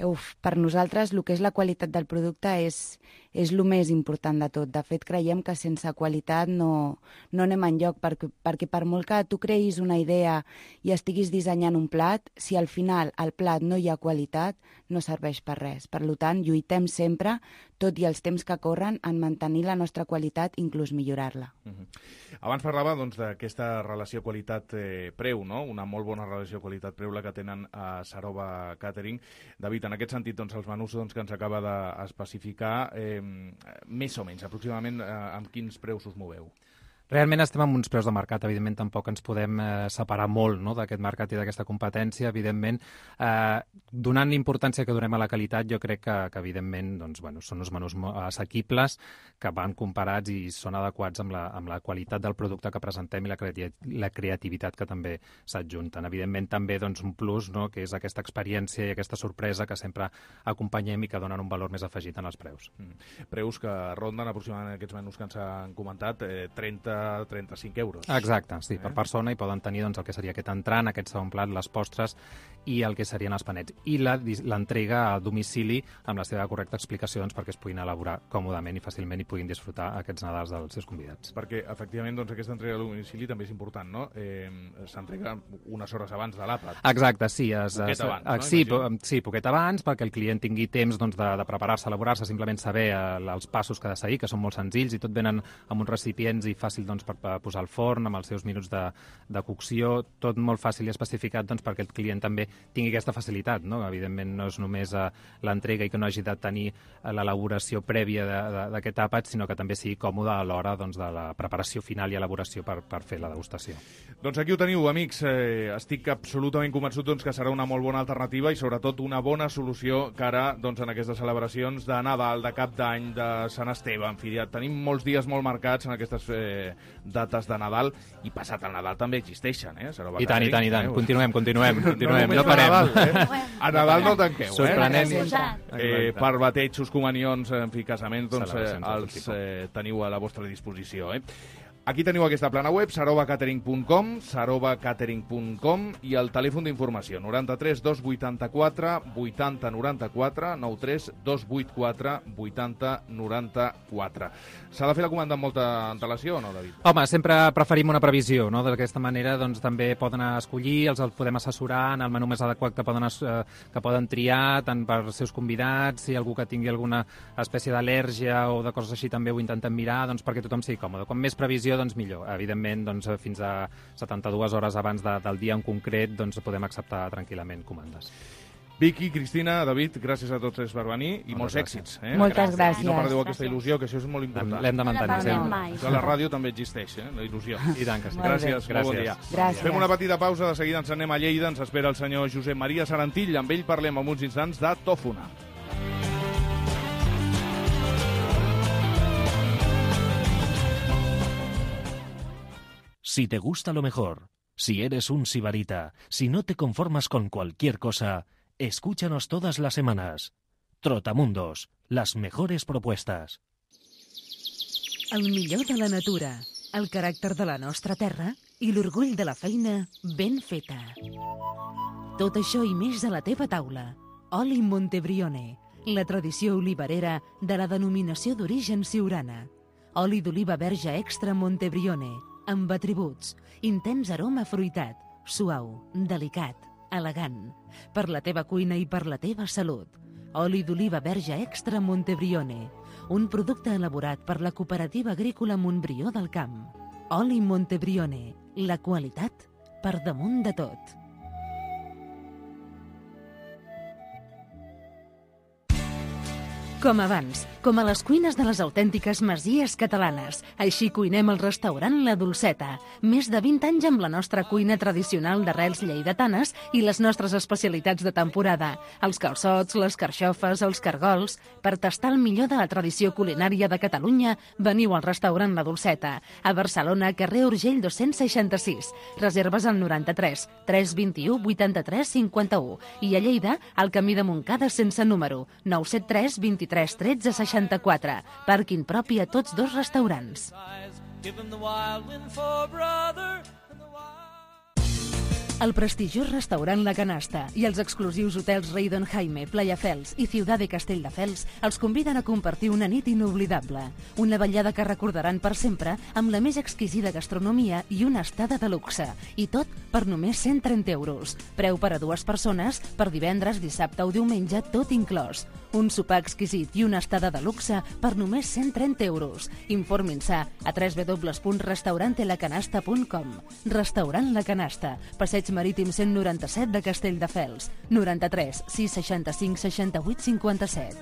Uf, per nosaltres el que és la qualitat del producte és, és el més important de tot. De fet, creiem que sense qualitat no, no anem enlloc, perquè, perquè per molt que tu creïs una idea i estiguis dissenyant un plat, si al final al plat no hi ha qualitat, no serveix per res. Per tant, lluitem sempre tot i els temps que corren, en mantenir la nostra qualitat, inclús millorar-la. Uh-huh. Abans parlava doncs, d'aquesta relació qualitat-preu, no? Una molt bona relació qualitat-preu la que tenen a Sarova Catering. David, en aquest sentit, doncs, els menús doncs, que ens acaba d'especificar, eh, més o menys, aproximadament, eh, amb quins preus us moveu? Realment estem amb uns preus de mercat, evidentment tampoc ens podem eh, separar molt, no?, d'aquest mercat i d'aquesta competència, evidentment. Eh, donant l'importància que donem a la qualitat, jo crec que, que evidentment, doncs, bueno, són uns menús assequibles, que van comparats i són adequats amb la, amb la qualitat del producte que presentem i la, creati la creativitat que també s'adjunten. Evidentment també doncs, un plus, no?, que és aquesta experiència i aquesta sorpresa que sempre acompanyem i que donen un valor més afegit en els preus. Mm. Preus que ronden aproximadament aquests menús que ens han comentat, eh, trenta a trenta-cinc euros. Exacte, sí, eh? per persona, i poden tenir doncs, el que seria aquest entrant, aquest segon plat, les postres i el que serien els panets. I l'entrega a domicili amb la seva correcta explicació doncs, perquè es puguin elaborar còmodament i fàcilment i puguin disfrutar aquests Nadals dels seus convidats. Perquè, efectivament, doncs, aquesta entrega a domicili també és important, no? Eh, S'entrega unes hores abans de l'àpat. Exacte, sí. Es, poquet es, abans, no? Sí, po sí, poquet abans, perquè el client tingui temps doncs, de, de preparar-se, elaborar-se, simplement saber eh, els passos que ha de seguir, que són molt senzills i tot venen amb uns recipients i fàcil doncs, per, per posar al forn, amb els seus minuts de, de cocció, tot molt fàcil i especificat doncs, perquè el client també tingui aquesta facilitat, no? Evidentment no és només uh, l'entrega i que no hagi de tenir uh, l'elaboració prèvia d'aquest àpat, sinó que també sigui còmode a l'hora doncs, de la preparació final i elaboració per, per fer la degustació. Doncs aquí ho teniu, amics. Eh, estic absolutament convençut doncs, que serà una molt bona alternativa i sobretot una bona solució cara doncs, en aquestes celebracions de Nadal, de Cap d'Any, de Sant Esteve. En fi, ja tenim molts dies molt marcats en aquestes eh, dates de Nadal i passat el Nadal també existeixen, eh? I tant, i tant, i tant. Continuem, continuem, continuem. No, no parem. Nadal, eh? A Nadal no tanqueu, eh? Sorprenent. Eh, per batejos, comunions, en fi, casaments, doncs eh, els eh, teniu a la vostra disposició, eh? Aquí teniu aquesta plana web, sarova catering punt com, sarova catering punt com i el telèfon d'informació, noranta-tres dos vuitanta-quatre vuitanta noranta-quatre, noranta-tres dos vuitanta-quatre vuitanta noranta-quatre. S'ha de fer la comanda amb molta antelació o no, David? Home, sempre preferim una previsió, no? D'aquesta manera doncs, també poden escollir, els podem assessorar en el menú més adequat que poden, eh, que poden triar, tant per als seus convidats, si algú que tingui alguna espècie d'al·lèrgia o de coses així també ho intentem mirar, doncs, perquè tothom sigui còmode. Com més previsió, doncs millor. Evidentment, doncs, fins a setanta-dues hores abans de, del dia en concret doncs, podem acceptar tranquil·lament comandes. Vicky, Cristina, David, gràcies a tots per venir i molts èxits. Eh? Moltes gràcies. I no perdeu aquesta il·lusió, que això és molt important. L'hem de mantenir. Això a la ràdio també existeix, eh? La il·lusió. I tant que sí. Gràcies, gràcies. Bon dia. Gràcies. Fem una petita pausa, de seguida ens anem a Lleida, ens espera el senyor Josep Maria Sarantill, amb ell parlem en uns instants de Tòfona. Si te gusta lo mejor, si eres un sibarita, si no te conformas con cualquier cosa, escúchanos todas las semanas. Trotamundos, las mejores propuestas. El millor de la natura, el caràcter de la nostra terra i l'orgull de la feina ben feta. Tot això i més a la teva taula. Oli Montebrione, la tradició olivarera de la denominació d'origen siurana. Oli d'oliva verge extra Montebrione, amb atributs, intens aroma fruitat, suau, delicat, elegant, per la teva cuina i per la teva salut. Oli d'oliva verge extra Montebrione, un producte elaborat per la cooperativa agrícola Montbrió del Camp. Oli Montebrione, la qualitat per damunt de tot. Com abans, com a les cuines de les autèntiques masies catalanes. Així cuinem al restaurant La Dolceta. Més de vint anys amb la nostra cuina tradicional d'arrels lleidatanes i les nostres especialitats de temporada. Els calçots, les carxofes, els cargols. Per tastar el millor de la tradició culinària de Catalunya, veniu al restaurant La Dolceta. A Barcelona, carrer Urgell dos-cents seixanta-sis. Reserves al noranta-tres tres vint-i-u vuitanta-tres cinquanta-u. I a Lleida, al camí de Montcada sense número, nou set tres vint-i-tres tretze seixanta-quatre. Pàrquing propi a tots dos restaurants. El prestigiós restaurant La Canasta i els exclusius hotels Reydon Jaime, Playa Fels i Ciutat de Castelldefels els conviden a compartir una nit inoblidable. Una vetllada que recordaran per sempre amb la més exquisida gastronomia i una estada de luxe. I tot per només cent trenta euros. Preu per a dues persones per divendres, dissabte o diumenge, tot inclòs. Un sopar exquisit i una estada de luxe per només cent trenta euros. Informin-se a w w w punt restaurante la canasta punt com. Restaurant La Canasta, Passeig Marítim cent noranta-set de Castelldefels, noranta-tres sis seixanta-cinc seixanta-vuit cinquanta-set.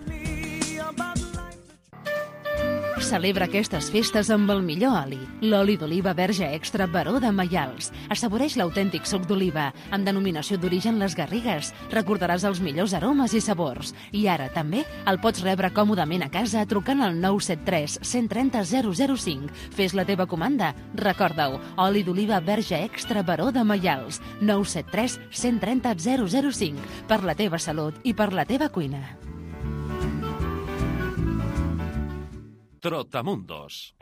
Celebra aquestes festes amb el millor oli, l'oli d'oliva verge extra Baró de Maials. Assaboreix l'autèntic suc d'oliva, amb denominació d'origen Les Garrigues. Recordaràs els millors aromes i sabors. I ara també el pots rebre còmodament a casa trucant al nou set tres cent trenta zero zero cinc. Fes la teva comanda. Recorda-ho, oli d'oliva verge extra Baró de Maials. nou set tres cent trenta zero zero cinc. Per la teva salut i per la teva cuina. Trotamundos.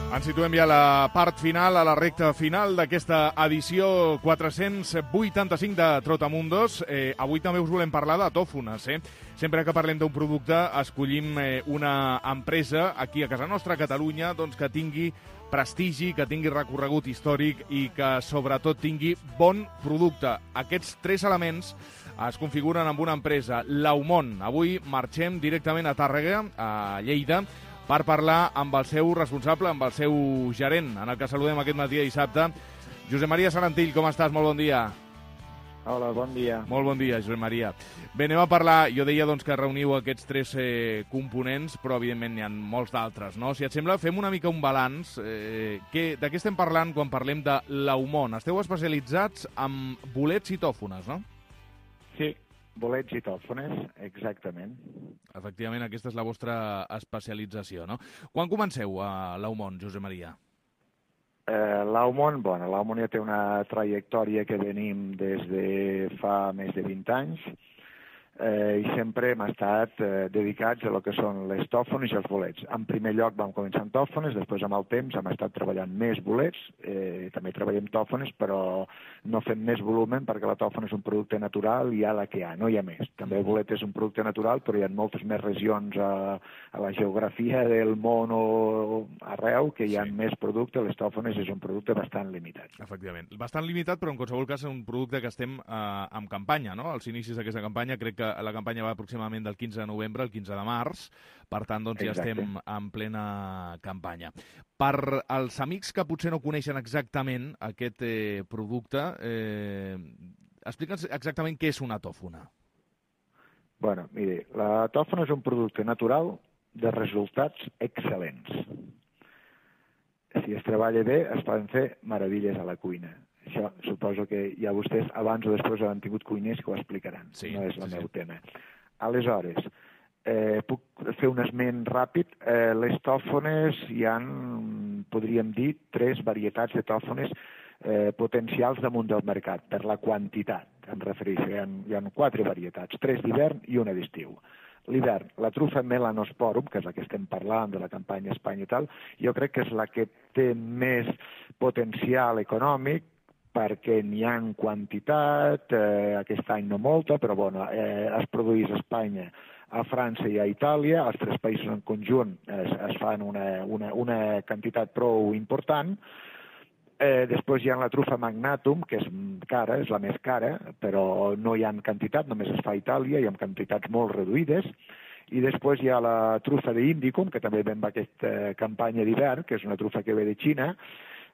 Ens situem ja a la part final, a la recta final d'aquesta edició quatre-cents vuitanta-cinc de Trotamundos. Eh, avui també us volem parlar de tòfones. Eh? Sempre que parlem d'un producte, escollim eh, una empresa aquí a casa nostra, a Catalunya, doncs, que tingui prestigi, que tingui recorregut històric i que, sobretot, tingui bon producte. Aquests tres elements es configuren amb una empresa, l'Aumont. Avui marxem directament a Tàrrega, a Lleida, per parlar amb el seu responsable, amb el seu gerent, en el que saludem aquest matí de dissabte. Josep Maria Sarantill, com estàs? Molt bon dia. Hola, bon dia. Molt bon dia, Josep Maria. Bé, anem a parlar, jo deia doncs, que reuniu aquests tres eh, components, però evidentment n'hi ha molts d'altres, no? Si et sembla, fem una mica un balanç. Eh, que, de què estem parlant quan parlem de l'Aumont? Esteu especialitzats en bolets i tòfones, no? Sí, bolets i tòfones, exactament. Efectivament, aquesta és la vostra especialització, no? Quan comenceu a l'Aumont, Josep Maria? Eh, L'Aumont, bueno, l'Aumont ja té una trajectòria que venim des de fa més de vint anys eh, i sempre hem estat eh, dedicats a lo que són les tòfones i els bolets. En primer lloc vam començar amb tòfones, després amb el temps hem estat treballant més bolets, eh, també treballem tòfones, però no fem més volumen perquè la tòfona és un producte natural i hi ha la que hi ha, no hi ha més. També el bolet és un producte natural, però hi ha moltes més regions a, a la geografia del món o arreu que hi ha sí. més producte. Les tòfones és un producte bastant limitat. Efectivament. Bastant limitat, però en qualsevol cas és un producte que estem eh, en campanya, no? Als inicis d'aquesta campanya, crec que la campanya va aproximadament del quinze de novembre al quinze de març, per tant, doncs ja Exacte. estem en plena campanya. Per als amics que potser no coneixen exactament aquest eh, producte, eh, explica'ns exactament què és una tòfona. Bueno, mire, la tòfona és un producte natural de resultats excel·lents. Si es treballa bé, es poden fer meravilles a la cuina. Això suposo que ja vostès abans o després han tingut cuiners que ho explicaran. Sí, no és el sí, meu sí. tema. Aleshores, eh, puc fer un esment ràpid. Eh, les tòfones hi ha, podríem dir, tres varietats de tòfones eh, potencials damunt del mercat, per la quantitat, em refereixo. Hi ha, hi ha quatre varietats, tres d'hivern i una d'estiu. L'hivern, la trufa Melanosporum, que és la que estem parlant de la campanya Espanya i tal, jo crec que és la que té més potencial econòmic, perquè n'hi ha en quantitat, eh, aquest any no molta, però bueno, eh, es produeix a Espanya, a França i a Itàlia, els tres països en conjunt es, es fan una, una, una quantitat prou important. Eh, després hi ha la trufa Magnatum, que és cara, és la més cara, però no hi ha en quantitat, només es fa a Itàlia i en quantitats molt reduïdes. I després hi ha la trufa d'Indicum, que també ve amb aquesta campanya d'hivern, que és una trufa que ve de Xina,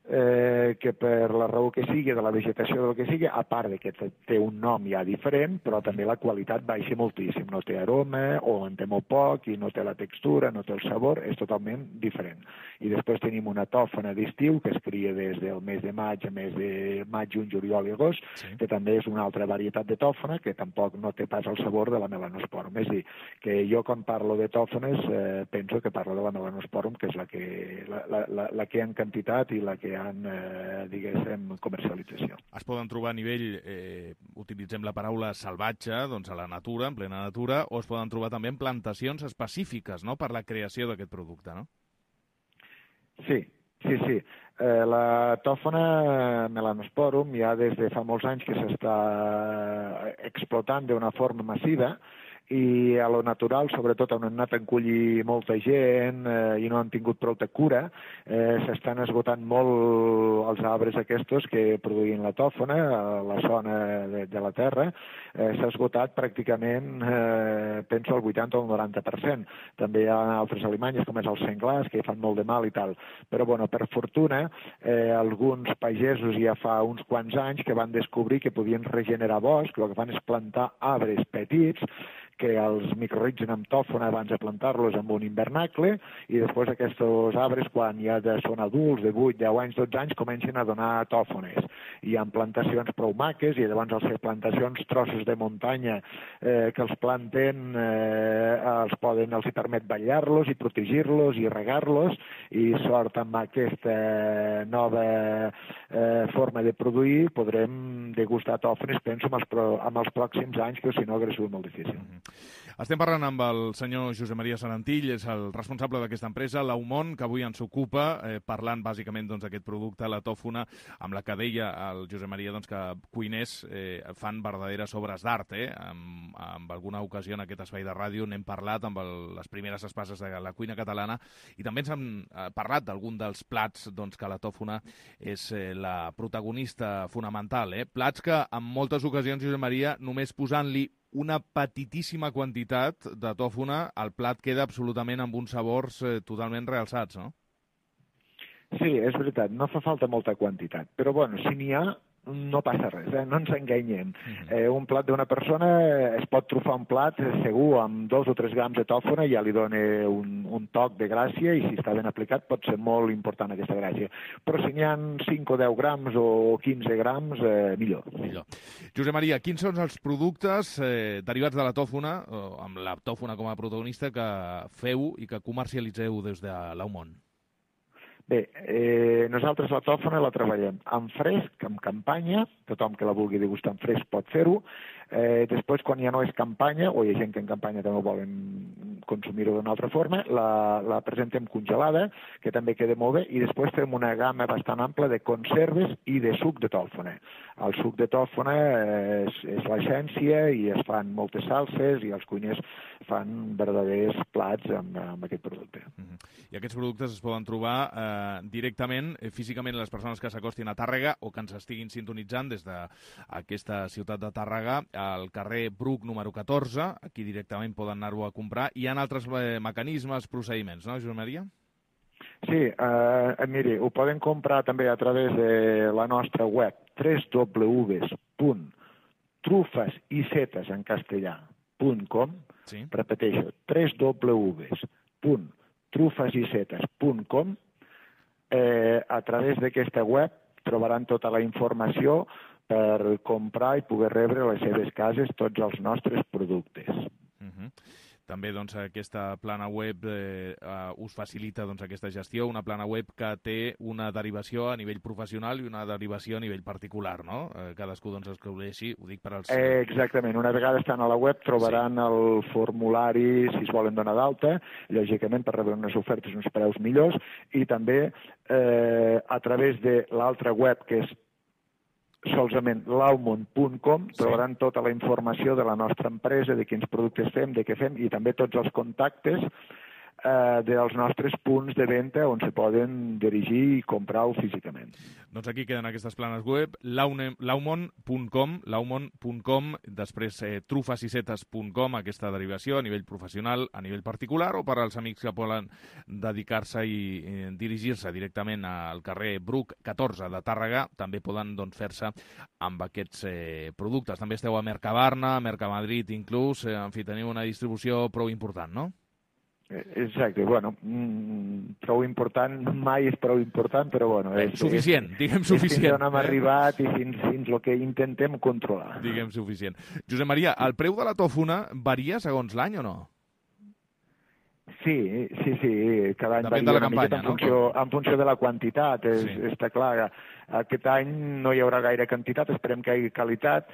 eh, que per la raó que sigui, de la vegetació del que sigui, a part de que té un nom ja diferent, però també la qualitat baixa moltíssim. No té aroma, o en té molt poc, i no té la textura, no té el sabor, és totalment diferent. I després tenim una tòfona d'estiu, que es cria des del mes de maig a mes de maig, juny, juliol i agost, sí. que també és una altra varietat de tòfona, que tampoc no té pas el sabor de la Melanosporum. És a dir, que jo quan parlo de tòfones eh, penso que parlo de la Melanosporum, que és la que, la, la, la, la que hi ha en quantitat i la que en, eh, diguéssim, comercialització. Es poden trobar a nivell, eh, utilitzem la paraula salvatge, doncs a la natura, en plena natura, o es poden trobar també en plantacions específiques, no?, per la creació d'aquest producte, no? Sí, sí, sí. Eh, la tòfona melanosporum ja des de fa molts anys que s'està explotant d'una forma massiva i a lo natural, sobretot on han anat a encollir molta gent eh, i no han tingut prou de cura, eh, s'estan esgotant molt els arbres aquests que produïen la tòfona a la zona de, de la terra. Eh, s'ha esgotat pràcticament, eh, penso, el vuitanta o el noranta per cent. També hi ha altres alimanyes, com és el senglars, que fan molt de mal i tal. Però, bueno, per fortuna, eh, alguns pagesos ja fa uns quants anys que van descobrir que podien regenerar bosc, el que fan és plantar arbres petits, que els microrritzen amb tòfona abans de plantar-los en un invernacle i després aquests arbres, quan ja de, són adults, de vuit, deu anys, dotze anys, comencen a donar tòfones. Hi ha plantacions prou maques i llavors els plantacions, trossos de muntanya eh, que els planten, eh, els poden, els permet ballar-los i protegir-los i regar-los i sort amb aquesta nova eh, forma de produir podrem degustar tòfones, penso, amb els, pro, amb els pròxims anys, que si no hauria sigut molt difícil. Mm-hmm. Estem parlant amb el senyor Josep Maria Sarantill, és el responsable d'aquesta empresa, l'Aumont, que avui ens ocupa, eh, parlant bàsicament doncs, d'aquest producte, la tòfona, amb la que deia el Josep Maria doncs, que cuiners eh, fan verdaderes obres d'art. Eh? En, en alguna ocasió en aquest espai de ràdio n'hem parlat amb el, les primeres espases de la cuina catalana i també ens hem eh, parlat d'algun dels plats doncs, que la tòfona és eh, la protagonista fonamental. Eh? Plats que en moltes ocasions, Josep Maria, només posant-li una petitíssima quantitat de tòfona, el plat queda absolutament amb uns sabors eh, totalment realçats, no? Sí, és veritat, no fa falta molta quantitat, però bueno, si n'hi ha, no passa res, eh? No ens enganyem. Eh, un plat d'una persona es pot trufar un plat segur amb dos o tres grams de tòfona i ja li dona un, un toc de gràcia i si està ben aplicat pot ser molt important aquesta gràcia. Però si n'hi ha cinc o deu grams o quinze grams, eh, millor. Millor. Josep Maria, quins són els productes eh, derivats de la tòfona, o amb la tòfona com a protagonista, que feu i que comercialitzeu des de l'Aumont? Bé, eh, nosaltres la tòfona la treballem en fresc, en campanya, tothom que la vulgui degustar en fresc pot fer-ho. Eh, després, quan ja no és campanya, o hi ha gent que en campanya també volen consumir-ho d'una altra forma, la, la presentem congelada, que també queda molt bé, i després fem una gamma bastant ampla de conserves i de suc de tòfona. El suc de tòfona és, és l'essència i es fan moltes salses i els cuiners fan verdaders plats amb, amb aquest producte. Mm-hmm. I aquests productes es poden trobar eh, directament, eh, físicament, les persones que s'acostin a Tàrrega o que ens estiguin sintonitzant des d'aquesta ciutat de Tàrrega, al carrer Bruc número catorze, aquí directament poden anar-ho a comprar. Hi ha altres eh, mecanismes, procediments, no, Josep Maria? Sí, eh, miri, ho poden comprar també a través de la nostra web w w w punt trufes i setes en castellà punt com, sí. Repeteixo, w w w punt trufes i setes punt com. Eh, a través d'aquesta web trobaran tota la informació per comprar i poder rebre a les seves cases tots els nostres productes. Uh-huh. També doncs, aquesta plana web eh, uh, us facilita doncs, aquesta gestió, una plana web que té una derivació a nivell professional i una derivació a nivell particular, no? Eh, cadascú doncs, escolleixi, ho dic per als... Eh, exactament, una vegada estan a la web trobaran sí. el formulari si es volen donar d'alta, lògicament per rebre unes ofertes uns preus millors, i també eh, a través de l'altra web que és solament l'aumont punt com trobaran tota la informació de la nostra empresa, de quins productes fem, de què fem i també tots els contactes eh, dels nostres punts de venda on se poden dirigir i comprar-ho físicament. Doncs aquí queden aquestes planes web, l'aumont punt com, l'aumont punt com, després eh, trufes i setes punt com, aquesta derivació a nivell professional, a nivell particular, o per als amics que volen dedicar-se i eh, dirigir-se directament al carrer Bruc catorze de Tàrrega, també poden doncs, fer-se amb aquests eh, productes. També esteu a Mercabarna, a Mercamadrid inclús, eh, en fi, teniu una distribució prou important, no? Exacte, bueno, mm, prou important, mai és prou important, però bueno... És, suficient, és, diguem suficient. És fins on hem eh? arribat i fins, fins el que intentem controlar. Diguem suficient. Josep Maria, el preu de la tòfona varia segons l'any o no? Sí, sí, sí, cada any Depèn varia de la una campanya, miqueta en no? funció, en funció de la quantitat, és, sí. Està clar. Aquest any no hi haurà gaire quantitat, esperem que hi hagi qualitat,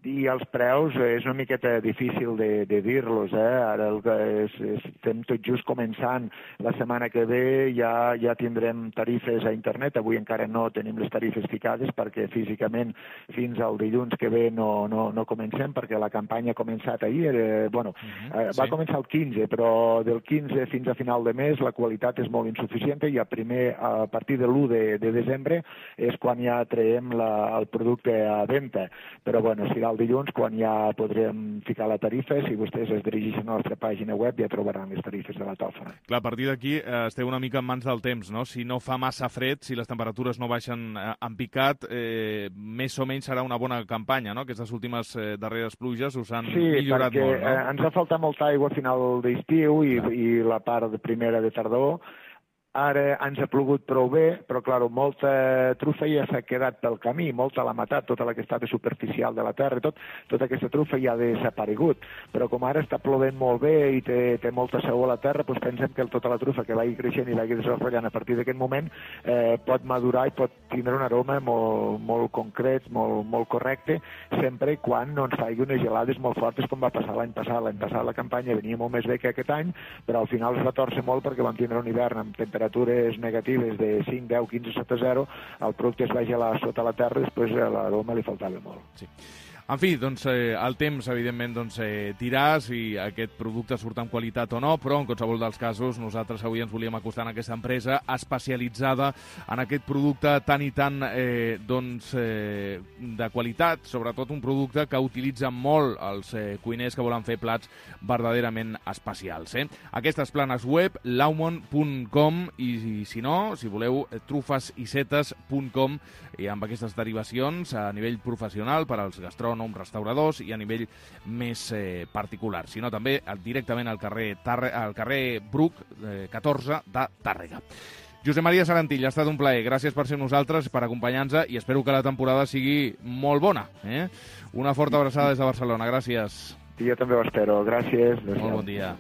i els preus és una miqueta difícil de, de dir-los, eh? Ara el que és, és, estem tot just començant. La setmana que ve ja, ja tindrem tarifes a internet, avui encara no tenim les tarifes ficades perquè físicament fins al dilluns que ve no, no, no comencem, perquè la campanya ha començat ahir, eh, bueno, uh-huh, eh, va sí. començar el quinze, però del quinze fins a final de mes la qualitat és molt insuficient i a, primer, a partir de l'u de, de desembre és quan ja traiem la, el producte a venda, però bueno, serà el dilluns quan ja podrem ficar la tarifa. Si vostès es dirigeixen a la nostra pàgina web ja trobaran les tarifes de la tòfona. Clar, a partir d'aquí eh, esteu una mica en mans del temps, no? Si no fa massa fred, si les temperatures no baixen eh, en picat, eh, més o menys serà una bona campanya, no? Aquestes últimes eh, darreres pluges us han sí, millorat perquè, molt, no? Eh, ens ha faltat molta aigua a final d'estiu i, i la part de primera de tardor. Ara ens ha plogut prou bé, però, clar, molta trufa ja s'ha quedat pel camí, molta l'ha matat, tota la que estava superficial de la terra, tot, tota aquesta trufa ja ha desaparegut. Però com ara està plovent molt bé i té, té molta saó a la terra, doncs pensem que tota la trufa que vagi creixent i vagi desenvolupant a partir d'aquest moment eh, pot madurar i pot tindre un aroma molt, molt concret, molt, molt correcte, sempre i quan no ens faci unes gelades molt fortes com va passar l'any passat. L'any passat la campanya venia molt més bé que aquest any, però al final es va torcer molt perquè vam tindre un hivern amb temperatures negatives de cinc, deu, quinze sota zero, el producte es va gelar sota la terra i després a l'aroma li faltava molt. Sí. En fi, doncs, eh, el temps, evidentment, doncs, eh, dirà si aquest producte surt amb qualitat o no, però en qualsevol dels casos nosaltres avui ens volíem acostar a aquesta empresa especialitzada en aquest producte tan i tan eh, doncs, eh, de qualitat, sobretot un producte que utilitzen molt els eh, cuiners que volen fer plats verdaderament especials. Eh? Aquestes planes web, laumon punt com, i, i si no, si voleu, trufasisetes punt com, i amb aquestes derivacions a nivell professional per als gastrònoms, restauradors i a nivell més eh, particular, sinó també directament al carrer, Tarre, al carrer Bruc eh, catorze de Tàrrega. Josep Maria Sarantill, ha estat un plaer. Gràcies per ser amb nosaltres, per acompanyar-nos i espero que la temporada sigui molt bona. Eh? Una forta abraçada des de Barcelona. Gràcies. I jo també ho espero. Gràcies. Molt bon dia.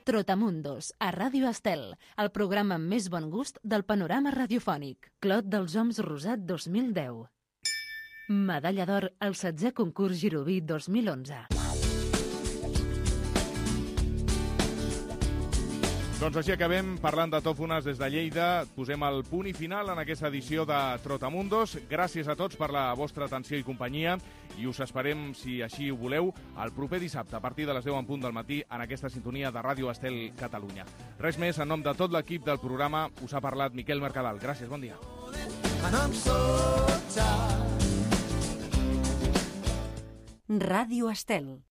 Trotamundos, a Ràdio Estel, el programa amb més bon gust del panorama radiofònic. Clot dels Oms Rosat dos mil deu. Medalla d'or al setzè concurs Giroví dos mil onze. Doncs així acabem parlant de tòfones des de Lleida. Posem el punt i final en aquesta edició de Trotamundos. Gràcies a tots per la vostra atenció i companyia i us esperem, si així ho voleu, el proper dissabte a partir de les deu en punt del matí en aquesta sintonia de Ràdio Estel Catalunya. Res més, en nom de tot l'equip del programa us ha parlat Miquel Mercadal. Gràcies, bon dia. Ràdio Estel.